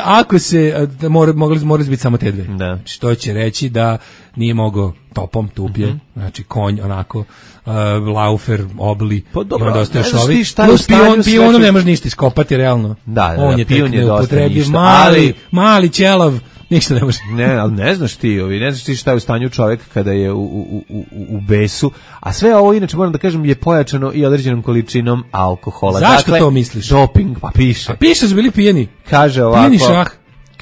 ako se, morali biti samo te dve. Da. Znači, to će reći da nije mogao topom, tupje, znači konj, onako, laufer, obli, pa dobro, i onda ostaješ ovi. Plus pionom ne može ništa iskopati, realno. Da, on je pion je dosta ništa. Mali ćelav, ništa ne može. Ne, ali ne znaš ti šta je u stanju čovjek kada je u besu, a sve ovo, inače moram da kažem, je pojačano i određenom količinom alkohola. Zašto to misliš? Doping, pa piše. A piše su bili pijeni. Kaže ovako. Pijeni šah.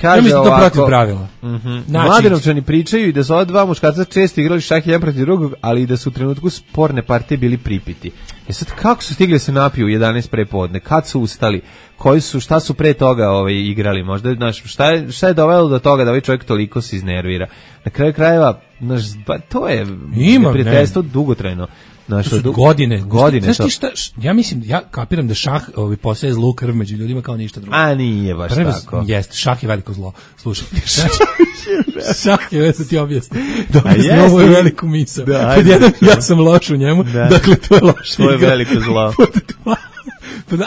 Kaže ja mislim ovako, to protiv pravila. Mladenovčani pričaju i da su ova dva muškarca često igrali šah jedan protiv drugog, ali i da su u trenutku sporne partije bili pripiti. Sad kako su stigli se napiju u 11 prepodne? Kad su ustali? Šta su pre toga igrali? Možda, znaš, šta je dovelo do toga da ovaj čovjek toliko se iznervira? Na kraju krajeva, znaš, to je prijateljstvo dugotrajno. To su godine. Znaš ti šta, ja kapiram da šah postaje zlu krv među ljudima kao ništa drugo. A nije baš tako. Jeste, šah je veliko zlo. Slušaj, šah je, već da ti objasnim. Dobili smo ovu veliku misao. Ja sam loš u njemu, dakle to je loš igra. To je veliko zlo.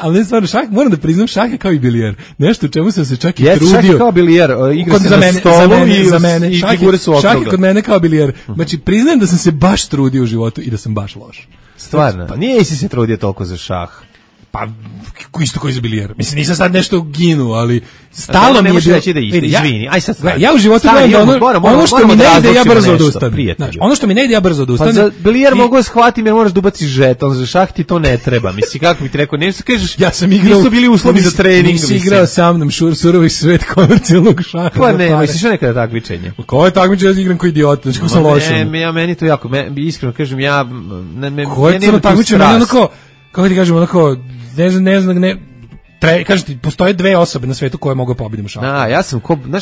Ali ne stvarno, moram da priznam, šah je kao i bilijer. Nešto u čemu sam se čak i trudio. Šah je kao bilijer, igra se na stolu i figure su okrugle. Šah je kod mene kao bilijer. Znači, priznajem da sam se baš trudio u životu i da sam baš loš. Stvarno? Pa nije si se trudio toliko za šah. Pa, isto koji za bilijer. Mislim, nisam sad nešto ginu, ali stalo mi je bilo... reći da isto, izvini, aj sad stvari. Ja u životu gledam da ono što mi ne ide, ja brzo odustanem. Ono što mi ne ide, ja brzo odustanem. Pa za bilijer mogu da shvatim jer moraš da ubaciš žeton, za šah ti to ne treba. Misli, kako bi ti rekao, ne kažeš, ja sam igrao, nisu bili uslovi za trening. Nisi igrao sa mnom surovi svet komercijalnog šaha. Pa ne, misliš nekada takmičenje. Ko je takmičenje, ja igram kao idiot, znači ko sam lošim. Ja meni to jako, iskreno kažem, ja kako ti kažem, onako, ne znam, kažem ti, postoje dve osobe na svetu koje mogu pobediti u šahu.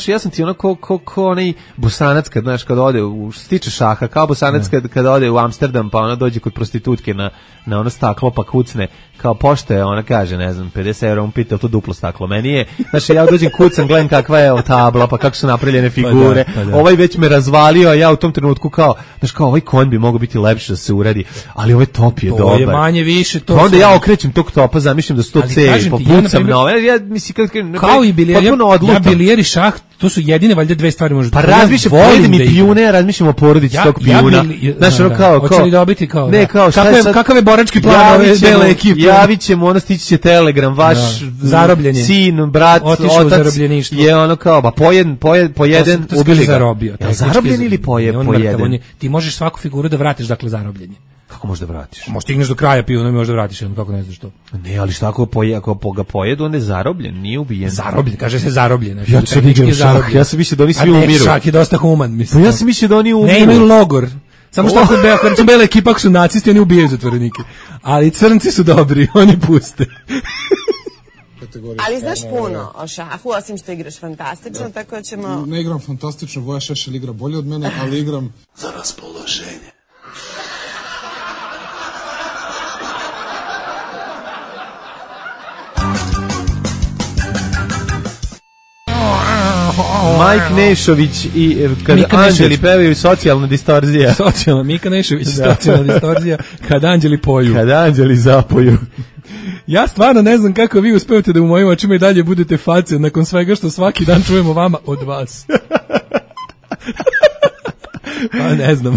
Ja sam ti onako ko onaj Bosanac kad ode, što se tiče šaha, kao Bosanac kad ode u Amsterdam, pa ona dođe kod prostitutke na ono staklo, pa kucne, kao pošto je, ona kaže, ne znam, 50 €, on pita, to duplo staklo. Meni je, ja dođem kucam, gledam kakva je tabla, pa kako su napravljene figure, ovaj već me razvalio, a ja u tom trenutku kao ovaj konj bi mogao biti lepši da se uradi, ali ovaj top je dobar. To je manje više to. Onda ja okrećem tog topa, zamišljam da su to cevi, popucam na ovaj, ja mislim, kao i bilijer, ja bilijer i šah, to su jedine valjda dve stvari možda. Pa razmišljam, pojedem i pijune, ja razmišljam o porodici tog pijuna. Znaš, ono kao... Hoće li dobiti kao... Ne, kao šta je sad... Kakav je borački plan ove dele ekipe? Javit ćemo, ono stići će telegram, vaš sin, brat, otac je ono kao, pa pojeden, ubili ga. Zarobljen ili pojeden? Ti možeš svaku figuru da vratiš, dakle, zarobljenje. Kako možeš da vratiš? Možeš stigneš do kraja pijuna i možeš da vratiš, kako ne znaš to. Ne, ali šta ako ga pojedu, on je zarobljen, nije ubijen. Zarobljen, kaže se zarobljen. Ja sam mislio da oni svi umiru. Šah je dosta human, mislim. Pa ja sam mislio da oni umiru. Ne, imaju logor. Samo što kad su bela ekipa, ako su nacisti, oni ubijaju zatvorenike. Ali crnci su dobri, oni puste. Ali znaš puno o šahu, osim što igraš fantastično, tako da ćemo... Ne igram fantastično, Voja Šešelj igra bolje od mene, ali igram... za raspoloženje. Mike Nešović i kad anđeli pevaju socijalna distorzija. Mika Nešović, socijalna distorzija, kad anđeli poju. Kad anđeli zapoju. Ja stvarno ne znam kako vi uspevate da u mojim očima i dalje budete face nakon svega što svaki dan čujemo vama od vas. Pa ne znam.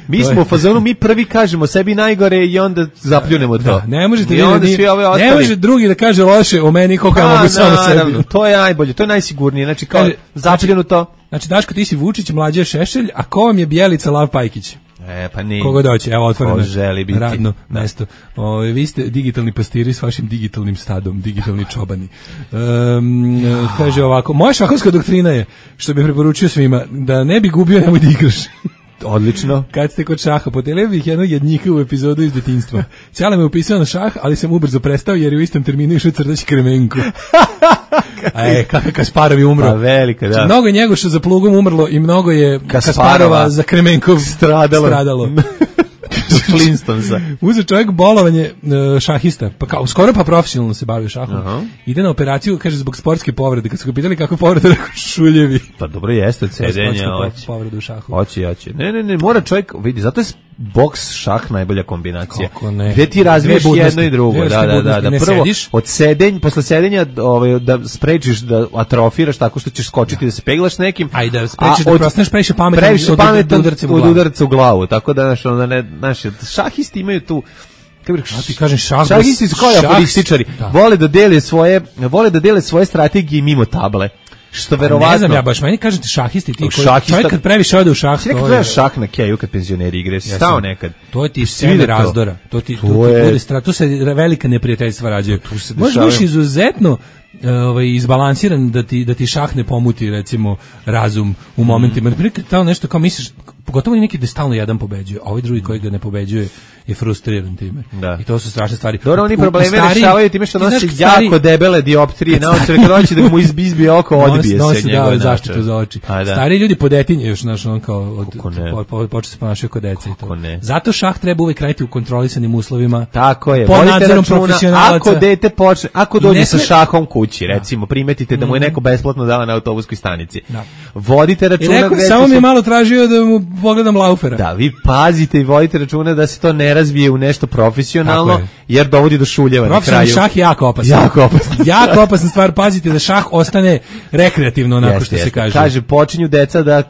Mi smo u fazonu, mi prvi kažemo sebi najgore i onda zapljunemo to. Da, ne možete ne može drugi da kaže loše o meni koliko ja mogu samo sebi. To je najbolje, to je najsigurnije. Znači kao zapljenu to. Znači Daško, ti si Vučić, Mlađe Šešelj, a ko vam je Bjelica, Lav Pajkić? Pa nije. Koga doće, evo otvoreno radno da. mesto. Vi ste digitalni pastiri s vašim digitalnim stadom, digitalni čobani. Kaže ovako, moja šahovska doktrina je, što bih preporučio svima, da ne bi gubio, nemoj da igraš. Odlično. Kad ste kod šaha, podelio bih jednog jednika u epizodu iz detinjstva. Ćala me upisao na šah, ali sam ubrzo prestao jer je u istom terminu išao crtaći Kremenko. Kakav Kasparov je umro. Pa velika, da. Mnogo je Njegoša za plugom umrlo i mnogo je Kasparova za Kremenkov stradalo. Flintstonesa. Uzeo čovjek bolovanje šahista, pa kao skoro pa profesionalno se bavio šahom. Ide na operaciju, kaže, zbog sportske povrede. Kad su ga pitali kako povrede, rekao šuljevi. Pa dobro jeste od sedenja. Povredu u šahu. Hoće. Ne, mora čovjek, vidi, zato je boks šah najbolja kombinacija. Kako ne? Gde ti razviješ jedno i drugo. Da. Prvo, posle sedenja da sprečiš da atrofiraš tako što ćeš skočiti da se peglaš nekim. A i da sprečiš da prostaneš previše pametan od udarca u glavu. Tako da, znaš, šahisti imaju tu, kako bih rekao, ti kažem šahisti su kao aforističari. Vole da dele svoje strategije mimo table. Što verovatno. Ne znam ja baš, meni kažete šahisti, ti čovjek kad previše ode u šah. Nekad gledaš šah na keju kad penzioneri igre, stao nekad. To ti svi razdora. To se velika neprijateljstva rađaju. Možda biš izuzetno izbalansiran da ti šah ne pomuti, recimo, razum u momentima. Naprimjer, tamo nešto kao misliš, pogotovo neki da stalno jedan pobeđuje, a ovaj drugi koji ga ne pobeđuje je frustriran time. Da. I to su strašne stvari. Dobro, oni probleme rešavaju time što nosi jako debele dioptrije na oči, kad hoće da mu izbije oko, odbije se njegove zaštitu za oči. Stari ljudi podetinje još, znaš, on kao počne se ponašaju kod deca i to. Zato šah treba uvek raditi u kontrolisanim uslovima. Tako je. Pod nadzorom profesionalaca. Ako dete počne, ako dođe sa šahom kući, recimo, primetite da mu je neko besplatno dao na autobuskoj stanici. Vodite računa. Samo mi je malo tražio da mu pogledam laufera. Da, vi pazite i vodite računa da se to ne razvije u nešto profesionalno, jer dovodi do šuljeva na kraju. Profesionalni šah je jako opasna stvar. Pazite da šah ostane rekreativno, onako što se kaže. Kaže, počinju deca da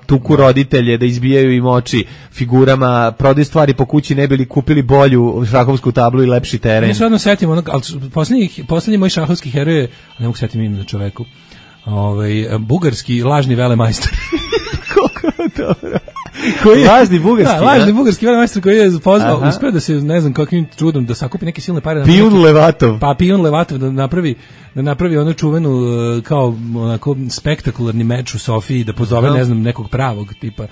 tuku roditelje, da izbijaju im oči figurama, prodaju stvari po kući, ne bili kupili bolju šahovsku tablu i lepši teren. Ja se odmah setim, ali poslednji moj šahovski heroj je, ne mogu setim ime na čoveku, bugarski lažni velemajstor. Koliko dobro. Lažni bugarski velemajstor koji je pozvao, uspeo da se, ne znam kakvim čudom, da sakupi neke silne pare. Pijun Levatov. Pa Pijun Levatov da napravi onu čuvenu kao onako spektakularni meč u Sofiji, da pozove, ne znam, nekog pravog tipa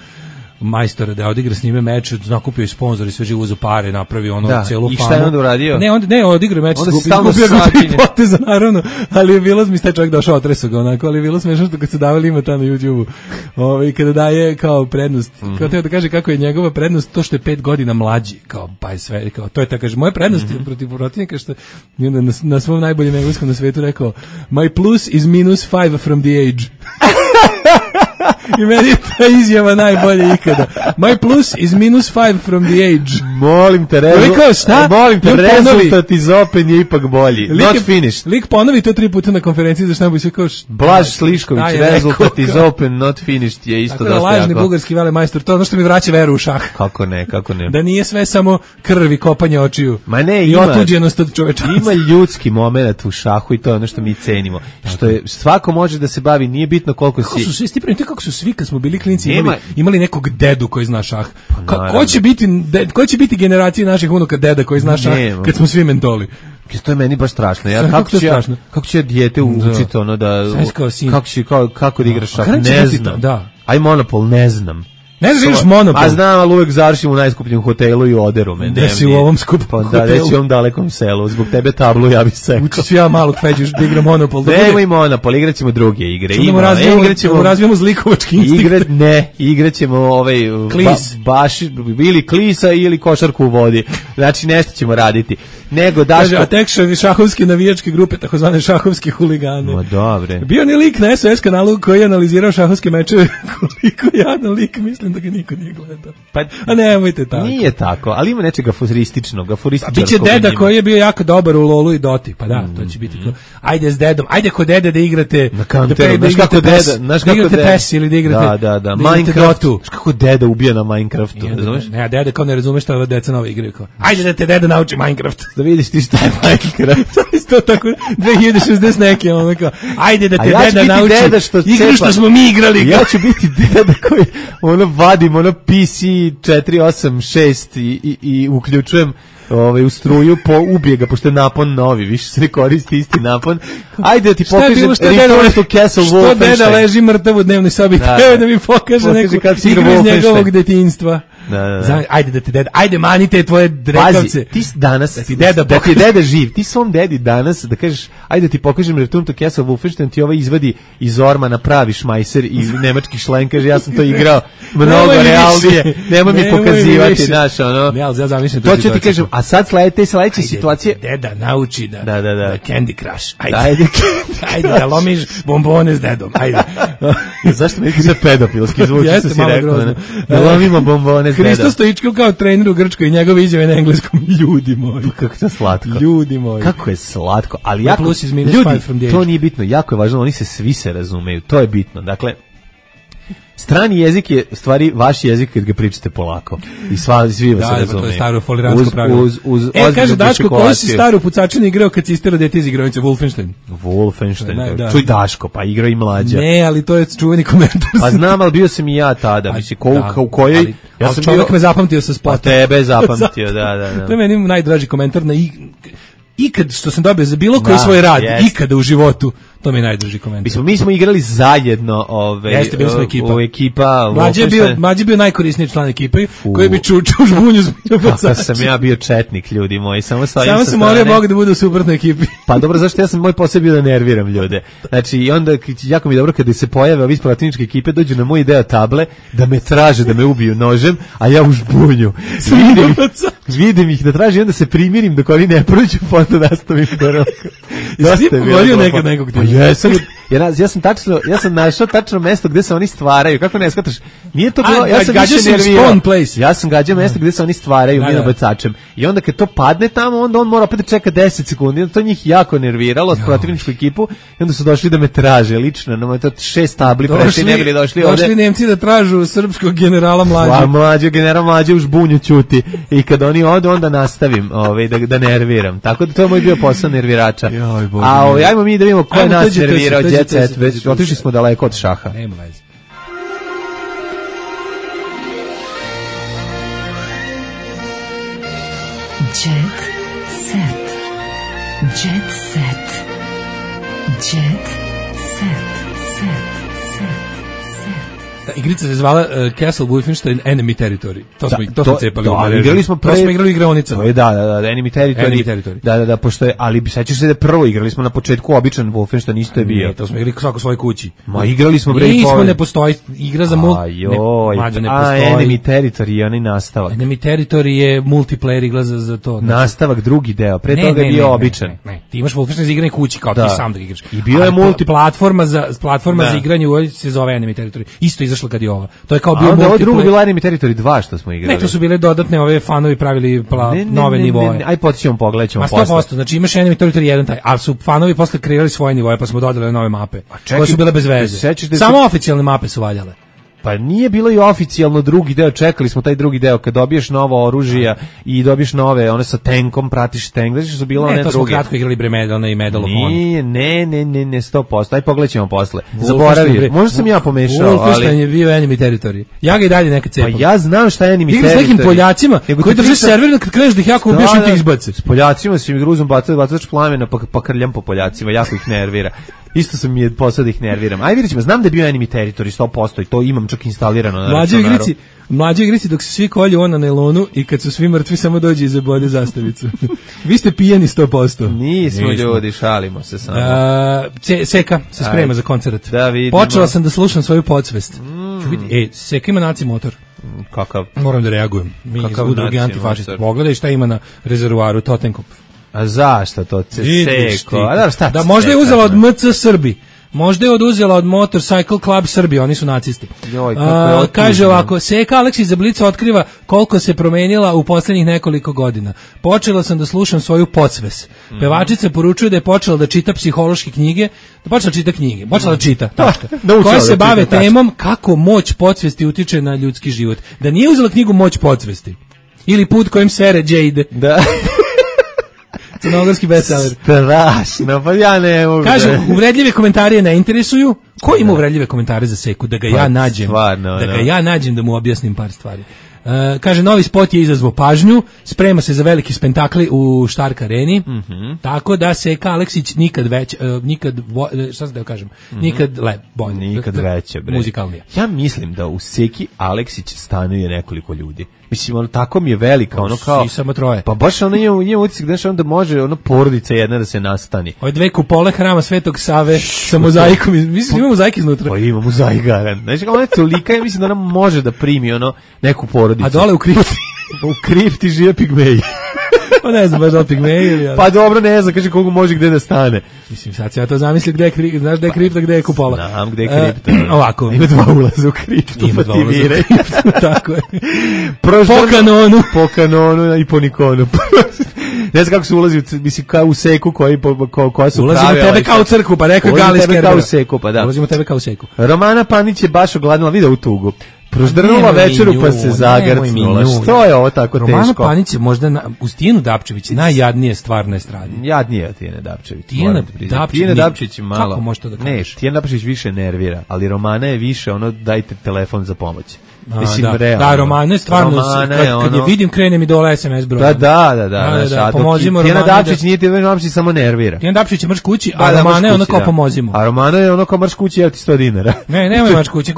majstora da odigra s njime meč, nakupio i sponzor i sve živo uzu pare, napravi celu famu. I šta je onda uradio? Ne, odigra meč, skupio ga poteza, naravno, ali je bilo mi taj čovjek došao, otreso ga onako, ali je bilo smešno što kad se davali ima ta na YouTube-u, i kada daje kao prednost, kao teo da kaže kako je njegova prednost to što je 5 godina mlađi, kao pa je sve, kao to je tako, kaže, moja prednost je protiv protivnika što je na svom najboljem engleskom na svetu rekao, my plus is -5 from the age. I meni je ta izjava najbolje ikada. My plus is -5 from the age. Molim te, rezultat iz Open je ipak bolji. Not finished. Lik ponovi to 3 puta na konferenciji za štampu i sve kao Blaž Slišković, rezultat iz Open, not finished je isto dosta jako. Lažni bugarski velemajstor, to je ono što mi vraća veru u šah. Kako ne. Da nije sve samo krv i kopanje očiju. Ma ne, i otuđenost od čovečanstva. Ima ljudski moment u šahu i to je ono što mi cenimo. Što je, svako može da se bavi, nije bitno koliko si... Kako su svi kad smo bili klinci imali nekog dedu koji zna šah. Ko će biti generacija naših unuka deda koji zna šah kad smo svi mentoli? To je meni baš strašno. Kako će dijete učiti ono da... Kako da igraš šah? Ne znam. Aj Monopol, ne znam. Ne znaš igraš Monopol. A znam, ali uvek završim u najskupljem hotelu i oderu me. Gde si u ovom skupom hotelu? Da, gde si u ovom dalekom selu. Zbog tebe tablu ja bih sekao. Učit ću ja malo feđuš da igram Monopol. Nemoj Monopol, igrat ćemo druge igre. Razvijemo zlikovački instinkt. Igrat ćemo Klis. Ili klisa ili košarku u vodi. Znači nešto ćemo raditi. Nego Daško... A tek šahovske navijačke grupe, takozvane šahovske huligane. Ma dobre. Bio ni lik na SOS kanalu koji je analizirao šahovske mečeve, koliko jadan lik, mislim da ga niko nije gledao. A nemojte tako. Nije tako, ali ima nečeg aforističnog. A biće deda koji je bio jako dobar u Lolu i Doti, pa da, to će biti to. Ajde s dedom, ajde kod dede da igrate... Na Counteru, znaš kako deda... Da igrate PES ili da igrate... Da, Minecraft. Znaš kako deda ubija na Minecraftu, razumeš? Ne, deda kao ne razumeš šta deca nove igraju. Ajde da te deda nauči Minecraft. Da vidiš ti šta je Minecraft. Isto tako 2060 neke, ono kao, ajde da te deda nauči igru što smo mi igrali. Ja ću biti deda koji ono vadim ono PC 486 i uključujem u struju, ubije ga, pošto je napon novi, više se ne koristi isti napon. Ajde da ti pokažem Return to Castle Wolfenstein. Što deda leži mrtav u dnevnoj sobi, da mi pokaže neku igru iz njegovog detinjstva. Ajde da ti deda, ajde mani te tvoje drekavce. Pazi, ti danas, da ti deda živ, ti svom dedi danas, da kažeš, ajde da ti pokažem Return to Castle Wolfenstein, ti ovaj izvadi iz ormana pravi šmajser i nemački šlen, kaže ja sam to igrao mnogo realnije, nemoj mi pokazivati, znaš, ono. Ne, ali ja zamišljam to ću ti kažem, a sad sledeće situacije. Deda nauči da Candy Crush, ajde da lomiš bombone s dedom, ajde. Zašto mi je pedofilski zvuči, što si rekao, da lomimo bombone s dedom. Hristo Stoičkov kao trener u Grčkoj i njegove izjave na engleskom, ljudi moji. Kako to slatko. Ljudi moji. Kako je slatko, ali jako, ljudi, to nije bitno, jako je važno, oni se svi se razumeju, to je bitno, dakle, strani jezik je stvari vaš jezik kad ga pričate polako. I svi vas se razumeju. Da, to je staro foliransko pravilo. Kaže Daško, koju si staru pucačinu igrao kad si istero dete iz igronice? Wolfenstein. Čuj Daško, pa igrao i mlađa. Ne, ali to je čuveni komentar. Pa znam, ali bio sam i ja tada. Mislim, u kojoj... Ja sam čovjek me zapamtio sa spota. Pa tebe je zapamtio, da. To je meni najdraži komentar na ikad što sam dobio za bilo koji svoj rad, ikada u životu, to mi je najdraži komentar. Mi smo igrali zajedno, jeste, bili smo ekipa. Mlađe bio najkorisniji član ekipe, koji bi čučao žbunju zbunju bacač. Kako sam ja bio četnik, ljudi moji, samo sam molio Boga da bude u suprotnoj ekipi. Pa dobro, zašto moj posao bio da nerviram ljude. Znači, i onda, jako mi je dobro kada se pojave ovi iz protivničke ekipe, dođu na moj deo table, da me traže, da me ubiju nožem, a ja u žbunju. Vidim ih da traži, onda se primirim dok oni ne prođu, onda nastavim korak. Jesi ti pogodio nekad nekog ti? Jesam. Ja sam našao tačno mesto gde se oni stvaraju. Kako ne shvataš? Nije to bilo, ja sam više nervirao. Ja sam gađao mesto gde se oni stvaraju minobacačem. I onda kad to padne tamo, onda on mora opet da čeka 10 sekundi. To njih jako nerviralo, protivničku ekipu. I onda su došli da me traže lično. Na to 6 tabli prešli, ne bili došli ovde. Došli Nemci da tražu srpskog generala Mlađe. General Mlađe u žbunju ćuti. I kad oni odu, onda nastavim da nerviram. Tako da to je moj bio posao nervirača. A ajmo mi da vidimo ko je nas nervirao. Već otišli smo daleko od šaha. Nema veze. Jet set. Jet set. Jet set. Igrica se zvala Castle Wolfenstein Enemy Territory. To smo cepali u mrežu. Igrali smo igrali igraonica. Da, Enemy Territory. Da, pošto je, ali sećaš se da prvo igrali smo na početku običan Wolfenstein, isto je bio. Ne, to smo igrali svako svojoj kući. Ma igrali smo Nismo, ne postoji igra za ne postoji. Enemy Territory je onaj nastavak. Enemy Territory je multiplayer igla za to. Nastavak, drugi deo. Pre toga je bio običan. Ne, ti imaš Wolfenstein za igranje kući kao ti sam da igraš. I bio je platforma za igranje u se zove Enemy Territory. Isto izašla kad je ova. To je kao bio multiplayer. Ovo drugo bilo Enemy Territory 2 što smo igrali. Ne, to su bile dodatne ove fanovi pravili nove nivoe. Aj potićemo, pogledaćemo posle. 100%, znači imaš Enemy Territory 1 taj, ali su fanovi posle kreirali svoje nivoe, pa smo dodali nove mape. Koje su bile bez veze. Samo oficijalne mape su valjale. Pa nije bilo i oficijalno drugi deo, čekali smo taj drugi deo kad dobiješ novo oružje i dobiješ nove, one sa tankom, pratiš tank, znači su bilo one druge. Ne, to smo kratko igrali Medal i Medal of Honor. Ne, 100%, aj pogledaćemo posle. Zaboravio, možda sam ja pomešao, ali... Wolfenstein je bio Enemy Territory. Ja ga i dalje nekad cepam. Pa ja znam šta je Enemy Territory. Igra s nekim Poljacima koji drže server, kad kreneš da ih jako ubiješ i ti izbace. S Poljacima si mi gruzom bacač plamena pa krljam po Poljacima, jako ih nervira. Isto sam mi je posao da ih nerviram. Aj vidjet ćemo, znam da je bio Enemy Territory 100% i to imam čak instalirano na računaru. Mlađe igrici dok se svi kolju on na nailonu i kad su svi mrtvi samo dođe i zabode zastavicu. Vi ste pijeni 100%. Nismo ljudi, šalimo se samo. Seka se sprema za koncert. Da vidimo. Počela sam da slušam svoju podsvest. Seka ima naci motor. Kakav? Moram da reagujem. Mi iz udruge antifašista. Pogledaj šta ima na rezervoaru Totenkop. A zašto to? Seko? Da možda je uzela od MC Srbi. Možda je oduzela od Motorcycle Club Srbije, oni su nacisti. Kaže ovako, Seka Aleksić za Blic otkriva koliko se promenila u posljednjih nekoliko godina. Počela sam da slušam svoju podsves. Pevačica poručuje da je počela da čita psihološke knjige, počela da čita, tačka, koje se bave temom kako moć podsvesti utiče na ljudski život. Da nije uzela knjigu Moć podsvesti ili Put kojim sere Jade. Da. Crnogorski bestseller. Strašno, pa ja ne mogu. Kažu, uvredljive komentare ne interesuju, Ko ima uvredljive komentare za Seku da ga ja nađem, stvarno, da ga ja nađem da mu objasnim par stvari. Kaže, novi spot je izazvao pažnju, sprema se za veliki spektakl u Stark areni, tako da Seka Aleksić nikad bolje. Nikad veće, bre. Muzikalnije. Ja mislim da u Seki Aleksić stanuje nekoliko ljudi. Mislim, ono, tako mi je velika, ono kao... Samo troje. Pa baš ono ima utisak da onda može ono porodica jedna da se nastani. Ove 2 kupole hrama Svetog Save sa mozaikom. Mislim, ima mozaik iznutra. Pa ima mozaik garan. Znači, ona je tolika, ja mislim da ona može da primi ono neku porodicu. A dole u kripti? U kripti žive pigmeji. Pa ne znam, baš da pigmeji ili... Pa dobro, ne znam, kaže kogu može gde da stane. Mislim, sad se ja to zamislim gde je znaš gde je kripta, gde je kupola. Znam gde je kripta. Ovako. Ima 2 ulaza u kriptu. Ima 2 ulaza u kriptu, tako je. Po kanonu i po Nikonu. Ne znam kako se ulazi, mislim, kao u Seku koja su ulazimo prave... Ulazimo tebe kao u crkvu, pa rekao Galis Kerbera. Kao u Seku, pa da. Ulazimo tebe kao u Seku. Romana Panić je baš ogladnila, video u tugu. Proždrnula večeru pa se zagrcnula. Što je ovo tako teško? Romana Panić je možda uz Tijenu Dapčević najjadnije stvar na estradi. Jadnije od Tijene Dapčević. Tijena Dapčević je malo... Kako može to da kažeš? Ne, Tijena Dapčević više nervira, ali Romana je više ono dajte telefon za pomoć. Mislim, da, Romana je stvarno, kad je vidim, krene mi dole SMS broj. Da. Pomozimo Tijena Dapčić nije Tijena Dapčić, samo nervira. Tijena Dapčić je mrš kući, a Romana je ono kao pomozimo. A Romana je ono kao mrš kući, evo ti 100 dinara. Ne, nemoj mrš kući,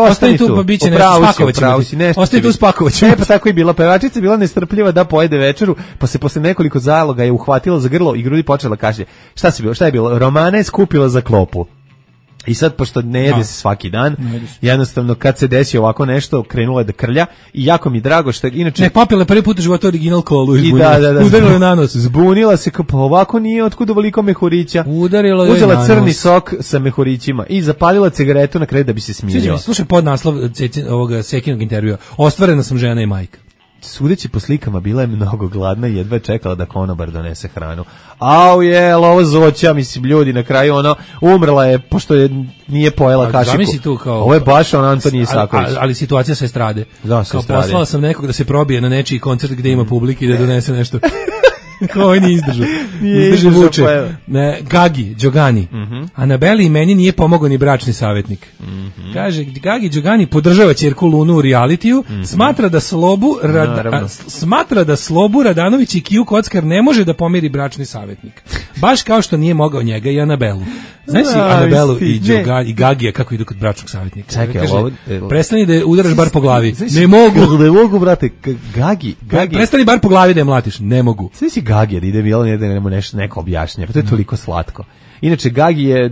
ostani tu, pa bit će nešto, spakovaćemo. Ostani tu, spakovaćemo. Ne, pa tako je bila. Pevačica je bila nestrpljiva da pojede večeru, pa se posle nekoliko zaloga je uhvatila za grlo i grudi počela kašlje. Šta je bilo? Romana je skupila za klopu. I sad, pošto ne jede se svaki dan, jednostavno kad se desi ovako nešto, krenula je da krlja i jako mi drago što je, inače... Ne, popila prvi put u životu original kolu i udarila je na nos. Zbunila se, pa ovako nije, otkud ovoliko mehurića. Udarila je na nos. Uzela crni sok sa mehurićima i zapalila cigaretu na kraju da bi se smirila. Slušaj podnaslov ovoga Sekinog intervjua. Ostvarena sam žena i majka. Sudeći po slikama, bila je mnogo gladna i jedva čekala da konobar donese hranu. Au je, ovo zoća, mislim, ljudi, na kraju ono, umrla je, pošto nije pojela kašiku. Ovo je baš on Antoni Isaković. Ali situacija sa estrade. Da, sa estrade. Poslala sam nekog da se probije na nečiji koncert gde ima publike i da donese nešto. Koji nije izdržao. Izdržao vuče. Gagi, Đogani. Anabeli i meni nije pomogao ni bračni savjetnik. Kaže, Gagi Đogani podržava ćerku Lunu u realitiju, smatra da Slobu Radanović i Kiju Kockar ne može da pomiri bračni savjetnik. Baš kao što nije mogao njega i Anabelu. Znaš si Anabelu i Gagija kako idu kod bračnog savjetnika? Čekaj, prestani da udaraš bar po glavi. Ne mogu, brate. Gagi. Prestani bar po glavi da je mlatiš. Ne mogu. Sve si Gagi, ide bilo neko objašnjenje, pa to je toliko slatko. Inače, Gagi je,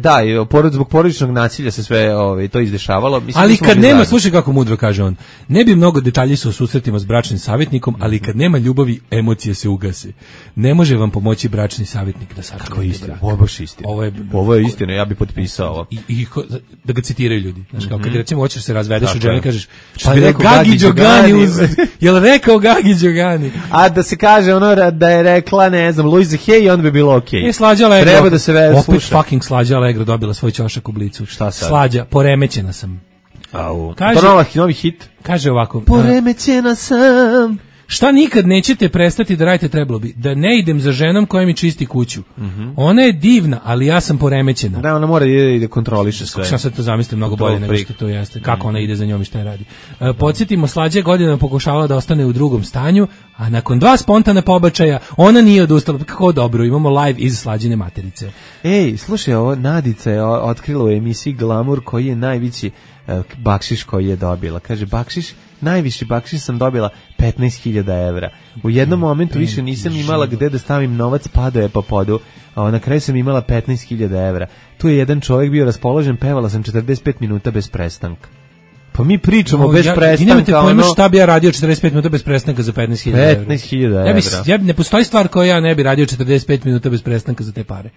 zbog porodičnog nasilja se sve to izdešavalo. Mislim, ali kad nema, slušaj kako mudro kaže on, ne bi mnogo detalji o susretima s bračnim savjetnikom, ali kad nema ljubavi, emocije se ugase. Ne može vam pomoći bračni savjetnik da sačuvate brak. Kako je istina? Ovo je baš istina. Ovo je istina, ja bih potpisao ovo. I da ga citiraju ljudi. Znaš, kao kad recimo hoćeš se razvedeš od žene, kažeš, pa Gagi Đogani, jel rekao Gagi Đogani? A da se kaže ono da je rekla, ne znam, Luisa Hay, onda bi bilo okej. Slađa Allegro. Treba da se vede. Opet fucking Slađa Allegro dobila svoj ćošak u Blicu. Šta sad? Slađa, poremećena sam. Kaže, novi hit. Kaže ovako. Poremećena sam. Šta nikad nećete prestati da radite, trebalo bi da ne idem za ženom koja mi čisti kuću. Ona je divna, ali ja sam poremećena. Da, ona mora da kontroliše sve. Šta sad to zamislim mnogo bolje nego što to jeste. Kako ona ide za njom i šta je radi. Podsjetimo, Slađa godinama pokušavala da ostane u drugom stanju, a nakon 2 spontana pobačaja ona nije odustala. Kako dobro, imamo live iz Slađine materice. Ej, slušaj, ovo Nadica je otkrila u emisiji Glamour koji je najveći bakšiš koji je dobila. Kaže, najviši bakšiš sam dobila 15.000 evra. U jednom momentu više nisam imala gde da stavim novac, padao je po podu, a na kraju sam imala 15.000 evra. Tu je jedan čovjek bio raspoložen, pevala sam 45 minuta bez prestanka. Pa mi pričamo bez prestanka. Nemate pojma šta bi ja radio 45 minuta bez prestanka za 15.000 evra. 15.000 evra. Ne postoji stvar koju ja ne bi radio 45 minuta bez prestanka za te pare.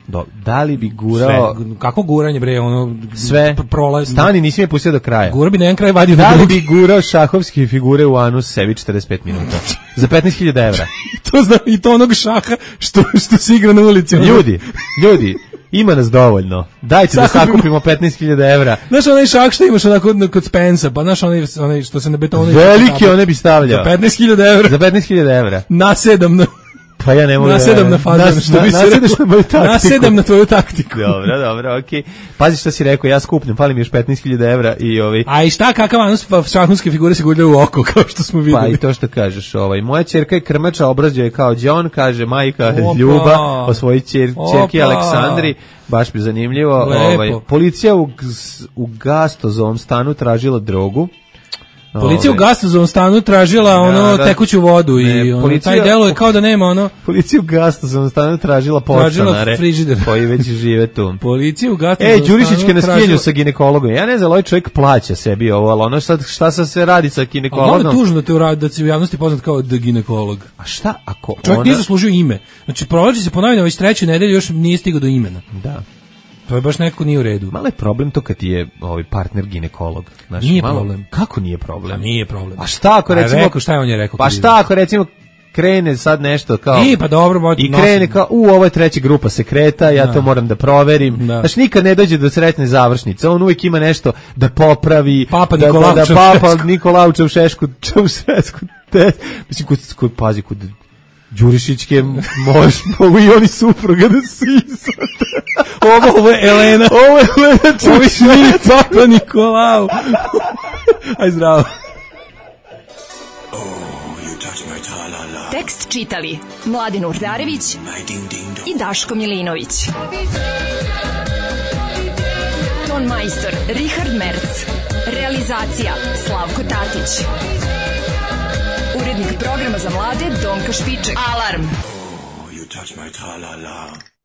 Da li bi gurao... Sve. Kako guranje, bre? Sve. Stani, nisi me pustio do kraja. Gura bi na jedan kraj vadio. Da li bi gurao šahovske figure u anus sebi 45 minuta? Za 15.000 evra. I to onog šaha što se igra na ulici. Ljudi, ima nas dovoljno. Dajte da sakupimo 15.000 evra. Znaš onaj šah što imaš onako kod Spensa, pa znaš onaj što se na betonu... Veliki one bi stavljao. Za 15.000 evra. Za 15.000 evra. Na 7. Pa ja ne mogu nasedam na fazon, što bi se rekao. Nasedam na tvoju taktiku. Dobro, okej. Pazi šta si rekao, ja skupnem, fali mi još 15.000 evra i A i šta, kakav anos šahovske figure se gurljaju u oko, kao što smo videli. Pa i to što kažeš, moja ćerka je krmača, obrazio je kao John, kaže majka Ljuba o svojoj ćerki Aleksandri, baš mi zanimljivo. Policija u Gastozovom stanu tražila drogu. Policija u Gastozovom stanu tražila tekuću vodu i taj delo je kao da nema Policija u Gastozovom stanu tražila podstanare koji već žive tu. Policija u Gastozovom stanu Đurišićke na skijenju sa ginekologom. Ja ne znam, ovaj čovjek plaća sebi ovo, ali šta sad se radi sa ginekologom? Ono je tužno da se u javnosti poznat kao the ginekolog. A šta ako čovjek nije zaslužio ime? Znači, provlači se ponovno već 3. nedelju, još nije stigao do imena. Da. To je baš nekako nije u redu. Malo je problem to kad je partner ginekolog. Znači, nije problem. Kako nije problem? A nije problem. A šta ako recimo... Rekao, šta je on je rekao? Pa šta ako recimo krene sad nešto kao... Pa dobro, i krene kao, ovo je 3. grupa sekreta, ja to moram da proverim. Znači, nikad ne dođe do sretne završnice. On uvijek ima nešto da popravi. Papa Nikolaučev šeško u šesku. Mislim, pazi, kod Đurišićke mogu i oni supruga da se izvode. Ovo je Elena. Ovo je Elena Čušnić. Papa Nikolau. Aj zdravo. Tekst čitali Mladin Urdarević i Daško Milinović. Ton majstor Richard Merc. Realizacija Slavko Tatić. Urednik programa za mlade Donka Špiček. Alarm! Oh, you touch my tra-la-la.